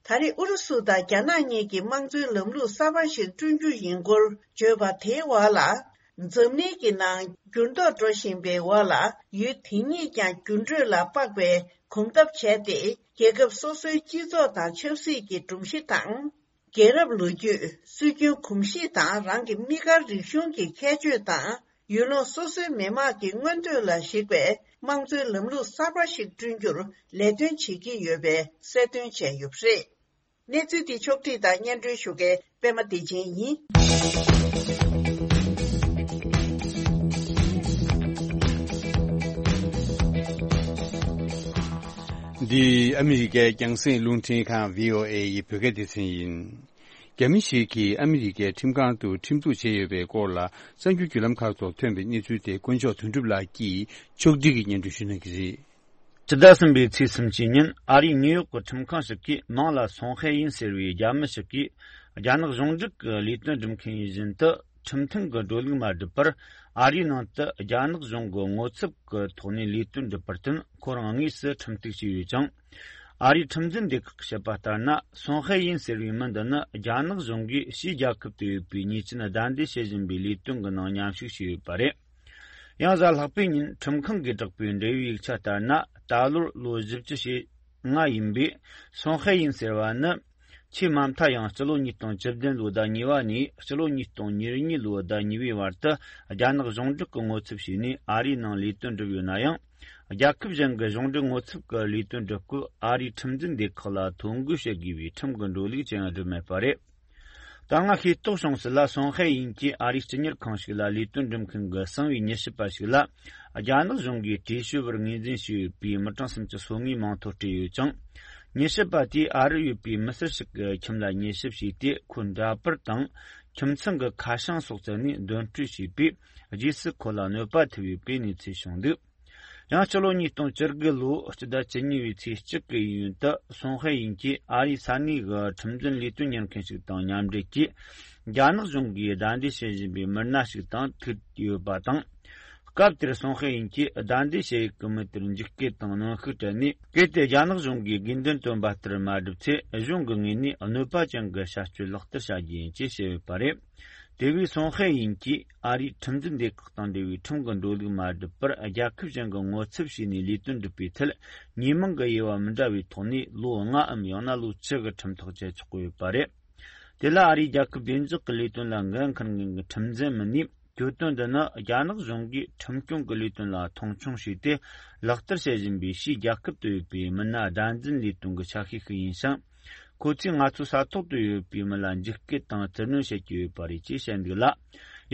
ད་རེས་ཨུ་རུ་སུ་དང་རྒྱ་ནག་གཉིས་ཀྱིས་དམངས་གཙོའི་ལམ་ལུགས་གསར་པ་ཞིག་བསྐྲུན་རྒྱུ་ཡིན་སྐོར་བརྗོད་པ་དེའི་འོག་ལ། འཛམ་གླིང་གི་ནང་འགྱུར་ལྡོག་འགྲོ་བཞིན་པའི་འོག་ལ་ཡུལ་དེ་གཉིས་ཀྱང་འགྱུར་འགྲོས་ལ་དཔག་པའི་གོམ་སྟབས་བྱས་ཏེ། རྒྱལ་ཁབ་སོ་སོའི་སྤྱི་ཚོགས་དང་ཆབ་སྲིད་ཀྱི་སྒྲོམ་གཞི་དང་། རྒྱལ་རབས་ལོ་རྒྱུས། སྲོལ་རྒྱུན་གོམས་གཤིས་དང་རང་གི་དམིགས་བཀར་རིག་གཞུང་གི་ཁྱད་ཆོས་དང་། ཡུལ་ལུང་སོ་སོའི་མི་དམངས་ཀྱི་མངོན་འདོད་ལ་གཞིགས་པའི་དམངས་གཙོའི་ལམ་ལུགས་གསར་པ་ཞིག་བསྐྲུན་རྒྱུར་ལས་དོན་བྱེད་ཀྱི་ཡོད་པའི་གསལ་སྟོན་བྱས་ཡོད་པ་རེད། གནས་ཚུལ་འདི་ཕྱོགས་བསྒྲིགས་དང་སྙན་སྒྲོན་ཞུ་མཁན་པད་མ་བདེ་ཆེན་ཡིན། འདི་ཨ་མི་རི་ཀའི་རྒྱང་སྲིང་རླུང་འཕྲིན་ཁང་བྷི་ཨོ་ཨེ་ཡི་བོད་སྐད་སྡེ་ཚན་ཡིན། རྒྱ་མི་ཞིག་གིས་ཨ་མི་རི་ཀའི་ཁྲིམས་ཁང་དུ་ཁྲིམས་གཏུག་བྱས་ཡོད་པའི་སྐོར་ལ་གསར་འགྱུར་བརྒྱུད་ལམ་ཁག་ཐོག་ཐོན་པའི་གནས་ཚུལ་དེ་དཀོན་མཆོག་དོན་གྲུབ་ལགས་ཀྱིས་ཕྱོགས་སྒྲིག་གིས་སྙན་སྒྲོན་ཞུ་གནང་གི་རེད། ཕྱི་ཟླ་གསུམ་པའི་ཚེས་སུམ་ཅུ་ཉིན་ཨ་རིའི་ནིའུ་ཡོག་གི་ཁྲིམས་ཁང་ཞིག་གིས་མིང་ལ་སུང་ཧའེ་ཡིན་ཟེར་བའི་རྒྱ་མི་ཞིག་གིས་རྒྱ་ནག་གཞུང་འབྲེལ་གྱི་ལས་དོན་སྒྲུབ་མཁན་ཡིན་བཞིན་དུ། ཁྲིམས་མཐུན་གྱི་འགྲོ་ལུགས་མ་བསྒྲུབས་པར་ཨ་རིའི་ནང་དུ་རྒྱ་ནག་གཞུང་གི་ངོ་ཚབ་ཀྱི་ཐོག་ནས་ལས་དོན་བསྒྲུབས་པར་བརྟེན། ཁོ་རང་དངོས་སུ་ཁྲིམས་གཏུག་བྱས་ཡོད་ཅིང་། ཨ་རིའི་ཁྲིམས་འཛིན་སྡེ་ཁག་གིས་བཤད་པ་ལྟར་ན། སུང་ཧའེ་ཡིན་ཟེར་བའི་མི་འདི་ནི་རྒྱ་ནག་གཞུང་གིས་ཕྱིའི་རྒྱལ་ཁབ་ཏུ་ཡོད་པའི་ཉེས་ཅན་བདའ་འདེད་བྱེད་བཞིན་པའི་ལས་དོན་གྱི་ནང་མཉམ་ཞུགས་བྱས་ཡོད་པ་རེད། ཡང་གཟའ་ལྷག་པའི་ཉིན་ཁྲིམས་ཁང་གིས་བསྒྲགས་པའི་འབྲེལ་ཡོད་ཡིག་ཆ་ལྟར་ན། ད་ལོར་ལོ་བཞི་བཅུ་ཞེ་ལྔ་ཡིན་པའི་སུང་ཧའེ་ཡིན་ཟེར་བ་ནི། ཆེས་མ་མཐའ་ཡང་སྤྱི་ལོ་ཉིས་སྟོང་བཅུ་བདུན་ལོའི་ཟླ་གཉིས་པ་ནས་སྤྱི་ལོ་ཉིས་སྟོང་ཉེར་གཉིས་ལོའི་ཟླ་གཉིས་པའི་བར་དུ་རྒྱ་ནག་གཞུང་འབྲེལ་གྱི་ངོ་ཚབ་བྱས་ནས་ཨ་རིའི་ནང་ལས་དོན་བསྒྲུབས་ཡོད་ན་ཡང་། རྒྱལ་ཁབ་གཞན་གྱི་གཞུང་འབྲེལ་ངོ་ཚབ་ཀྱི་ལས་དོན་སྒྲུབ་སྐབས་ཨ་རིའི་ཁྲིམས་འཛིན་སྡེ་ཁག་ལ་ཐོ་འགོད་བྱེད་དགོས་པའི་ཁྲིམས་ཀྱི་འགྲོ་ལུགས་ཅང་བསྒྲུབས་མེད་པ་རེད། ད་སྔ་ཤེས་རྟོགས་བྱུང་ཚུལ་ལ། སུང་ཧའེ་ཡིན་གྱིས་ཨ་རིའི་སྤྱི་གཉེར་ཁང་ཞིག་ལ་ལས་དོན་སྒྲུབ་མཁན་གྱི་གསང་བའི་མྱུལ་ཞིབ་པ་ཞིག་ལ། རྒྱ་ནག་གཞུང་གིས་གྲོས་ཆོད་པར་ངོས་འཛིན་བྱས་ཡོད་པའི་མི་གྲངས་སུམ་ཅུ་སོ་ལྔའི་མིང་ཐོ་སྤྲད་ཡོད་ཅིང་། མྱུལ་ཞིབ་པ་དེས་ཨ་རིར་ཡོད་པའི་མི་སེར་ཞིག་གི་ཁྱིམ་ལ་མྱུལ་ཞིབ་བྱས་ཏེ། ཁོའི་འདྲ་པར་དང་ཁྱིམ་ཚང་གི་ཁ་བྱང་སོགས་བཙལ་ནས་འདོན་སྤྲོད་བྱས་པས། རྗེས་སུ་ཁོ་ལ་གནོད་པ་ཐེབས་ཡོད་པའི་གནས་ཚུལ་བྱུང་འདུག་ཡང་སྤྱི་ལོ་ཉིས་སྟོང་བཅུ་དགུ་ལོའི་སྤྱི་ཟླ་བཅུ་གཉིས་པའི་ཚེས་གཅིག་གི་ཡུན་དུ་སུང་ཧའེ་ཡིན་གྱིས་ཨ་རིའི་ས་གནས་ཀྱི་ཁྲིམས་འཛིན་ལས་དོན་གཉེར་མཁན་ཞིག་དང་མཉམ་འབྲེལ་གྱིས་རྒྱ་ནག་གཞུང་གིས་བདའ་འདེད་བྱེད་བཞིན་པའི་མི་སྣ་ཞིག་དང་ཐུག་ཡོད་པ་དང་། སྐབས་དེར་སུང་ཧའེ་ཡིན་གྱིས་བདའ་འདེད་བྱེད་ཡུལ་གྱི་མི་དེར་འཇིགས་སྐུལ་དང་གནོན་ཤུགས་སྤྲད་ནས། གལ་ཏེ་རྒྱ་ནག་གཞུང་གིས་དགོས་འདུན་བཏོན་པ་ལྟར་མ་བསྒྲུབས་ཚེ། གཞུང་གི་ངོས་ནས་གནོད་པ་ཅན་གྱི་བྱ་སྤྱོད་ལག་བསྟར་བྱ་རྒྱུ་ཡིན་ཅེས་བཤད་ཡོད་པ་རེད། དེ་བས་སུང་ཧའེ་ཡིན་གྱིས་ཨ་རིའི་ཁྲིམས་འཛིན་སྡེ་ཁག་དང་འབྲེལ་བའི་ཁྲིམས་ཀྱི་འགྲོ་ལུགས་མ་བསྒྲུབས་པར། རྒྱལ་ཁབ་གཞན་གྱི་ངོ་ཚབ་བྱས་ནས་ལས་དོན་སྒྲུབ་པའི་ཐད། ཉེས་མིང་གི་དབྱེ་བ་མི་འདྲ་བའི་ཐོག་ནས་ལོ་ལྔའམ་ཡང་ན་ལོ་བཅུ་གི་ཁྲིམས་ཐག་བཅད་ཆོག་གི་ཡོད་པ་རེད། དེ་ལ་ཨ་རིའི་རྒྱལ་ཁབ་བདེ་འཇགས་ཀྱི་ལས་དོན་ལ་འགན་འཁུར་མཁན་གྱི་ཁྲིམས་འཛིན་མི་སྣས། གྱོད་དོན་འདི་ནི་རྒྱ་ནག་གཞུང་གིས་ཁྲིམས་སྐྱོང་གི་ལས་དོན་ལ་མཐོང་ཆུང་བྱས་ཏེ། ལག་བསྟར་བྱེད་བཞིན་པའི་ཕྱིའི་རྒྱལ་ཁབ་ཏུ་ཡོད་པའི་མི་སྣ་བདག་འཛིན་ལས་དོན་གྱི་ཆ་ཤས་ཤིག་ཡིན་ཞིང་། ཁོ་ཚོས་ང་ཚོའི་ས་ཐོག་ཏུ་ཡོད་པའི་མི་ལ་འཇིགས་སྐུལ་དང་བཙིར་གནོན་བྱེད་ཀྱི་ཡོད་པ་རེད་ཅེས་བཤད་འདུག་ལ།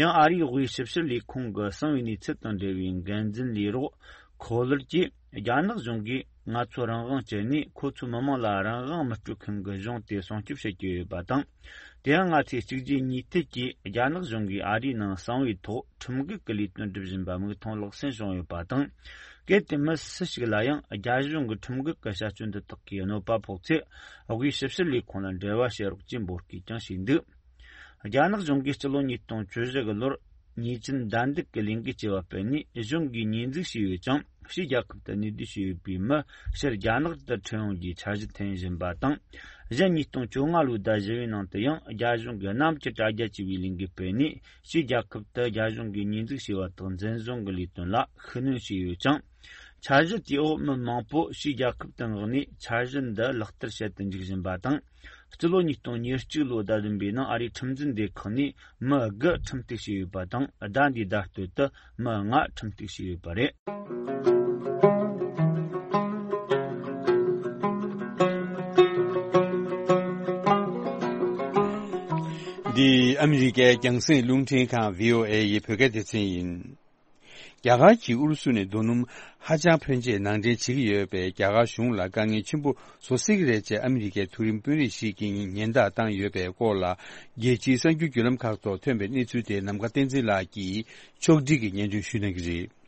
ཡང་ཨ་རིའི་དབུས་ཞིབ་བཤེར་ལས་ཁུངས་ཀྱི་གསང་བའི་གནས་ཚུལ་དང་འབྲེལ་བའི་འགན་འཛིན་ལས་རོགས་ཁོ་ལར་གྱིས། རྒྱ་ནག་གཞུང་གིས་ང་ཚོ་རང་དབང་བཅད་ནས། ཁོ་ཚོའི་མི་དམངས་ལ་རང་དབང་མི་སྤྲོད་མཁན་གྱི་གཞུང་དེ་སྲུང་སྐྱོབ་བྱེད་ཀྱི་ཡོད་པ་དང་། དེ་ཡང་ང་ཚོས་གཅིག་རྗེས་གཉིས་མཐུད་ཀྱིས་རྒྱ་ནག་གཞུང་གིས་ཨ་རིའི་ནང་གསང་བའི་ཐོག་ཁྲིམས་འགལ་གྱི་ལས་དོན་སྒྲུབ་བཞིན་པ་མིག་མཐོང་ལག་ཟིན་བྱུང་ཡོད་པ་དང་། གལ་ཏེ་མི་སུ་ཞིག་ལ་ཡང་རྒྱ་གཞུང་གི་ཁྲིམས་འགལ་གྱི་བྱ་སྤྱོད་འདི་དག་གིས་གནོད་པ་ཕོག་ཚེ། དབུས་ཞིབ་བཤེར་ལས་ཁུངས་ལ་འབྲེལ་བ་བྱེད་རོགས་ཅེས་འབོད་སྐུལ་ཀྱང་བྱས་འདུག། རྒྱ་ནག་གཞུང་གིས་སྤྱི་ལོ་ཉིས་སྟོང་བཅུ་བཞི་གི་ལོར་ཉེས་ཅན་བདའ་འདེད་ཀྱི་ལས་འགུལ་བྱས་པ་སྤེལ་ནས། གཞུང་གིས་ཉེས་འཛུགས་བྱས་ཡོད་ཀྱང་། ཕྱིའི་རྒྱལ་ཁབ་ཏུ་གནས་སྡོད་བྱས་ཡོད་པའི་མི་ཕྱིར་རྒྱ་ནག་ཏུ་ཁྲིད་ཡོང་རྒྱུའི་འཆར་གཞི་འཐེན་བཞིན་པ་དང་། གཞན་ཉིས་སྟོང་བཅོ་ལྔ་ལོའི་ཟླ་བཞི་པའི་ནང་དུ་ཡང་རྒྱ་གཞུང་གིས་གནམ་གྱི་དྲ་རྒྱ་ཅེས་པའི་ལས་འགུལ་སྤེལ་ནས། ཕྱིའི་རྒྱལ་ཁབ་ཏུ་རྒྱ་གཞུང་གིས་ཉེས་འཛུགས་བྱས་པ་དག་འཛིན་བཟུང་གི་ལས་དོན་ལ་ཤུགས་སྣོན་བྱས་ཡོད་ཅིང་། འཆར་གཞི་དེའི་འོག་མི་མང་པོ་ཕྱིའི་རྒྱལ་ཁབ་ཏུ་མངགས་ནས་འཆར་གཞི་འདི་ལག་བསྟར་བྱེད་དུ་འཇུག་བཞིན་པ་དང་། སྤྱི་ལོ་ཉིས་སྟོང་ཉེར་གཅིག་ལོའི་ཟླ་བདུན་པའི་ནང་ཨ་རིའི་ཁྲིམས་འཛིན་སྡེ་ཁག་ནས་མི་དགུ་ཁྲིམས་གཏུག་བྱས་ཡོད་པ་དང་། ཟླ་འདིའི་ཟླ་སྟོད་དུ་མི་ལྔ་ཁྲིམས་གཏུག་བྱས་ཡོད་པ་རེད། འདི་ཨ་མི་རི་ཀའི་རྒྱང་སྲིང་རླུང་འཕྲིན་ཁང་བྷི་ཨོ་ཨེ་ཡི་བོད་སྐད་སྡེ་ཚན་ཡིན། རྒྱ་གར་གྱིས་ཨུ་རུ་སུ་ནས་རྡོ་སྣུམ་ཧ་ཅང་ཕོན་ཆེ་ནང་འདྲེན་བྱེད་ཀྱི་ཡོད་པས། རྒྱ་གར་གཞུང་ལ་དཀའ་ངལ་ཆེན་པོ་བཟོ་སྲིད་ཀྱི་རེད་ཅེས་ཨ་མི་རི་ཀའི་མཐོ་རིམ་དཔོན་རིགས་ཤིག་གིས་ཉེན་བརྡ་བཏང་ཡོད་པའི་སྐོར་ལ། རྒྱལ་སྤྱིའི་གསར་འགྱུར་བརྒྱུད་ལམ་ཁག་ཐོག་ཐོན་པའི་གནས་ཚུལ་དེ་ནམ་མཁའ་བསྟན་འཛིན་ལགས་ཀྱིས་ཕྱོགས་སྒྲིག་གིས་སྙན་སྒྲོན་ཞུ་གནང་གི་རེད།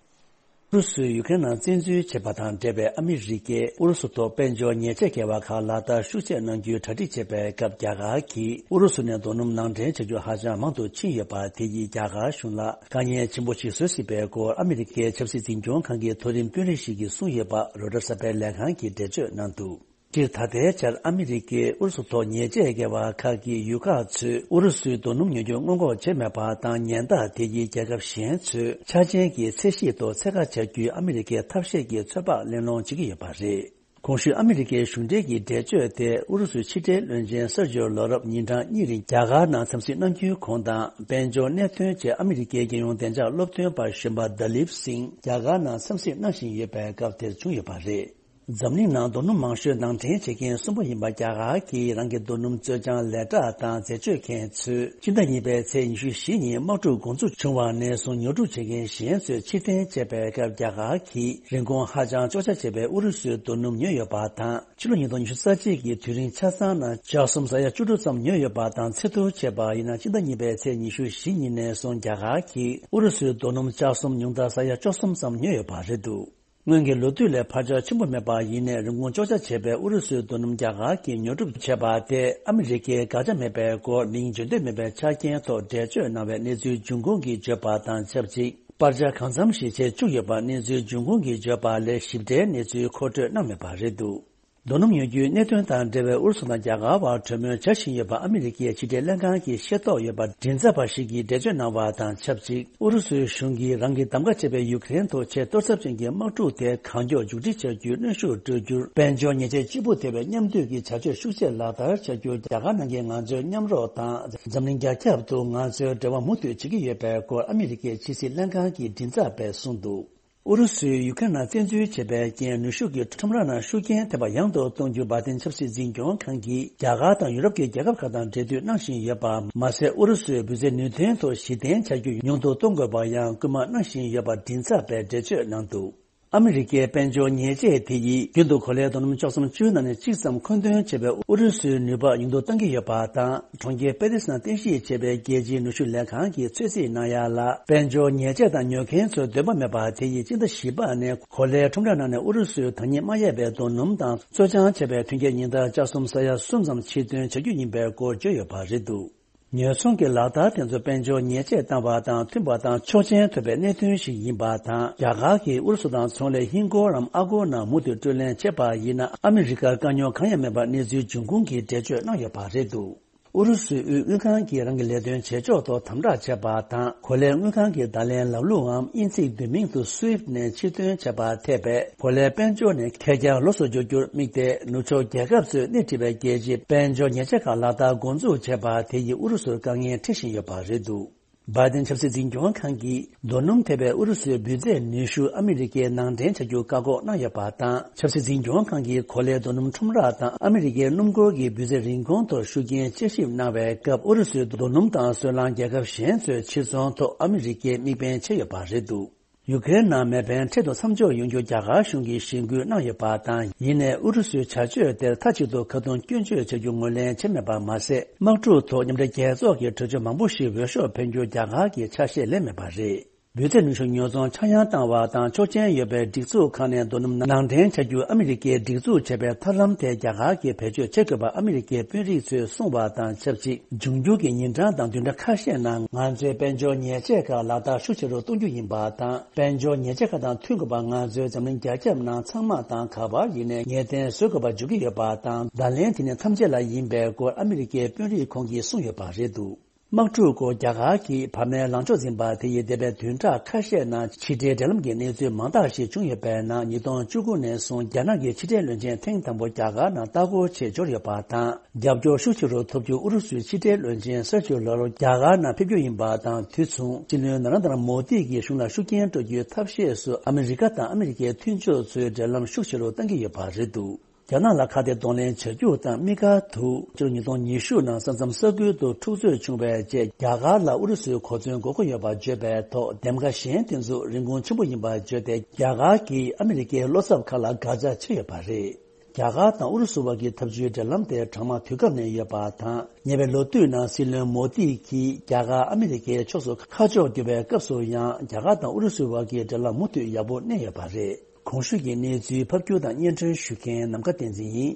ཨུ་རུ་སུས་ཡུ་ཀེ་རེན་ནང་བཙན་འཛུལ་བྱས་པ་དང་འབྲེལ་བའི་ཨ་མི་རི་ཀས་ཨུ་རུ་སུ་ཐོག་དཔལ་འབྱོར་ཉེས་ཆད་འགེལ་བ་ཁག་ལག་བསྟར་ཤུགས་ཆེ་གནང་རྒྱུའི་གྲ་སྒྲིག་བྱེད་པའི་སྐབས། རྒྱ་གར་གྱིས་ཨུ་རུ་སུ་ནས་རྡོ་སྣུམ་ནང་འདྲེན་བྱ་རྒྱུ་ཧ་ཅང་མང་དུ་ཕྱིན་ཡོད་པ་དེ་ཡིས་རྒྱ་གར་གཞུང་ལ་དཀའ་ངལ་ཆེན་པོ་ཞིག་བཟོ་སྲིད་པའི་སྐོར་ཨ་མི་རི་ཀའི་ཆབ་སྲིད་འཛིན་སྐྱོང་ཁང་གི་མཐོ་རིམ་དཔོན་རིགས་ཤིག་གིས་གསུངས་ཡོད་པ་རོའི་ཊར་གསར་པའི་ལས་ཁང་གིས་འགྲེལ་བརྗོད་གནང་འདུག། སྤྱིར་ད་ལྟའི་ཆར་ཨ་མི་རི་ཀས་ཨུ་རུ་སུ་ཐོག་ཉེས་ཆད་འགེལ་བ་ཁག་གིས་ཡུལ་ཁག་ཚོས་ཨུ་རུ་སུའི་རྡོ་སྣུམ་ཉོ་རྒྱུ་སྔོན་འགོག་བྱས་མེད་པ་དང་། ཉེན་བརྡ་དེ་ཡིས་རྒྱལ་ཁབ་གཞན་ཚོས་ཆ་རྐྱེན་གྱི་ཚད་གཞི་ཐོག་ཚད་བཀག་བྱ་རྒྱུའི་ཨ་མི་རི་ཀའི་ཐབས་ཤེས་ཀྱི་ཚོད་དཔག་གླེང་སློང་བྱེད་ཀྱི་ཡོད་པ་རེད། གོང་ཞུས་ཨ་མི་རི་ཀའི་གཞུང་འབྲེལ་གྱི་འགྲེལ་བརྗོད་དེ་ཨུ་རུ་སུའི་ཕྱི་འབྲེལ་བློན་ཆེན་སེར་ཇིའོ་ལོ་རོབ་ཉིན་གྲངས་གཉིས་རིང་རྒྱ་གར་ནང་འཚམས་གཟིགས་གནང་རྒྱུའི་གོང་དང་། དཔལ་འབྱོར་གནད་དོན་བཅས་ཨ་མི་རི་ཀའི་རྒྱལ་ཡོངས་བདེ་འཇགས་སློབ་སྟོན་པ་གཞོན་པ་ད་ལིབ་སིང་རྒྱ་གར་ནང་འཚམས་གཟིགས་གནང་བཞིན་ཡོད་པའི་སྐབས་དེར་བྱུང་ཡོད་པ་རེད། འཛམ་གླིང་ནང་རྡོ་སྣུམ་མང་ཤོས་ནང་འདྲེན་བྱེད་མཁན་གསུམ་པ་ཡིན་པ་རྒྱ་གར་གྱིས་རང་གི་རྡོ་སྣུམ་བཙོས་སྦྱང་ལས་གྲྭ་དང་འཛད་སྤྱོད་མཁན་ཚོས་སྤྱི་ཟླ་གཉིས་པའི་ཚེས་ཉི་ཤུ་བཞི་ཉིན་དམག་འཁྲུག་འགོ་འཛུགས་བྱུང་བ་ནས་བཟུང་ཉོ་སྒྲུབ་བྱེད་མཁན་གཞན་ཚོས་ཕྱིར་འཐེན་བྱས་པའི་སྐབས། རྒྱ་གར་གྱིས་རིན་གོང་ཧ་ཅང་གཅོག་ཆ་ཆེ་བའི་ཨུ་རུ་སུའི་རྡོ་སྣུམ་ཉོས་ཡོད་པ་དང་། ཕྱི་ལོ་ཉིས་སྟོང་ཉི་ཤུ་རྩ་གཅིག་གི་དུས་རིང་ཆ་ཚང་ནང་ལྕགས་ཟམ་ས་ཡ་བཅུ་དྲུག་ཙམ་ཉོས་ཡོད་པ་དང་། ཚད་བསྡུར་བྱས་པ་ཡིན་ན། སྤྱི་ཟླ་གཉིས་པའི་ཚེས་ཉི་ཤུ་བཞི་ཉིན་ནས་བཟུང་རྒྱ་གར་གྱིས་ཨུ་རུ་སུའི་རྡོ་སྣུམ་ལྕགས་ཟམ་ཉུང་མཐར་ས་ཡ་བཅུ་གསུམ་ཙམ་ཉོས་ཡོད་པ་རེད་འདུག། སྔོན་གྱི་ལོ་དུས་ལས་འཕར་ཆག་ཆེན་པོ་མེད་པ་ཡིན་ནའི། རིན་གོང་གཅོག་ཆ་ཆེ་བའི་ཨུ་རུ་སུའི་རྡོ་སྣུམ་རྒྱ་གར་གྱིས་ཉོ་སྒྲུབ་བྱས་པ་དེ་ཨ་མི་རི་ཀའི་དགག་བྱ་མེད་པའི་སྐོར་མིང་བརྗོད་འདོད་མེད་པའི་ཆ་རྐྱེན་ཐོག་འགྲེལ་བརྗོད་གནང་བའི་གནས་ཚུལ་འབྱུང་ཁུངས་ཀྱིས་བརྗོད་པ་དང་ཆབས་ཅིག། པར་ཆ་གང་འཚམ་ཞིག་བྱེད་བཅུག་ཡོད་པ་གནས་ཚུལ་འབྱུང་ཁུངས་ཀྱིས་བརྗོད་པ་ལས་ཞིབ་ཕྲའི་གནས་ཚུལ་མཁོ་སྤྲོད་གནང་མེད་པ་རེད་འདུག། རྡོ་སྣུམ་ཉོ་རྒྱུའི་གནད་དོན་དང་འབྲེལ་བའི་ཨུ་རུ་སུ་དང་རྒྱ་གར་བར་གྲོས་མོལ་བྱ་བཞིན་ཡོད་པ་ཨ་མི་རི་ཀའི་ཕྱི་འབྲེལ་ལྷན་ཁང་གི་ཤེས་རྟོགས་ཡོད་པ་མགྲིན་ཚབ་པ་ཞིག་གིས་འགྲེལ་བརྗོད་གནང་བ་དང་ཆབས་ཅིག། ཨུ་རུ་སུའི་གཞུང་གིས་རང་གི་གདམ་ག་བྱས་པའི་ཡུཀ་རེན་དུ་ཆེས་གཏོར་ཚབས་ཅན་གྱི་དམག་འཁྲུག་དེ་གང་མགྱོགས་མཇུག་སྒྲིལ་བྱ་རྒྱུའི་གནོན་ཤུགས་སྤྲོད་རྒྱུར། དཔལ་འབྱོར་ཉེས་ཆད་གཅིག་པུ་ཐེབས་པའི་མཉམ་འདུས་ཀྱི་བྱ་སྤྱོད་ཤུགས་ཆེ་ལག་བསྟར་བྱ་རྒྱུར་རྒྱ་གར་ནང་གི་ང་ཚོའི་མཉམ་རོགས་དང་། འཛམ་གླིང་རྒྱ་ཁྱབ་ཏུ་ང་ཚོའི་འབྲེལ་བ་མུ་མཐུད་བྱེད་ཀྱི་ཡོད་པའི་སྐོར་ཨ་མི་རི་ཀའི་ཕྱི་སྲིད་ལྷན་ཁང་གི་མགྲིན་ཚབ་པས་གསུངས་འདུག། ཨུ་རུ་སུས་ཡུ་ཁེ་རན་བཙན་འཛུལ་བྱས་པའི་རྐྱེན། ནུས་ཤུགས་ཀྱི་ཁྲོམ་ར་ནང་ཤུགས་རྐྱེན་ཐེབས་པ་ཡང་དུ་གཏོང་རྒྱུ། བྷའི་ཏིན་ཆབ་སྲིད་འཛིན་སྐྱོང་ཁང་གིས་རྒྱ་གར་དང་ཡུ་རོབ་ཀྱི་རྒྱལ་ཁབ་ཁག་དང་འབྲེལ་མཐུད་གནང་བཞིན་ཡོད་པ་མ་ཟད། ཨུ་རུ་སུས་འབུལ་རྩེད་ནུས་ཐོན་ཐོག་གཞི་རྟེན་བྱ་རྒྱུ་ཉུང་དུ་གཏོང་དགོས་པར་ཡང་སྐུལ་མ་གནང་བཞིན་ཡོད་པ་མགྲིན་ཚབ་པས་འགྲེལ་བརྗོད་གནང་འདུག། ཨ་མི་རི་ཀའི་དཔལ་འབྱོར་ཉེས་ཆད་དེ་ཡིས་རྒྱུན་དུ་གོ་ལའི་རྡོ་སྣུམ་བཅུ་གསུམ་བཅུའི་ནང་ནས་གཅིག་ཙམ་མཁོ་འདོན་བྱེད་པའི་ཨུ་རུ་སུའི་ནུས་པ་ཉུང་དུ་གཏང་གི་ཡོད་པ་དང་། གྲོང་ཁྱེར་པེ་རི་སི་ནང་རྟེན་གཞི་བྱས་པའི་རྒྱལ་སྤྱིའི་ནུས་ཤུགས་ལས་ཁང་གིས་ཚོད་རྩིས་གནང་ཡ་ལ། དཔལ་འབྱོར་ཉེས་ཆད་དང་ཉོ་མཁན་ཚོའི་འདོད་པ་མེད་པ་དེ་ཡིས་སྤྱི་ཟླ་བཞི་པ་ནས་གོ་ལའི་ཁྲོམ་ར་ནང་ནས་ཨུ་རུ་སུའི་ཐ་སྙད་མ་ཡལ་བའི་རྡོ་སྣུམ་དང་། བཙོ་སྦྱང་བྱས་པའི་མཐུན་རྐྱེན་ཉིན་ལྟར་ལྕགས་ཟམ་ས་ཡ་གསུམ་ཙམ་ཕྱིར་ཐོན་བྱ་རྒྱུ་ཡིན་པའི་སྐོར་བརྗོད་ཡོད་པ་རེད་འདུག་ཉེན་སྲུང་གི་ལག་བསྟར་དེ་ཚོ་དཔལ་འབྱོར་ཉེས་ཆད་བཏང་བ་དང་མཐུན་པ་དང་ཆོག་མཆན་ཐོབ་པའི་གནད་དོན་ཞིག་ཡིན་པ་དང་། རྒྱ་གར་གྱིས་ཨུ་རུ་སུ་དང་ཚོང་ལས་ཧིན་སྒོར་རམ་ཨ་སྒོར་ནང་མུ་མཐུད་སྤྲོད་ལེན་བྱས་པ་ཡིན་ན། ཨ་མི་རི་ཀར་དཀའ་རྙོག་གང་ཡང་མེད་པར་གནས་ཚུལ་འབྱུང་ཁུངས་ཀྱིས་འགྲེལ་བརྗོད་གནང་ཡོད་པ་རེད་འདུག་ཨུ་རུ་སུའི་དབུས་དངུལ་ཁང་གིས་རང་གི་ལས་དོན་བྱེད་ཕྱོགས་ཐོག་དམ་དྲག་བྱས་པ་དང་། གོ་ལའི་དངུལ་ཁང་གི་བརྡ་ལན་ལམ་ལུགས་འམ་དབྱིན་ཚིག་བསྡུས་མིང་དུ་SWIFT ནས་ཕྱིར་ཐོན་བྱས་པ་ཐེ་བའི་གོ་ལའི་དཔལ་འབྱོར་ནས་ཁེར་རྐྱང་ལོགས་སུ་འབྱོར་རྒྱུར་དམིགས་ཏེ། ནུབ་ཕྱོགས་རྒྱལ་ཁབ་ཚོས་སྣེ་ཁྲིད་པའི་རྒྱལ་སྤྱིའི་དཔལ་འབྱོར་ཉེས་ཆད་ཁག་ལག་བསྟར་འགོ་འཛུགས་བྱས་པ་དེ་ཡིས་ཨུ་རུ་སུར་དཀའ་ངལ་འཕྲད་བཞིན་ཡོད་པ་རེད་འདུག་བའི་ཏིན་ཆབ་སྲིད་འཛིན་སྐྱོང་ཁང་གིས་རྡོ་སྣུམ་ཐེ་བའི་ཨུ་རུ་སུའི་འབུལ་ཚད་ཉི་ཤུ་ཨ་མི་རི་ཀའི་ནང་འདྲེན་བྱ་རྒྱུ་བཀག་འགོག་གནང་ཡོད་པ་དང་། ཆབ་སྲིད་འཛིན་སྐྱོང་ཁང་གིས་གོ་ལའི་རྡོ་སྣུམ་ཁྲོམ་ར་དང་ཨ་མི་རི་ཀའི་སྣུམ་འཁོར་གྱི་འབུལ་ཚད་རིན་གོང་ཐོག་ཤུགས་རྐྱེན་དཔྱད་ཞིབ་གནང་བའི་སྐབས། ཨུ་རུ་སུའི་རྡོ་སྣུམ་དང་སོལ་རླངས་རྒྱལ་ཁབ་གཞན་ཚོས་ཕྱིར་ཚོང་ཐོག་ཨ་མི་རི་ཀའི་དམིགས་འབེན་བྱས་ཡོད་པ་རེད་འདུག་ཡུ་ཀེ་རེན་ནང་མེ་འཕེན་འཕྲལ་དུ་མཚམས་འཇོག་ཡོང་རྒྱུ་རྒྱ་གར་གཞུང་གིས་གཞེན་སྐུལ་གནང་ཡོད་པ་དང་། ཡིན་ནའི་ཨུ་རུ་སུའི་བྱ་སྤྱོད་དེར་མཐའ་གཅིག་ཏུ་ཁ་རྡུང་སྐྱོན་བརྗོད་བྱ་རྒྱུ་ངོས་ལེན་བྱས་མེད་པ་མ་ཟད། དམག་འཁྲུག་ཐོག་མཉམ་འབྲེལ་རྒྱལ་ཚོགས་ཀྱི་གྲོས་ཆོད་མང་པོ་ཞིག་འོས་ཤོག་འཕེན་རྒྱུ་རྒྱ་གར་གྱིས་ཆ་ཤས་ལེན་མེད་པ་རེད། འབུལ་ཚད་ཉུང་ཤོས་ཉོ་ཚོང་ཆག་ཡང་བཏང་བ་དང་ཆོག་མཆན་ཡོད་པའི་སྒྲིག་འཛུགས་ཁག་ནས་རྡོ་སྣུམ་ནང་འདྲེན་བྱ་རྒྱུ་ཨ་མི་རི་ཀས་སྒྲིག་འཛུགས་བྱས་པའི་ཐབས་ལམ་དེ་རྒྱ་གར་གྱིས་བེད་སྤྱོད་བྱེད་དགོས་པ་ཨ་མི་རི་ཀའི་དཔོན་རིགས་ཚོས་གསུངས་པ་དང་ཆབས་ཅིག་འབྱུང་འགྱུར་གྱི་ཉིན་གྲངས་དང་བདུན་ཕྲག་ཁ་ཤས་ནང་ང་ཚོའི་དཔལ་འབྱོར་ཉེས་ཆད་ཁག་ལག་བསྟར་ཤུགས་ཆེ་རུ་གཏོང་རྒྱུ་ཡིན་པ་དང་། དཔལ་འབྱོར་ཉེས་ཆད་ཁག་དང་མཐུན་དགོས་པ་ང་ཚོའི་འཛམ་གླིང་རྒྱ་ཁྱབ་ནང་ཚང་མ་དང་ག་པར་ཡིན་ནའི་ངེས་གཏན་བཟོ་དགོས་པ་འཇུག་གི་ཡོད་པ་དང་། བརྡ་ལན་དེ་ནི་ཐམས་ཅད་ལ་ཡིན་པའི་སྐོར་ཨ་མི་རི་ཀའི་དཔོན་རིགས་ཁོང་གིས་གསུངས་ཡོད་པ་རེད་འདུག་དམག་འཁྲུག་སྐོར་རྒྱ་གར་གྱིས་བར་མའི་ལངས་ཕྱོགས་འཛིན་པ་དེ་ཡིས་འདས་པའི་བདུན་ཕྲག་ཁ་ཤས་ནང་ཕྱི་འབྲེལ་འབྲེལ་ལམ་གྱི་གནས་ཚུལ་མང་དག་ཞིག་བྱུང་ཡོད་པའི་ནང་། ཉིས་སྟོང་བཅུ་དགུ་ནས་བཟུང་རྒྱ་ནག་གི་ཕྱི་འབྲེལ་བློན་ཆེན་ཐེངས་དང་པོ་རྒྱ་གར་ནང་ལྟ་སྐོར་ཆེད་འབྱོར་ཡོད་པ་དང་། རྒྱབ་སྐྱོར་ཤུགས་ཆེ་རུ་ཐོབ་རྒྱུ་ཨུ་རུ་སུའི་ཕྱི་འབྲེལ་བློན་ཆེན་སར་ཇི་ལ་ཝ་རོབ་རྒྱ་གར་ནང་ཕེབས་རྒྱུ་ཡིན་པ་དང་། དུས་མཚུངས་སྲིད་བློན་ན་རན་དར་མོ་དི་གིས་གཞུང་ལ་ཤུགས་རྐྱེན་སྤྲོད་རྒྱུའི་ཐབས་ཤེས་སུ་ཨ་མི་རི་ཀ་དང་ཨ་མི་རི་ཀའི་མཐུན་ཕྱོགས་ཚོའི་འབྲེལ་ལམ་ཤུགས་ཆེ་རུ་གཏང་གི་ཡོད་པ་རེད་འདུག་རྒྱ་ནག་ལ་ཁ་གཏད་གདོང་ལེན་བྱ་རྒྱུ་དང་། དམིགས་བཀར་དུ་ཕྱི་ལོ་ཉིས་སྟོང་ཉི་ཤུ་ནང་ས་མཚམས་ས་ཁུལ་དུ་འཁྲུག་རྩོད་བྱུང་བའི་རྗེས། རྒྱ་གར་ལ་ཨུ་རུ་སུའི་གོ་མཚོན་དགོས་མཁོ་ཡོད་པ་བརྗོད་པའི་ཐོག་འདེམས་ཀ་གཞན་དེ་ཚོ་རིན་གོང་ཆེན་པོ་ཡིན་པ་བརྗོད་དེ། རྒྱ་གར་གྱིས་ཨ་མི་རི་ཀའི་བློ་འཚབ་ཁག་ལ་དགག་བྱ་བྱས་ཡོད་པ་རེད། རྒྱ་གར་དང་ཨུ་རུ་སུ་བར་གྱི་འཐབ་ཇུས་འབྲེལ་ལམ་དེ་གྲང་དམག་དུས་སྐབས་ནས་ཡོད་པ་དང་། ཉེ་བའི་ལོ་དུས་ནང་སྲིད་བློན་མོ་དི་གིས་རྒྱ་གར་ཨ་མི་རི་ཀའི་ཕྱོགས་སུ་ཁ་ཕྱོགས་བསྒྱུར་བའི་སྐབས་སུ་ཡང་། རྒྱ་གར་དང་ཨུ་རུ་སུ་བར་གྱི་འབྲེལ་ལམ་མུ་མཐུད་ཡག་པོ་གནས་ཡོད་པ་རེད། གོང་ཞུས་ཀྱི་གནས་ཚུལ་ཕབ་སྒྱུར་དང་སྙན་སྒྲོན་ཞུ་མཁན་ནམ་མཁའ་བསྟན་འཛིན་ཡིན།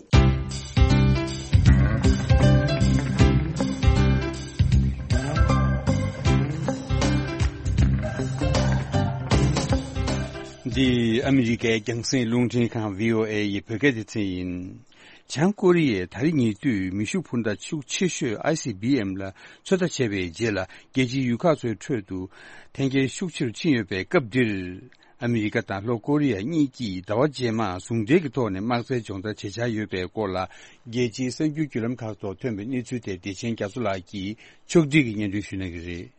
འདི་ཨ་མི་རི་ཀའི་རྒྱང་སྲིང་རླུང་འཕྲིན་ཁང་བྷི་ཨོ་ཨེ་ཡི་བོད་སྐད་སྡེ་ཚན་ཡིན། བྱང་ཀོ་རི་ཡས་ད་རེས་ཉེ་དུས་མེ་ཤུགས་འཕུར་མདའ་ཤུགས་ཆེ་ཤོས་ཨའི་སི་བྷི་ཨེམ་ལ་ཚོད་ལྟ་བྱས་པའི་རྗེས་ལ། རྒྱལ་སྤྱིའི་ཡུལ་ཁག་ཚོའི་ཁྲོད་དུ་འཐེན་འཁྱེར་ཤུགས་ཆེ་རུ་ཕྱིན་ཡོད་པའི་སྐབས་འདིར། ཨ་མི་རི་ཀ་དང་ལྷོ་ཀོ་རི་ཡ་གཉིས་ཀྱིས་ཟླ་བ་རྗེས་མར་ཟུང་འབྲེལ་གྱི་ཐོག་ནས་དམག་རྩལ་སྦྱོང་བརྡར་བྱེད་འཆར་ཡོད་པའི་སྐོར་ལ། རྒྱལ་སྤྱིའི་གསར་འགྱུར་བརྒྱུད་ལམ་ཁག་ཐོག་ཐོན་པའི་གནས་ཚུལ་དེ་བདེ་ཆེན་རྒྱ་མཚོ་ལགས་ཀྱིས་ཕྱོགས་སྒྲིག་གིས་སྙན་སྒྲོན་ཞུ་གནང་གི་རེད།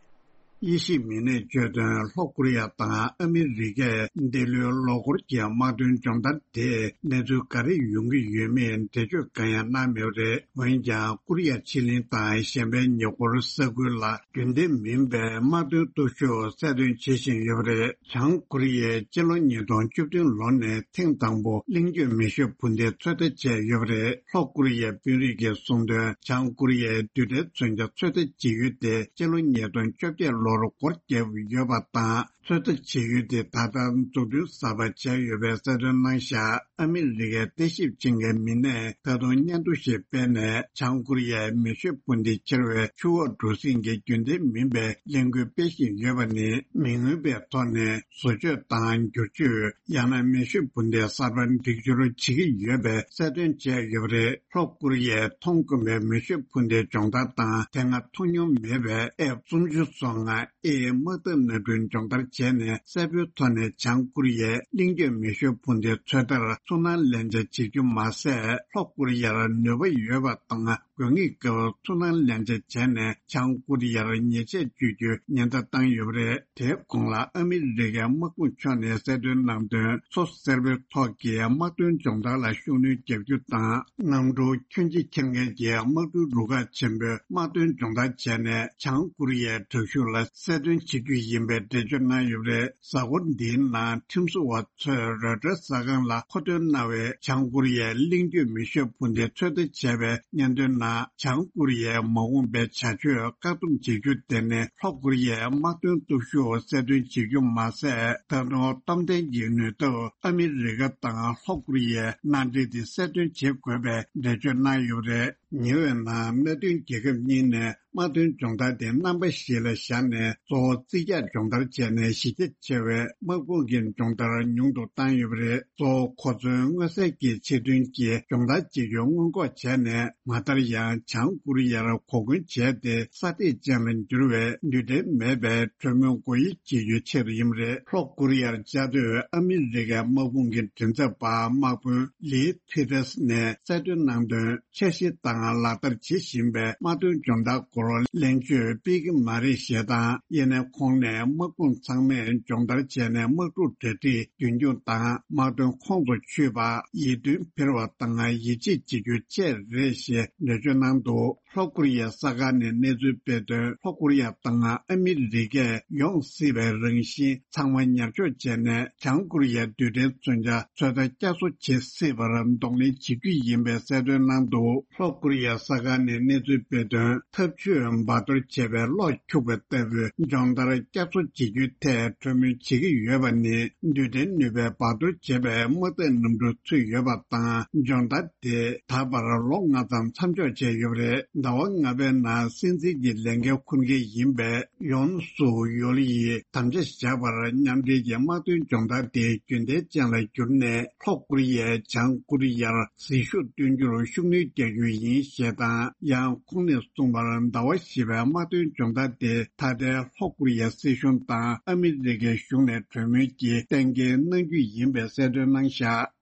དབྱེ་ཞིབ་མི་སྣས་བརྗོད་དོན། ལྷོ་ཀོ་རི་ཡ་དང་ཨ་མི་རི་ཀས་འདི་ལོའི་ལོ་འཁོར་གྱི་དམག་དོན་སྦྱོང་བརྡར་དེས་གནས་ཚུལ་ག་རེ་ཡོང་གི་ཡོད་མེད་འགྲེལ་བརྗོད་གང་ཡང་གནང་མེད་པ་རེད། འོན་ཀྱང་ཀོ་རི་ཡ་ཕྱེད་གླིང་དང་གཞན་པའི་ཉེ་འཁོར་ས་ཁུལ་ལ་རྒྱུན་ལྡན་མིན་པའི་དམག་དོན་སྟོབས་ཤུགས་གསལ་སྟོན་བྱེད་བཞིན་ཡོད་པ་རེད། བྱང་ཀོ་རི་ཡས་སྤྱི་ལོ་ཉིས་སྟོང་བཅུ་བདུན་ལོ་ནས་ཐེངས་དང་པོ་གླིང་བརྗོད་མེ་ཤུགས་འཕུར་མདེལ་ཚོད་ལྟ་བྱས་ཡོད་པ་རེད། ལྷོ་ཀོ་རི་ཡའི་དཔོན་རིགས་ཀྱིས་གསུངས་དོན། བྱང་ཀོ་རི་ཡའི་རྡུལ་ཕྲན་མཚོན་ཆ་ཚོད་ལྟ་བྱེད་ཡུལ་དེ་སྤྱི་ལོ་ཉིས་སྟོང་བཅོ་བརྒྱད་ལོར་སྒོ་བརྒྱབ་ཡོད་པ་དང་། ཚོད་ལྟ་བྱེད་ཡུལ་དེ་ད་ལྟ་འཛུགས་སྐྲུན་གསར་པ་བྱས་ཡོད་པའི་གསལ་སྟོན་གནང་བཞག་ཨ་མི་རི་ཀའི་ལྟ་ཞིབ་བྱེད་མཁན་མི་སྣས་ད་དུང་སྙན་ཐོ་ཞིག་སྤེལ་ནས། བྱང་ཀོ་རི་ཡའི་མེ་ཤུགས་འཕུར་མདེལ་འཁྱེར་བའི་ཆུ་འོག་གྲུ་གཟིངས་ཀྱི་རྒྱུན་ལྡན་མིན་པའི་ལས་འགུལ་སྤེལ་བཞིན་ཡོད་པ་ནི། མི་མངོན་པའི་ཐོག་ནས་བཟོ་བཅོས་དང་བསྒྱུར་བཅོས། ཡང་ན་མེ་ཤུགས་འཕུར་མདེལ་གསར་པ་སྒྲིག་སྦྱོར་བྱེད་ཀྱི་ཡོད་པའི་གསལ་སྟོན་བྱས་ཡོད་པ་རེད། ལྷོ་ཀོ་རི་ཡས་མཐོང་དཀོན་པའི་མེ་ཤུགས་འཕུར་མདེལ་སྦྱོང་བརྡར་དང་། དེ་སྔ་མཐོང་མྱོང་མེད་པའི་ཨེཕ་སུམ་ཅུ་སོ་ལྔ་ཨེ་དམག་འཐབ་གནམ་གྲུ་སྦྱོང་བརྡར་བྱས་ནས། གསལ་པོའི་ཐོག་ནས་བྱང་ཀོ་རི་ཡས་གླིང་བརྗོད་མེ་ཤུགས་འཕུར་མདེལ་ཚོད་ལྟར་ཚུར་སྣང་ལན་ཆ་བྱེད་རྒྱུ་མ་ཟད། ལྷོ་ཀོ་རི་ཡར་ནུས་པ་ཡོད་པ་དང་ དགོས་ངེས་སྐབས་ཚུར་སྣང་ལེན་ཆ་བྱས་ནས་བྱང་ཀོ་རི་ཡར་ཉེས་ཆད་གཅོད་རྒྱུའི་ཉེན་བརྡ་བཏང་ཡོད་པ་རེད། དེའི་གོང་ལ་ཨ་མི་རི་ཀའི་དམག་དཔུང་ཕྱོགས་ནས་གསལ་སྟོན་གནང་དོན། མཚོ་སེར་པོའི་ཐོག་གི་དམག་དོན་སྦྱོང་བརྡར་ལ་ཤུགས་སྣོན་རྒྱག་རྒྱུ་དང་། གནམ་གྲུ་ཁྱོན་ཆེ་འཁྱེར་མཁན་གྱི་དམག་གྲུའི་རུ་ཁག་ཆེན་པོས་དམག་དོན་སྦྱོང་བརྡར་བྱས་ནས་བྱང་ཀོ་རི་ཡའི་དྲག་ཤུགས་ལ་གསལ་སྟོན་བྱེད་རྒྱུ་ཡིན་པའི་འགྲེལ་བརྗོད་གནང་ཡོད་པ་རེད། གཟའ་འཁོར་འདིའི་ནང་ཁྲིམས་བཟོ་བ་ཚོས་རོའི་ཊར་གསར་ཁང་ལ་མཁོ་འདོན་གནང་བའི་བྱང་ཀོ་རི་ཡའི་གླེང་བརྗོད་མི་ཤོག་འཕུར་མདེལ་ཚོད་ལྟ་བྱས་པའི་སྙན་ཐོའི་ནང་། བྱང་ཀོ་རི་ཡའི་མ་འོངས་པའི་བྱ་སྤྱོད་བཀག་སྡོམ་བྱེད་རྒྱུ་དེ་ནི་ལྷོ་ཀོ་རི་ཡའི་དམག་དོན་སྟོབས་ཤུགས་གསལ་སྟོན་བྱེད་རྒྱུ་མ་ཟད། ད་དུང་སྟོབས་ལྡན་གྱི་ནུས་སྟོབས་ཨ་མི་རི་ཀ་དང་ལྷོ་ཀོ་རི་ཡའི་མནའ་འབྲེལ་དེ་གསལ་སྟོན་བྱེད་དགོས་པའི་འགྲེལ་བརྗོད་གནང་ཡོད་པ་རེད། ཉེ་བའི་ནང་སྣེ་མཐུན་རྒྱལ་ཁབ་གཉིས་ནས་དམག་དོན་སྦྱོང་བརྡར་དེ་རྣམ་པ་བཞི་ལ་བཞག་ནས་གཙོ་བོ་རྩིས་རྒྱག་སྦྱོང་བརྡར་བྱས་ནས་གཞི་རྒྱ་ཆེ་བའི་དམག་དཔུང་གི་སྦྱོང་བརྡར་ཉུང་དུ་བཏང་ཡོད་པ་རེད། གཙོ་བོ་གོ་མཚོན་མངོན་གསལ་གྱི་ཆེད་དོན་གྱི་སྦྱོང་བརྡར་བྱེད་རྒྱུ་སྔོན་འགོག་བྱས་ནས། མ་མཐར་ཡང་བྱང་ཀོ་རི་ཡར་གོ་སྐོན་བྱས་ཏེ་སྲ་ཐིག་ཅན་ལ་འགྱུར་བའི་རྡུལ་ཕྲན་མེད་པའི་གྲོས་མོལ་སྒོ་དབྱེ་བྱེད་རྒྱུའི་ཆེད་དུ་ཡིན་པ་རེད། ལྷོ་ཀོ་རི་ཡར་བཅའ་སྡོད་ཨ་མི་རི་ཀའི་དམག་དཔུང་གི་མགྲིན་ཚབ་པ་དམག་དཔོན་ལི་ཐི་རེས་ནས་གསལ་སྟོན་གནང་དོན། འཆར་གཞི་དང་ལག་བསྟར་བྱེད་བཞིན་པའི་དམག་དོན་སྦྱོང་བརྡར་སྐོར་གླེང་བརྗོད་སྤེལ་གྱི་མ་རེད་ཞེས་དང་། དབྱེ་ནས་ཁོང་ནས་དམག་དཔུང་ཚང་མས་སྦྱོང་བརྡར་བྱས་ནས་དམག་འཁྲུག་གྲ་སྒྲིག་རྒྱུན་འཁྱོངས་དང་། དམག་དོན་ཁོང་དུ་ཆུད་པ། ཡིད་རྟོན་འཕེར་བ་དང་ཡིད་ཆེས་བྱེད་རྒྱུ་བཅས་རེད་ཞེས་འགྲེལ་བརྗོད་གནང་འདུག་ལྷོ་ཀོ་རི་ཡའི་གསར་ཁང་ནས་གནས་ཚུལ་སྤེལ་དོན། ལྷོ་ཀོ་རི་ཡ་དང་ཨ་མི་རི་ཀས་ཡོང་སྲིད་པའི་རང་བཞིན་ཚང་མ་ཉར་འཇོག་བྱས་ནས། བྱང་ཀོ་རི་ཡའི་རྡུལ་ཕྲན་མཚོན་ཆ་ཚོད་ལྟ་བསྐྱར་གསོ་བྱེད་སྲིད་པར་གདོང་ལེན་བྱེད་རྒྱུ་ཡིན་པའི་གསལ་སྟོན་གནང་འདུག་ལྷོ་ཀོ་རི་ཡའི་གསར་ཁང་ནས་གནས་ཚུལ་སྤེལ་དོན། འཐབ་ཇུས་འབར་གཏོར་བྱས་པའི་གློག་འཁྱུག་པ་ལྟ་བུའི་སྦྱོང་བརྡར་བསྐྱར་གསོ་བྱེད་རྒྱུའི་ཐད་གྲོས་མོལ་བྱེད་ཀྱི་ཡོད་པ་ནི། རྡུལ་ཕྲན་ནུས་པའི་འབར་གཏོར་བྱས་པའི་དམག་རྟགས་རྣམ་འགྲུལ་ཚུད་ཡོད་པ་དང་། སྦྱོང་བརྡར་དེ་ད་བར་ལོ་ལྔ་ཙམ་མཚམས་འཇོག་བྱས་ཡོད་པ་རེད། ཟླ་བ་ལྔ་པའི་ནང་སྲིད་འཛིན་གྱི་ལས་འགན་འཁུར་མཁན་ཡིན་པའི་ཡོན་སུག་ཡོལ་ཡིས་དམ་བཅའ་བཞག་པར། མཉམ་འབྲེལ་གྱི་དམག་དོན་སྦྱོང་བརྡར་དེ་རྒྱུན་ལྡན་ཅན་ལ་བསྒྱུར་ནས། ལྷོ་ཀོ་རི་ཡས་བྱང་ཀོ་རི་ཡར་ཟིལ་ཤུགས་བཏོན་རྒྱུར་ཤུགས་སྣོན་རྒྱག་རྒྱུ་ཡིན་ཞེས་དང་། ཡང་ཁོང་ནས་གསུངས་པར། ཟླ་བ་བཞི་པའི་དམག་དོན་སྦྱོང་བརྡར་དེ་ད་ལྟའི་ལྷོ་ཀོ་རི་ཡའི་སྲིད་གཞུང་དང་ཨ་མི་རི་ཀའི་གཞུང་ནས་གྲོས་མོལ་གྱིས་གཏན་འཁེལ་གནང་རྒྱུ་ཡིན་པའི་གསལ་སྟོན་གནང་བཞག་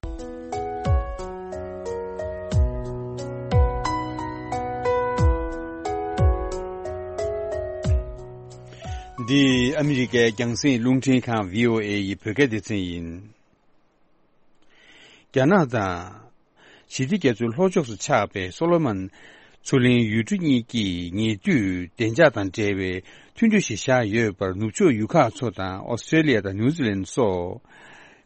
འདི་ཨ་མི་རི་ཀའི་རྒྱང་སྲིང་རླུང་འཕྲིན་ཁང་བྷི་ཨོ་ཨེ་ཡི་བོད་སྐད་སྡེ་ཚན་ཡིན། རྒྱ་ནག་དང་། ཞི་བདེ་རྒྱ་མཚོའི་ལྷོ་ཕྱོགས་སུ་ཆགས་པའི་སོ་ལོ་མོན་མཚོ་གླིང་ཡུལ་གྲུ་གཉིས་ཀྱིས་ཉེ་དུས་བདེ་འཇགས་དང་འབྲེལ་བའི་མཐུན་གྲོས་ཤིག་བཞག་ཡོད་པར། ནུབ་ཕྱོགས་ཡུལ་ཁག་ཚོ་དང་ཨོ་སི་ཀྲེ་ལི་ཡ་དང་ནིའུ་ཛི་ལན་སོགས་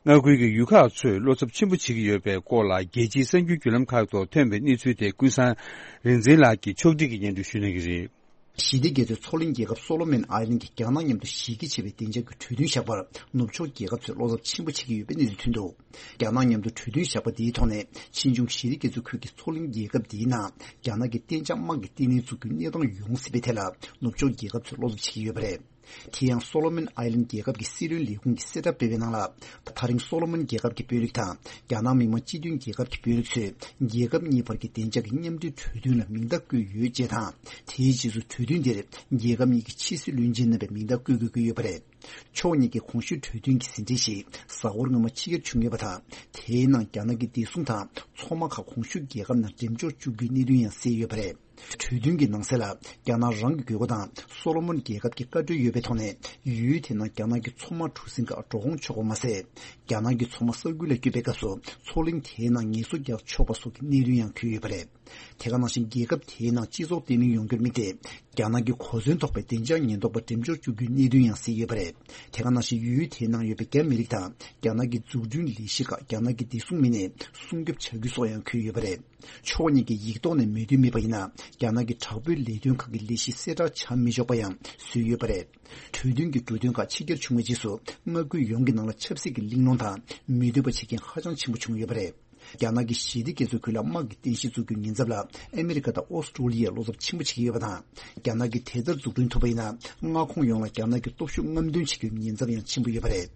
མངའ་ཁུལ་གྱི་ཡུལ་ཁག་ཚོས་བློ་འཚབ་ཆེན་པོ་བྱེད་ཀྱི་ཡོད་པའི་སྐོར་ལ། རྒྱལ་སྤྱིའི་གསར་འགྱུར་བརྒྱུད་ལམ་ཁག་ཐོག་ཐོན་པའི་གནས་ཚུལ་དེ་ཀུན་བཟང་རིག་འཛིན་ལགས་ཀྱིས་ཕྱོགས་སྒྲིག་གིས་སྙན་སྒྲོན་ཞུ་གནང་གི་རེད། ཞི་བདེ་རྒྱ་མཚོའི་མཚོ་གླིང་རྒྱལ་ཁབ་སོ་ལོ་མོན་ཨའི་ལན་གྱིས་རྒྱ་ནག་མཉམ་དུ་གཞི་རྒྱ་ཆེ་བའི་བདེ་འཇགས་ཀྱི་གྲོས་མཐུན་བཞག་པར། ནུབ་ཕྱོགས་རྒྱལ་ཁབ་ཚོས་བློ་འཚབ་ཆེན་པོ་བྱེད་ཀྱི་ཡོད་པའི་གནས་ཚུལ་ཐོན་འདུག་རྒྱ་ནག་མཉམ་དུ་གྲོས་མཐུན་བཞག་པ་འདིའི་ཐོག་ནས། ཕྱིས་འབྱུང་ཞི་བདེ་རྒྱ་མཚོའི་ཁུལ་གྱི་མཚོ་གླིང་རྒྱལ་ཁབ་འདིའི་ནང་རྒྱ་ནག་གི་གཏན་འཇགས་དམག་གི་ལྟེ་གནས་འཛུགས་རྒྱུའི་གནས་སྟངས་ཡོང་སྲིད་པའི་ཐད་ལ། ནུབ་ཕྱོགས་རྒྱལ་ཁབ་ཚོས་བློ་འཚབ་བྱེད་ཀྱི་ཡོད་པ་རེད། དེ་ཡང་། སོ་ལོ་མོན་ཨའི་ལན་རྒྱལ་ཁབ་ཀྱི་སྲིད་བློན་ལས་ཁུངས་ཀྱིས་གསལ་བསྒྲགས་སྤེལ་བའི་ནང་ལ། ད་རིང་སོ་ལོ་མོན་རྒྱལ་ཁབ་ཀྱི་དཔོན་རིགས་དང་། རྒྱ་ནག་མི་དམངས་སྤྱི་མཐུན་རྒྱལ་ཁབ་ཀྱི་དཔོན་རིགས་ཚོས། རྒྱལ་ཁབ་གཉིས་བར་གྱི་བདེ་འཇགས་ཀྱི་མཉམ་འབྲེལ་གྲོས་མཐུན་ལ་མིང་རྟགས་བཀོད་ཡོད་ཅེས་དང་། དེའི་རྗེས་སུ་གྲོས་མཐུན་དེར་རྒྱལ་ཁབ་གཉིས་ཀྱི་ཕྱི་སྲིད་བློན་ཆེན་རྣམ་པས་མིང་རྟགས་བཀོད་དགོས་ཀྱི་ཡོད་པ་རེད། ཕྱོགས་གཉིས་ཀྱི་གོང་ཞུས་གྲོས་མཐུན་གྱི་ཟིན་བྲིས་ཤིག་གཟའ་འཁོར་སྔོན་མ་ཕྱི་གྱར་བྱུང་ཡོད་པ་དང་། དེའི་ནང་རྒྱ་ནག་གི་བདེ་སྲུང་དང་མཚོ་དམག་ཁག་གོང་ཞུས་རྒྱལ་ཁབ་ནང་འགྲེམས་འཇོག་བཅུག་རྒྱུའི་གནད་དོན་ཡང་གསལ་ཡོད་པ་རེད། གྲོས་མཐུན་གྱི་ནང་གསལ་ལ། རྒྱ་ནག་རང་གི་དགོས་མཁོ་དང་སོ་ལོ་མོན་རྒྱལ་ཁབ་ཀྱི་བཀའ་འཁྲོལ་ཡོད་པའི་ཐོག་ནས། ཡུལ་དེ་ནང་རྒྱ་ནག་གི་མཚོ་དམག་གྲུ་གཟིངས་ཁག་འགྲོ་འོང་ཆོག་པ་མ་ཟད། རྒྱ་ནག་གི་མཚོ་དམག་ས་ཁུལ་ལ་སྐྱོད་པའི་སྐབས་སུ། མཚོ་གླིང་དེའི་ནང་ངལ་གསོ་རྒྱག་ཆོག་པ་སོགས་ཀྱི་གནད་དོན་ཡང་འཁོད་ཡོད་པ་རེད། དེ་ག་ནང་བཞིན། རྒྱལ་ཁབ་དེའི་ནང་སྤྱི་ཚོགས་བརྟན་ལྷིང་ཡོང་རྒྱུར་དམིགས་ཏེ། རྒྱ་ནག་གི་གོ་མཚོན་ཐོགས་པའི་བདེ་འཇགས་ཉེན་རྟོག་པ་འགྲེམས་འཇོག་བཅུག་རྒྱུའི་གནད་དོན་ཡང་གསལ་ཡོད་པ་རེད། དེ་ག་ནང་བཞིན། ཡུལ་དེའི་ནང་ཡོད་པའི་རྒྱ་མི་རིགས་དང་། རྒྱ་ནག་གི་འཛུགས་སྐྲུན་ལས་གཞི་ཁག་རྒྱ་ནག་གི་བདེ་སྲུང་མི་སྣས་སྲུང་སྐྱོབ་བྱ་རྒྱུ་སོགས་ཡང་འཁོད་ཡོད་པ་རེད། ཕྱོགས་གཉིས་ཀྱིས་ཡིག་ཐོག་ནས་མོས་མཐུན་མེད་པ་ཡིན་ན། རྒྱ་ནག་གི་དྲག་པོའི་ལས་དོན་ཁག་གི་ལས་གཞི་གསལ་བསྒྲགས་བྱ་མི་ཆོག་པ་ཡང་བཟོས་ཡོད་པ་རེད། གྲོས་མཐུན་གྱི་འབྲུ་དོན་ཁག་ཕྱི་གྱར་བྱུང་བའི་རྗེས་སུ། མངའ་ཁུལ་ཡོངས་ཀྱི་ནང་ལ་ཆབ་སྲིད་ཀྱི་གླེང་སློང་དང་མི་འདོད་པ་བྱེད་མཁན་ཧ་ཅང་ཆེན་པོ་བྱུང་ཡོད་པ་རེད། རྒྱ་ནག་གིས་ཞི་བདེ་རྒྱ་མཚོའི་ཁུལ་ལ་དམག་གི་རྟེན་གཞི་འཛུགས་རྒྱུའི་ཉེན་ཚབས་ལ། ཨ་མི་རི་ཀ་དང་ཨོ་སི་ཀྲོ་ལི་ཡས་བློ་འཚབ་ཆེན་པོ་བྱེད་ཀྱི་ཡོད་པ་དང་། རྒྱ་ནག་གིས་དེ་ལྟར་འཛུགས་སྐྲུན་ཐུབ་པ་ཡིན་ན། མངའ་ཁོངས་ཡོངས་ལ་རྒྱ་ནག་གི་སྟོབས་ཤུགས་རྔམ་སྟོན་བྱེད་རྒྱུའི་ཉེན་ཚབས་ཡང་ཆེན་པོ་ཡོད་པ་རེད།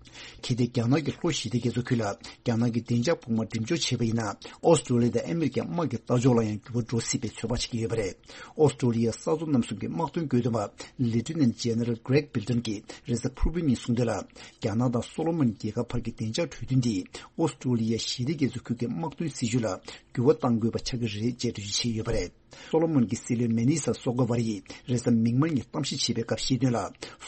གལ་ཏེ་རྒྱ་ནག་གིས་ལྷོ་ཞི་བདེ་རྒྱ་མཚོའི་ཁུལ་ལ་རྒྱ་ནག་གི་བདེ་འཇགས་དཔུང་དམག་འགྲེམས་འཇོག་བྱས་པ་ཡིན་ན། ཨོ་སི་ཀྲོ་ལི་ཡ་དང་ཨ་མི་རི་ཀའི་དམག་གི་ལྟ་ཕྱོགས་ལ་ཡང་འགྱུར་བ་འགྲོ་སྲིད་པའི་ཚོད་དཔག་བྱེད་ཀྱི་ཡོད་པ་རེད། ཨོ་སི་ཀྲོ་ལི་ཡའི་ས་མཚོ་གནམ་གསུམ་གྱི་དམག་དོན་བཀོད་འདོམས་པ་Lieutenant General Greg Bilton གྱིས་རེས་གཟའ་ཕུར་བུའི་ཉིན་གསུངས་དོན་ལ། རྒྱ་ནག་དང་སོ་ལོ་མོན་རྒྱལ་ཁབ་བར་གྱི་བདེ་འཇགས་གྲོས་མཐུན་འདིས། ཨོ་སི་ཀྲོ་ལི་ཡའི་ཞི་བདེ་རྒྱ་མཚོའི་ཁུལ་གྱི་དམག་ དམག་དོན་སྲིད་ཇུས་ལ་འགྱུར་བ་གཏང་དགོས་པ་ཆགས་ཀྱི་རེད་ཅེས་འགྲེལ་བརྗོད་བྱས་ཡོད་པ་རེད། སོ་ལོ་མོན་གྱི་སྲིད་བློན་མེ་ནི་ས་སོ་ཀ་ཝ་རི་ཡིས་རེས་གཟའ་མིག་དམར་ཉིན་གཏམ་བཤད་བྱས་པའི་སྐབས་བཤད་དོན་ལ།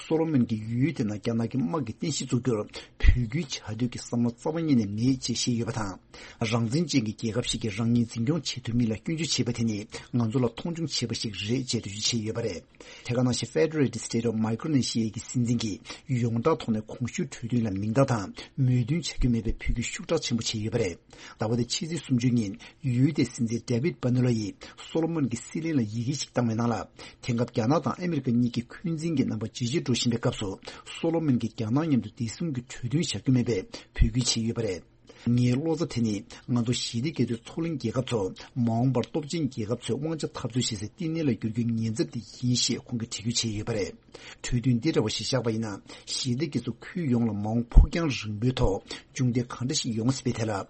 སོ་ལོ་མོན་གྱི་ཡུལ་དེ་ནང་རྒྱ་ནག་གི་དམག་གི་རྟེན་གཞི་བཙུགས་རྒྱུར་བོད་ཁུལ་བྱ་འདོད་ཀྱི་བསམ་བློ་རྩ་བ་ཉིད་ནས་མེད་ཅེས་བཤད་ཡོད་པ་དང་། རང་བཙན་ཅན་གྱི་རྒྱལ་ཁབ་ཞིག་གིས་རང་ཉིད་འཛིན་སྐྱོང་བྱེད་ཐུབ་མིན་ལ་སྐྱོན་བརྗོད་བྱས་པ་དེ་ནི་ང་ཚོ་ལ་མཐོང་ཆུང་བྱས་པ་ཞིག་རེད་ཅེས་འགྲེལ་བརྗོད་བྱས་ཡོད་པ་རེད། དེ་ག་ནང་བཞིན་Federated State of Micronesia་གི་སྲིད་འཛིན་གྱིས་ཡོངས་གྲགས་ཐོག་ནས་གོང་ཞུས་གྲོས་མཐུན་ལ་མིང་རྟགས་དང་མོས་མཐུན་བྱ་རྒྱུ་མེད་པའི་འབོད་སྐུལ་ཤུགས་དྲག་ཆེན་པོ་བྱས་ཡོད་པ་རེད། ཟླ་བ་འདིའི་ཕྱི་ཚེས་སུམ་ཅུ་ཉིན་ཡུལ་དེའི་སྲིད་འཛིན་David Oyelowo་ཡིས་སོ་ལོ་མོན་གྱི་སྲིད་བློན་ལ་ཡི་གེ་ཞིག་བཏང་བའི་ནང་ལ། དེང་སྐབས་རྒྱ་ནག་དང་ཨ་མི་རི་ཀ་གཉིས་ཀྱི་འཁོན་འཛིན་གྱི་རྣམ་པ་ཇེ་ཆེར་འགྲོ་བཞིན་པའི་སྐབས་སུ། སོ་ལོ་མོན་གྱིས་རྒྱ་ནག་མཉམ་དུ་བདེ་སྲུང་གི་གྲོས་མཐུན་བྱ་རྒྱུ་མེད་པའི་འབོད་སྐུལ་བྱས་ཡོད་པ་རེད། ངའི་བློ་རྩ་དེ་ནི་ང་ཚོ་ཞི་བདེ་སྐྱེ་སྲིད་མཚོ་གླིང་རྒྱལ་ཁབ་ཚོ་མ་འོངས་པར་སྟོབས་ཆེན་རྒྱལ་ཁབ་ཚོའི་དབང་ཆ་འཐབ་རྩོད་བྱེད་སའི་བསྟི་གནས་ལ་འགྱུར་རྒྱུའི་ཉེན་ཚབས་དེ་ཡིན་ཞེས་ཁོང་གིས་འགྲེལ་བརྗོད་བྱས་ཡོད་པ་རེད། གྲོས་མཐུན་འདི་འདྲ་བ་ཞིག་བཞག་པ་ཡིན་ན། ཞི་བདེ་སྐྱེ་སྲིད་ཁུལ་ཡོངས་ལ་མ་འོངས་ཕུགས་རྒྱང་རིང་པོའི་ཐོག་མཇུག་འབྲས་གང་འདྲ་ཞིག་ཡོང་སྲིད་པའི་ཐད་ལ།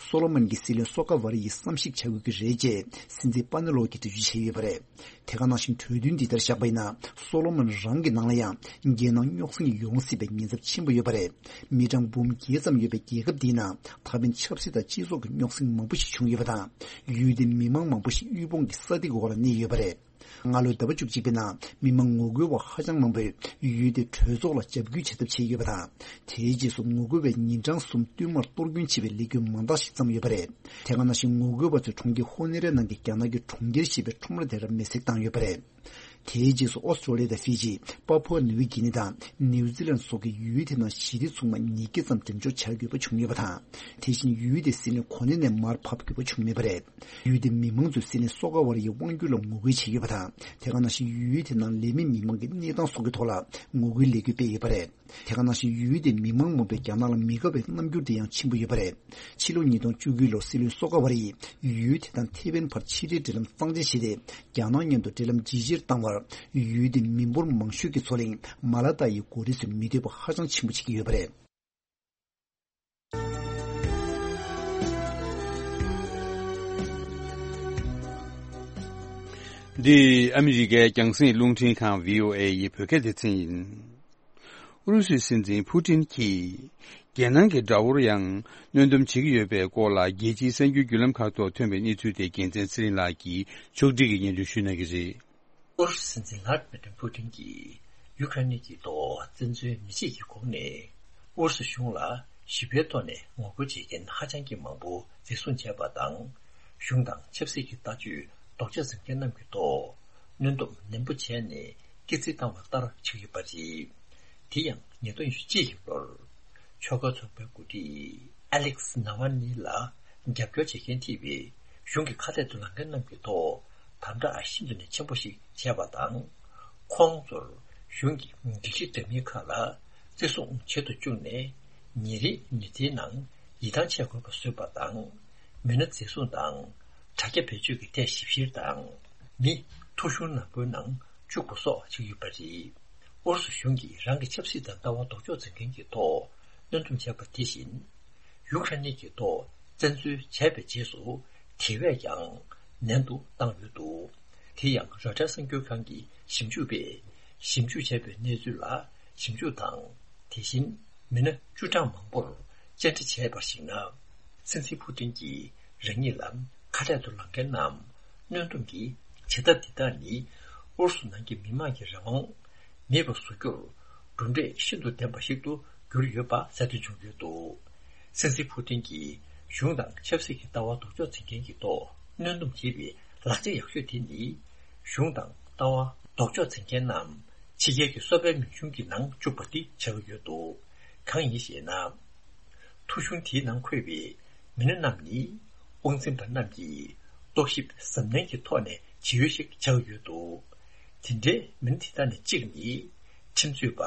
སོ་ལོ་མོན་གྱི་སྲིད་བློན་སོ་ཀ་ཝ་རི་ཡིས་བསམ་གཞིག་བྱ་དགོས་ཀྱི་རེད་ཅེས་སྲིད་འཛིན་པ་ནེ་ལོ་གིས་འགྲེལ་བརྗོད་བྱས་ཡོད་པ་རེད། དེ་ག་ནང་བཞིན་གྲོས་མཐུན་འདི་ལྟར་བཞག་པ་ཡིན་ན། སོ་ལོ་མོན་རང་གི་ནང་ལ་ཡང་རྒྱལ་ནང་རྙོག་ཟིང་ཡོང་སྲིད་པའི་ཉེན་ཚབས་ཆེན་པོ་ཡོད་པ་རེད། མི་གྲངས་འབུམ་བརྒྱད་ཙམ་ཡོད་པའི་རྒྱལ་ཁབ་འདིའི་ནང་ད་ཕན་ཆབ་སྲིད་དང་སྤྱི་ཚོགས་ཀྱི་རྙོག་ཟིང་མང་པོ་ཞིག་བྱུང་ཡོད་པ་དང་། ཡུལ་དེའི་མི་མང་མང་པོ་ཞིག་དབུལ་ཕོངས་ཀྱི་ས་སྟེང་གི་འོག་ལ་གནས་ཡོད་པ་རེད། སྔ་ལོའི་ཟླ་བ་བཅུ་གཅིག་པའི་ནང་མི་མང་ངོ་རྒོལ་བ་ཧ་ཅང་མང་པོས་ཡུལ་དེའི་གྲོས་ཚོགས་ལ་འཇབ་རྒོལ་བྱེད་ཐབས་བྱས་ཡོད་པ་དང་། དེའི་རྗེས་སུ་ངོ་རྒོལ་བས་ཉིན་གྲངས་གསུམ་བསྟུད་མར་གཏོར་སྐྱོན་བྱེད་པའི་ལས་འགུལ་མང་དག་ཞིག་བརྩམས་ཡོད་པ་རེད། དེ་ག་ནང་བཞིན་ངོ་རྒོལ་བ་ཚོས་གྲོང་ཁྱེར་ཧོ་ནེ་རའི་ནང་གི་རྒྱ་ནག་གི་གྲོང་ཁྱེར་ཞེས་པའི་ཁྲོམ་ར་དེར་མེ་བསྲེགས་བཏང་ཡོད་པ་རེད། དེའི་རྗེས་སུ་ཨོ་སི་ཀྲོ་ལི་ཡ་དང་ཧྥི་ཇི། པ་པུའ་ནིའུ་གྷི་ནི་དང་ནིའུ་ཛི་ལན་སོགས་ཀྱིས་ཡུལ་དེ་ནང་ཞི་བདེ་ཚོགས་མ་ཉིས་བརྒྱ་ཙམ་འགྲེམས་འཇོག་བྱ་དགོས་པ་བྱུང་ཡོད་པ་དང་། དེ་བཞིན་ཡུལ་དེའི་སྲིད་བློན་གོ་གནས་ནས་མར་ཕབ་དགོས་པ་བྱུང་མེད་པ་རེད། ཡུལ་དེའི་མི་མང་ཚོས་སྲིད་བློན་སོ་ཀ་ཝ་རི་ཡི་དབང་སྒྱུར་ལ་ངོ་རྒོལ་བྱས་ཡོད་པ་དང་། དེ་ག་ནང་བཞིན་ཡུལ་དེ་ནང་ལས་མེད་མི་མང་གི་གནས་སྟངས་སོགས་ཀྱི་ཐོག་ལ་ངོ་རྒོལ་ལས་འགུལ་སྤེལ་ཡོད་པ་རེད། དེ་ག་ནང་བཞིན་ཡུལ་དེའི་མི་མང་མང་པོས་རྒྱ་ནག་ལ་མི་དགའ་བའི་རྣམ་འགྱུར་དེ་ཡང་ཕྱིན་པ་ཡོད་པ་རེད། ཕྱི་ལོ་ཉིས་སྟོང་བཅུ་དགུ་ལོར་སྲིད་བློན་སོ་ཀ་ཝ་རི་ཡིས་ཡུལ་དེ་དང་ཐེ་ཝན་བར་ཕྱི་འབྲེལ་འབྲེལ་ལམ་གཙང་བཅད་བྱས་ཏེ། རྒྱ་ནག་མཉམ་དུ་འབྲེལ་ལམ་ཇེ་ཆེར་བཏང་བར་ཡུལ་དེའི་མི་འབོར་མང་ཤོས་ཀྱི་མཚོ་གླིང་མ་ལ་ཏཱ་ཡི་མགོ་རིལ་ཚོས་མི་འདོད་པ་ཧ་ཅང་ཆེན་པོ་བྱེད་ཀྱི་ཡོད་པ་རེད། འདི་ཨ་མི་རི་ཀའི་རྒྱང་སྲིང་རླུང་འཕྲིན་ཁང་བྷི་ཨོ་ཨེ་ཡི་བོད་སྐད་སྡེ་ཚན་ཡིན། ཨུ་རུ་སུའི་སྲིད་འཛིན་ཕུ་ཏིན་གྱིས་རྒྱལ་ནང་གི་དགྲ་བོར་ཡང་གནོན་སྡོམ་བྱེད་ཀྱི་ཡོད་པའི་སྐོར་ལ་རྒྱལ་སྤྱིའི་གསར་འགྱུར་བརྒྱུད་ལམ་ཁག་ཐོག་ཐོན་པའི་གནས་ཚུལ་དེ་རྒྱལ་མཚན་ཚེ་རིང་ལགས་ཀྱིས་ཕྱོགས་སྒྲིག་གིས་སྙན་སྒྲོན་ཞུ་གནང་གི་རེད། ཨུ་རུ་སུ་སྲིད་འཛིན་ལྷ་དྷི་མི་ཏྲི་ཕུ་ཏིན་གྱིས་ཡུ་ཀེ་རེན་གྱི་ཐོག་བཙན་འཛུལ་མི་བྱེད་ཀྱི་སྒོ་ནས་ཨུ་རུ་སུ་གཞུང་ལ་ཞི་བའི་ཐོག་ནས་ངོ་རྒོལ་བྱེད་མཁན་ཧ་ཅང་གི་མང་པོ་འཛིན་བཟུང་བྱས་པ་དང་། གཞུང་དང་ཆབ་སྲིད་ཀྱི་ལྟ་སྤྱོད་ལྡོག་ཕྱོགས་འཛིན་མཁན་རྣམས་ཀྱི་ཐོག་གནོན་སྡོམ་ནན་པོ་བྱས་ནས་སྐྱེལ་རྩིས་བཏང་བ་ལྟར་ཆགས་ཡོད་པ་རེད། དེ་ཡང་ཉིས་སྟོང་ཉི་ཤུ་གཅིག་གི་ལོར་ཆོལ་ཁ་ཚོགས་པའི་འགོ་ཁྲིད་ཨ་ལེག་སི་ནཱ་ཝལ་ནི་ལ་རྒྱབ་སྐྱོར་བྱེད་མཁན་ཐེ་བའི་གཞུང་གི་ཁ་གཏད་དུ་ལངས་མཁན་རྣམས་ཀྱི་ཐོག་དམ་དྲག་ཤིན་ཏུ་ནས་ཆེན་པོ་ཞིག་བྱས་པ་དང་། ཁོང་ཚོར་གཞུང་གི་སྒྲིག་གཞི་འདྲ་མིན་ཁག་ལ་བརྩི་སྲུང་བྱེད་དུ་བཅུག་ནས། ཉིན་རེའི་མི་ཚེའི་ནང་ཡིད་ཐང་ཆད་དགོས་པ་བཟོས་པ་དང་། མི་སྣ་འཛིན་བཟུང་དང་དྲ་རྒྱ་བེད་སྤྱོད་ཀྱི་ཐད་ཞིབ་བཤེར་དང་། མི་ཐོ་གཞུང་ནག་པོའི་ནང་བཅུག་པ་སོགས་བྱས་ཡོད་པ་རེད། ཨུ་རུ་སུ་གཞུང་གིས་རང་གི་ཆབ་སྲིད་དང་ལྟ་བ་ལྡོག་ཕྱོགས་འཛིན་མཁན་གྱི་ཐོག་གནོན་སྡོམ་བྱས་པ་དེ་བཞིན། ཡུ་ཀེ་རེན་གྱི་ཐོག་བཙན་འཛུལ་བྱས་པའི་རྗེས་སུ་དེ་བས་ཀྱང་ནན་དུ་བཏང་ཡོད་འདུག་དེ་ཡང་རོའི་ཊར་གསར་འགྱུར་ཁང་གི་ཞིབ་འཇུག་པས་ཞིབ་འཇུག་བྱས་པའི་གནས་ཚུལ་ལ་ཞིབ་འཇུག་དང་། དེ་བཞིན་མི་སྣ་བཅུ་གྲངས་མང་པོར་བཅར་འདྲི་བྱས་པར་གཞིགས་ན། སྲིད་འཛིན་ཕུ་ཏིན་གྱིས་རང་ཉིད་ལ་ཁ་གཏད་དུ་ལངས་མཁན་རྣམས་གནོན་སྡོམ་གྱི་བྱེད་ཐབས་འདི་དག་ནི་ཨུ་རུ་སུ་ནང་གི་མི་དམངས་ཀྱི་རང་དབང་མེད་པ་བཟོ་རྒྱུར་གྲུབ་འབྲས་ཤིན་ཏུ་ལྡན་པ་ཞིག་ཏུ་གྱུར་ཡོད་པ་གསལ་སྟོན་བྱུང་ཡོད་འདུག་སྲིད་འཛིན་ཕུ་ཏིན་གྱིས་གཞུང་དང་ཆབ་སྲིད་ཀྱི་ལྟ་བ་ལྡོག་ཕྱོགས་འཛིན་མཁན་གྱི་ཐོག་གནོན་སྡོམ་བྱེད་པའི་ལག་ཆ་ཡག་ཤོས་དེ་ནི། གཞུང་དང་ལྟ་བ་ལྡོག་ཕྱོགས་འཛིན་མཁན་རྣམས་ཕྱི་རྒྱལ་གྱི་གསོ་སྤེལ་མིང་གཞུང་གི་ནང་བཅུག་པ་འདི་ཆགས་ཀྱི་ཡོད་འདུག་གང་ཡིན་ཞེ་ན། ཐོ་གཞུང་དེའི་ནང་འཁོད་པའི་མི་སྣ་རྣམས་ནི། དབང་འཛིན་པ་རྣམས་ཀྱིས་རྟོག་ཞིབ་གཟབ་ནན་གྱི་ཐོག་ནས་བྱེད་ཡུལ་ཞིག་ཆགས་ཡོད་འདུག་དེ་འདྲའི་མི་སྣ་དེ་དག་ནས་གཅིག་ནི། ཁྲིམས་རྩོད་པ་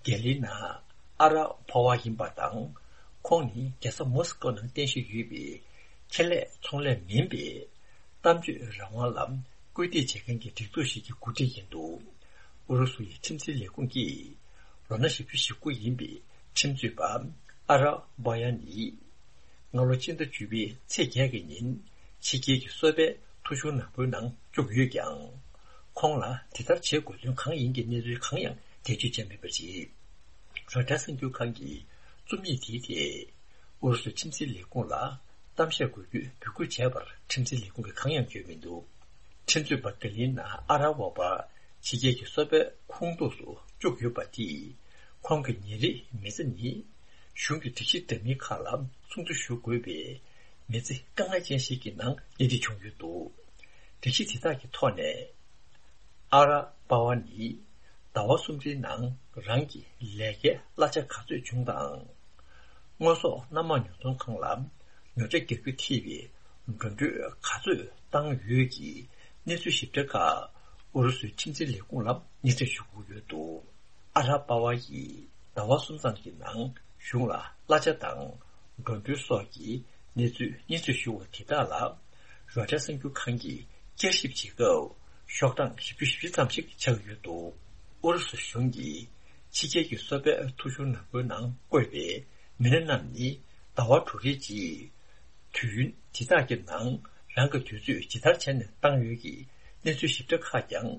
གེ་ལི་ན་ཨ་ར་པོ་ཝ་ཡིན་པ་དང་། ཁོང་ནི་རྒྱལ་ས་མོ་སི་ཀོ་ནང་རྟེན་གཞི་ཡོད་པའི་ཁེ་ལས་ཚོང་ལས་མིན་པའི་གཏམ་བརྗོད་རང་དབང་ལ་སྐུལ་འདེད་བྱེད་མཁན་གྱི་སྒྲིག་འཛུགས་ཤིག་གི་འགོ་ཁྲིད་ཡིན་འདུག་ཨུ་རུ་སུ་ཡི་ཁྲིམས་འཛིན་ལས་ཁུངས་ཀྱིས་ལོ་ན་བཞི་བཅུ་ཞེ་དགུ་ཡིན་པའི་ཁྲིམས་རྩོད་པ་ཨ་ར་པོ་ཝ་ནི། སྔ་ལོ་སྤྱི་ཟླ་བཅུ་པའི་ཚེས་བརྒྱད་ཀྱི་ཉིན་ཕྱི་རྒྱལ་གྱི་གསོ་སྤེལ་ཐོ་གཞུང་ནག་པོའི་ནང་བཅུག་ཡོད་ཀྱང་། ཁོང་ལ་དེ་ལྟར་བྱེད་དགོས་དོན་གང་ཡིན་གྱི་གནས་ཚུལ་གང་ཡང་འགྲེལ་བརྗོད་བྱས་མེད་པ་རེད། རོའི་ཊར་གསར་འགྱུར་ཁང་གིས་རྩོམ་ཡིག་དེའི་ཐད་ཨུ་རུ་སུའི་ཁྲིམས་འཛིན་ལས་ཁུངས་ལ་ གཏམ་བཤད་དགོས་རྒྱུའི་འབོད་སྐུལ་བྱས་པར་ཁྲིམས་འཛིན་ལས་ཁུངས་ཀྱིས་གང་ཡང་བརྗོད་མི་འདུག་ཁྲིམས་རྩོད་པ་ག་ལིན་ན་ཨ་ར་བོ་པ་ཕྱི་རྒྱལ་གྱི་སོ་པའི་ཁོངས་གཏོགས་སུ་བཅུག་ཡོད་པ་དེས། ཁོང་གི་ཉིན་རེའི་མི་ཚེ་ནི། གཞུང་གི་སྒྲིག་གཞི་འདྲ་མིན་ཁག་ལ་སྲུང་བརྩི་ཞུ་དགོས་པའི་མི་ཚེ་དཀའ་ངལ་ཅན་ཞིག་གི་ནང་སླེབས་རྩིས་བྱུང་ཡོད་འདུག་སྒྲིག་གཞི་དེ་དག་གི་ཐོག་ནས། ཨ་ར་པ་བ་ནི་ཟླ་བ་གསུམ་རེའི་ནང་རང་གི་ལས་ཀའི་གླ་ཆ་ག་ཚོད་བྱུང་དང་། དངོས་ཟོག་སྣ་མང་ཉོ་ཚོང་ཁང་ལ་ཉོ་ཆ་རྒྱག་རྒྱུ་ཐེ་བའི་འགྲོ་གྲོན་ག་ཚོད་བཏང་ཡོད་ཀྱི་གནས་ཚུལ་ཞིབ་ཕྲ་ཁག་ཨུ་རུ་སུའི་ཁྲིམས་འཛིན་ལས་ཁུངས་ལ་སྙན་སེང་ཞུ་དགོས་ཡོད་འདུག་ཨ་ར་པ་བ་ཡིས་ཟླ་བ་གསུམ་ཙམ་གྱི་ནང་གཞུང་ལ་གླ་ཆ་དང་འགྲོ་གྲོན་སོགས་ཀྱི་གནས་ཚུལ་སྙན་སེང་ཞུ་བ་དེ་དག་ལ་རོའི་ཊར་གསར་འགྱུར་ཁང་གིས་བསྐྱར་ཞིབ་བྱེད་སྐབས། ཤོག་གྲངས་བཞི་བཅུ་ཞེ་བཞི་ཙམ་ཞིག་ཆགས་ཡོད་འདུག་ཨུ་རུ་སུ་གཞུང་གིས་ཕྱི་རྒྱལ་གྱི་གསོ་པའི་ཐོ་གཞུང་ནག་པོའི་ནང་བཀོད་པའི་མི་སྣ་རྣམས་ནི་ཟླ་བ་དྲུག་རེའི་རྗེས། དུས་ཡུན་དེ་དག་གི་ནང་རང་གི་དུས་ཚོད་ཇི་ལྟར་བྱས་ནས་བཏང་ཡོད་ཀྱི་གནས་ཚུལ་ཞིབ་ཕྲ་ཁག་ཀྱང་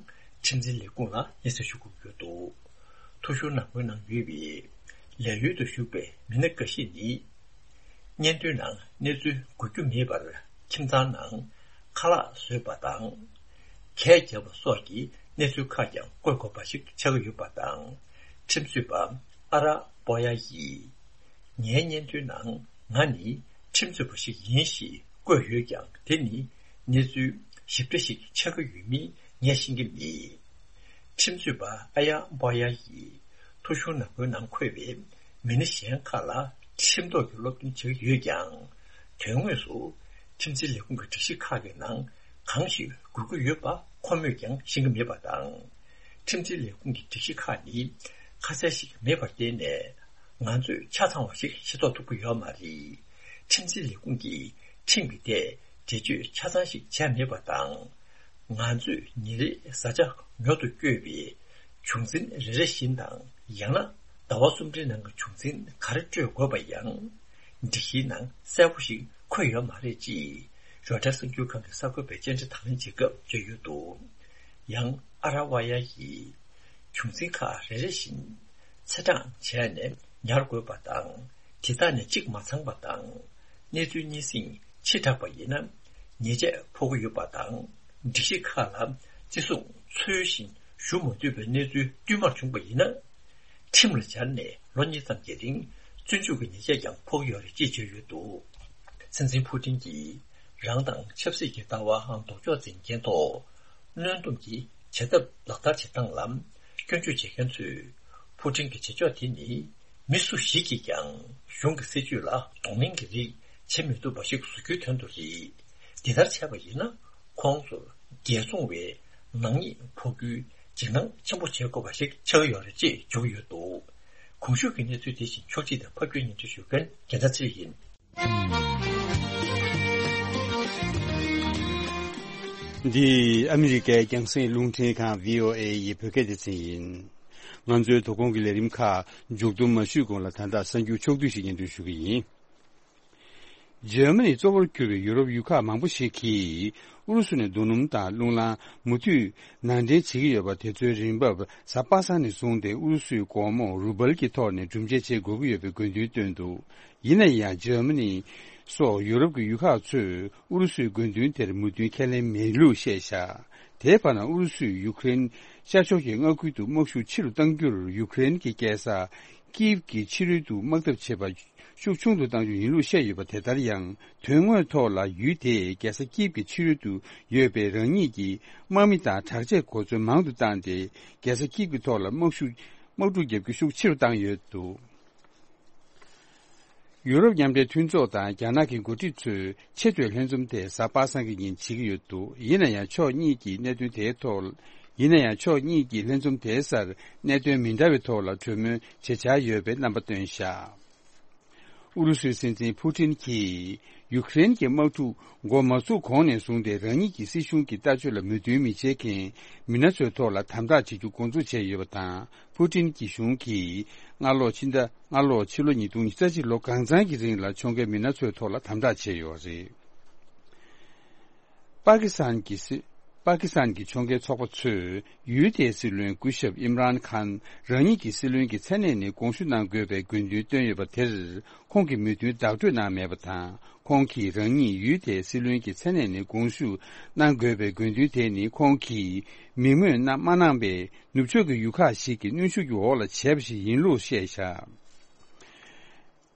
ཁྲིམས་འཛིན་ལས་ཁུངས་ལ་སྙན་སེང་ཞུ་དགོས་ཡོད་འདུག་ཐོ་གཞུང་ནག་པོའི་ནང་ཡོད་པའི་ལས་ཡུལ་དུ་ཞུགས་པའི་མི་སྣ་འགའ་ཤས་ནི། བརྙན་ཐུང་ནང་གནས་ཚུལ་འགོད་རྒྱུ་མེད་པར་ཁྱིམ་ཚང་ནང་ཁ་ལག་བཟོས་པ་དང་། གད་རྒྱག་པ་སོགས་ཀྱི་གནས་ཚུལ་ཁག་ཀྱང་བཀོད་དགོས་པ་ཞིག་ཆགས་ཀྱི་ཡོད་པ་དང་། ཁྲིམས་རྩོད་པ་ཨ་ར་པོ་ཡ་ཡིས། ངའི་བརྙན་ཐུང་ནང་ང་ནི་ཁྲིམས་རྩོད་པ་ཞིག་ཡིན་ཞེས་བཀོད་ཡོད་ཀྱང་དེ་ནི་གནས་ཚུལ་ཞིབ་ཕྲ་ཞིག་ཆགས་ཀྱི་ཡོད་མིན་ངས་ཤེས་ཀྱི་མེད། ཁྲིམས་རྩོད་པ་ཨ་ཡ་པོ་ཡ་ཡིས་ཐོ་གཞུང་ནག་པོའི་ནང་འཁོད་པའི་མི་སྣ་གཞན་ཁག་ལ་ཁྲིམས་ཐོག་གི་སློབ་སྟོན་བྱེད་ཀྱི་ཡོད་ཀྱང་། དོན་དངོས་སུ་ཁྲིམས་འཛིན་ལས་ཁུངས་ཀྱི་སྒྲིག་གཞི་ཁག་གི་ནང་གང་ཞིག་དགོས་ཀྱི་ཡོད་པ་ཁོ་མོས་ཀྱང་ཤེས་ཀྱི་མེད་པ་དང་། ཁྲིམས་འཛིན་ལས་ཁུངས་ཀྱི་སྒྲིག་གཞི་ཁག་ནི་ཁ་གསལ་ཞིག་མེད་པར་བརྟེན་ནས། ང་ཚོས་ཆ་ཚང་བ་ཞིག་ཤེས་རྟོགས་ཐུབ་ཀྱི་ཡོད་མ་རེད། ཁྲིམས་འཛིན་ལས་ཁུངས་ཀྱིས་ཁྲིམས་ཀྱི་ཐད་འགྲེལ་བརྗོད་ཆ་ཚང་ཞིག་བྱས་མེད་པ་དང་། ང་ཚོས་ཉིན་རེའི་བཟའ་བཅའ་ཉོ་དུ་བསྐྱོད་པའི་བྱུང་འཛིན་རེ་རེ་བཞིན་དང་། ཡང་ན་ཟླ་བ་གསུམ་རེའི་ནང་གི་བྱུང་འཛིན་ག་རེ་སྤྲོད་དགོས་པ་ཡང་སྒྲིག་གཞིའི་ནང་གསལ་པོ་ཞིག་འཁོད་ཡོད་མ་རེད་ཅེས་རོའི་ཊར་གསར་འགྱུར་ཁང་གི་གསར་འགོད་པས་བཅར་འདྲི་དང་ལེན་བྱེད་སྐབས་བརྗོད་ཡོད་འདུག་ཡང་ཨ་ར་ཝ་ཡ་ཡིས། བྱུང་འཛིན་ཁག་རེ་རེ་བཞིན་ཚེས་གྲངས་བྱས་ནས་ཉར་དགོས་པ་དང་། དེ་དག་ནས་གཅིག་མ་ཚང་པ་དང་། གནས་ཚུལ་གཉིས་ཟིང་ཕྱི་དྲགས་པ་ཡིན་ན་ཉེས་ཆད་ཕོག་གི་ཡོད་པ་དང་། སྒྲིག་གཞི་ཁག་ལ་བརྩི་སྲུང་འཚོལ་ཞིང་ཞུ་མ་ཐུབ་པའི་གནས་ཚུལ་བསྟུད་མར་བྱུང་པ་ཡིན་ན། ཁྲིམས་ལ་སྦྱར་ནས་ལོ་གཉིས་ཙམ་གྱི་རིང་བཙོན་འཇུག་གི་ཉེས་ཆད་ཀྱང་ཕོག་གི་ཡོད་རེད་ཅེས་བརྗོད་ཡོད་འདུག་སྲིད་འཛིན་ཕུ་ཏིན་གྱིས་རང་དང་ཆབ་སྲིད་ཀྱི་ལྟ་བ་ལྡོག་ཕྱོགས་འཛིན་མཁན་ཐོག་གནོན་སྡོམ་གྱི་བྱེད་ཐབས་ལག་བསྟར་བྱེད་སྟངས་ལ་སྐྱོན་བརྗོད་བྱེད་མཁན་ཚོས། ཕུ་ཏིན་གྱི་བྱེད་ཕྱོགས་དེ་ནི་མི་སུ་ཞིག་གིས་ཀྱང་གཞུང་གི་སྲིད་ཇུས་ལ་གདོང་ལེན་གྱི་རིགས་བྱེད་མི་ཐུབ་པ་ཞིག་བཟོ་རྒྱུའི་དོན་དུ་རེད། འདི་ལྟར་བྱས་པ་ཡིན་ན་ཁོང་ཚོར་རྒྱལ་བཙོང་བའི་ནག་ཉེས་ཕོག་རྒྱུའི་འཇིགས་སྣང་ཆེན་པོ་བྱེད་དགོས་པ་ཞིག་ཆགས་ཀྱི་ཡོད་རེད་ཅེས་བརྗོད་ཀྱི་ཡོད་འདུག་གོང་ཞུས་ཀྱི་གནས་ཚུལ་དེ་བཞིན་ཕྱོགས་སྒྲིག་དང་ཕབ་སྒྱུར་སྙན་སྒྲོན་ཞུ་མཁན་རྒྱལ་མཚན་ཚེ་རིང་ཡིན། འདི་ཨ་མི་རི་ཀའི་རྒྱང་སྲིང་རླུང་འཕྲིན་ཁང་བྷི་ཨོ་ཨེ་ཡི་བོད་སྐད་སྡེ་ཚན་ཡིན། ང་ཚོའི་དོ་དགོང་གི་ལས་རིམ་ཁག་མཇུག་བསྡོམས་མ་ཞུས་གོང་ལ་ད་ལྟ་གསར་འགྱུར་ཕྱོགས་བསྡུས་ཤིག་སྙན་སྒྲོན་ཞུ་གི་ཡིན། འཇར་མ་ནི་གཙོ་བོར་གྱུར་པའི་ཡུ་རོབ་ཡུལ་ཁག་མང་པོ་ཞིག་གིས་ཨུ་རུ་སུ་ནས་རྡོ་སྣུམ་དང་རླུང་རླངས་མུ་མཐུད་ནང་འདྲེན་བྱེད་ཀྱི་ཡོད་པ་དེ་ཚོའི་རིན་འབབ་གཟའ་པ་སངས་ནས་བཟུང་སྟེ་ཨུ་རུ་སུའི་སྒོར་མོ་རུ་བལ་གྱི་ཐོག་ནས་སྒྲུབ་འཇལ་བྱེད་དགོས་ཀྱི་ཡོད་པའི་དགོས་འདུན་བཏོན་འདུག་ཡིན་ན་ཡང་འཇར་མ་ནི་སོགས་ཡུ་རོབ་ཀྱི་ཡུལ་ཁག་ཚོས་ཨུ་རུ་སུའི་དགོས་འདུན་དེར་མོས་མཐུན་ཁས་ལེན་མེད་ལུགས་བཤད་བཞག་དེའི་བར་ན་ཨུ་རུ་སུས་ཡུ་ཀེ་རེན་ཤར་ཕྱོགས་ཀྱི་མངའ་ཁུལ་དུ་དམག་ཤུགས་ཆེ་རུ་གཏང་རྒྱུར་ཡུ་ཀེ་རེན་གྱི་རྒྱལ་ས་ཀིབ་ཀྱི་ཕྱི་རོལ་དུ་དམག་འཐབ་བྱེད་པ་ཤུགས་ཆུང་དུ་གཏང་རྒྱུ་ཡིན་ལུགས་བཤད་ཡོད་པ་དེ་ལྟར་ཡང་དོན་དངོས་ཐོག་ལ་ཡུལ་དེས་རྒྱལ་ས་ཀིབ་ཀྱི་ཕྱི་རོལ་དུ་ཡོད་པའི་རང་ཉིད་ཀྱི་དམག་མི་དང་དྲག་ཆས་གོ་མཚོན་མང་དུ་བཏང་སྟེ་རྒྱལ་ས་ཀིབ་ཀྱི་ཐོག་ལ་དམག་ཤུགས་དམག་འཁྲུག་བརྒྱབ་རྒྱུ་ཤུགས་ཆེ་རུ་བཏང་ཡོད་འདུག་ཡུ་རོབ་མཉམ་འབྲེལ་མཐུན་ཚོགས་དང་རྒྱ་ནག་གི་འགོ་ཁྲིད་ཚོས་ཆེས་མཐོའི་ལྷན་འཛོམས་དེ་གཟའ་པ་སངས་ཀྱི་ཉིན་བྱེད་ཀྱི་ཡོད་འདུག་ཡིན་ན་ཡང་ཕྱོགས་གཉིས་ཀྱིས་གནད་དོན་དེའི་ཐོག་ཡིན་ན་ཡང་ཕྱོགས་གཉིས་ཀྱིས་ལྷན་འཛོམས་དེའི་སར་གནད་དོན་མི་འདྲ་བའི་ཐོག་ལ་གྲོས་མོལ་བྱེད་འཆར་ཡོད་པའི་རྣམ་པ་བཏོན་བཞག་ཨུ་རུ་སུའི་སྲིད་འཛིན་ཕུ་ཏིན་གྱིས་ཡུ་ཀེ་རེན་གྱི་དམག་འཁྲུག་འགོ་མ་ཚུགས་གོང་ནས་བཟུང་སྟེ་རང་ཉིད་ཀྱི་སྲིད་གཞུང་གི་ལྟ་སྤྱོད་ལ་མོས་མཐུན་མི་བྱེད་མཁན་མི་སྣ་ཚོའི་ཐོག་ལ་དམ་དྲག་བྱེད་རྒྱུ་འགོ་འཛུགས་བྱས་ཡོད་པ་དང་། ཕུ་ཏིན་གྱི་གཞུང་གིས་སྔ་ལོ་ཕྱི་ཟླ་སྔ་ལོ་ཕྱི་ལོ་ཉིས་སྟོང་ཉི་ཤུ་རྩ་གཅིག་ལོ་གང་ཚང་གི་རིང་ལ་ཕྱོགས་འགལ་མི་སྣ་ཚོའི་ཐོག་ལ་དམ་དྲག་བྱས་ཡོད་རེད། པ་ཀི་སི་ཐན་གྱི་སྲིད་ པ་ཀི་སི་ཐན་གྱི་ཕྱོགས་འགལ་ཚོགས་པ་ཚོས་ཡུལ་དེའི་སྲིད་བློན་སྐུ་ཞབས་ཨིམ་རཱན་ཁཱན་རང་ཉིད་ཀྱི་སྲིད་བློན་གྱི་མཚན་གནས་ནས་དགོངས་ཞུ་གནང་དགོས་པའི་དགོས་འདུན་བཏོན་ཡོད་པ་དེར་ཁོང་གིས་མོས་མཐུན་བདག་སྤྲོད་གནང་མེད་པ་དང་། ཁོང་གིས་རང་ཉིད་ཡུལ་དེའི་སྲིད་བློན་གྱི་མཚན་གནས་ནས་དགོངས་ཞུ་གནང་དགོས་པའི་དགོས་འདུན་དེ་ནི་ཁོང་གིས་མིང་སྨོས་གནང་མ་གནང་པའི་ནུབ་ཕྱོགས་ཀྱི་ཡུལ་ཁག་ཞིག་གི་གནོན་ཤུགས་ཀྱི་འོག་ལ་བྱས་པ་ཞིག་ཡིན་ལུགས་བཤད་བཞག་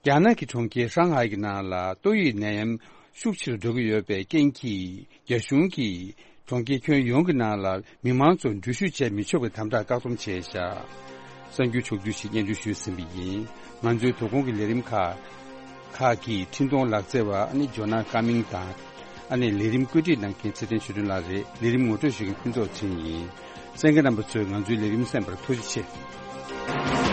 རྒྱ་ནག་གི་གྲོང་ཁྱེར་ཧྲང་ཧའེ་གི་ནང་ལ་ཏོག་དབྱིབས་ནད་ཡམས་ཤུགས་ཆེ་རུ་འགྲོ་གི་ཡོད་པའི་རྐྱེན་གྱིས། རྒྱ་གཞུང་གིས་གྲོང་ཁྱེར་ཁྱོན་ཡོངས་ཀྱི་ནང་ལ་མི་མང་ཚོ་འགྲུལ་བཞུད་བྱེད་མི་ཆོག་པའི་དམ་དྲག་བཀག་སྡོམ་བྱས་བཞག་གསར་འགྱུར་ཕྱོགས་བསྡུས་ཤིག་སྙན་སྒྲོན་ཞུས་ཟིན་པ་ཡིན། ང་ཚོའི་དོ་དགོང་གི་ལས་རིམ་ཁག་ཁག་གི་འཕྲིན་གཏོང་ལག་རྩལ་བ་ཨ་ནི་ཇོ་ནང་ཀ་མིང་དང་། ཨ་ནི་ལས་རིམ་བཀོད་སྒྲིག་གནང་མཁན་ཚེ་བརྟན་ཆོས་སྒྲོན་ལགས་རེད། ལས་རིམ་ངོ་སྤྲོད་ཞུ་མཁན་ཕུན་ཚོགས་ཚེ་རིང་ཡིན། གསན་མཁན་རྣམ་པ་ཚོས་ང་ཚོའི་ལས་རིམ་གསན་པར་ཐུགས་རྗེ་ཆེ།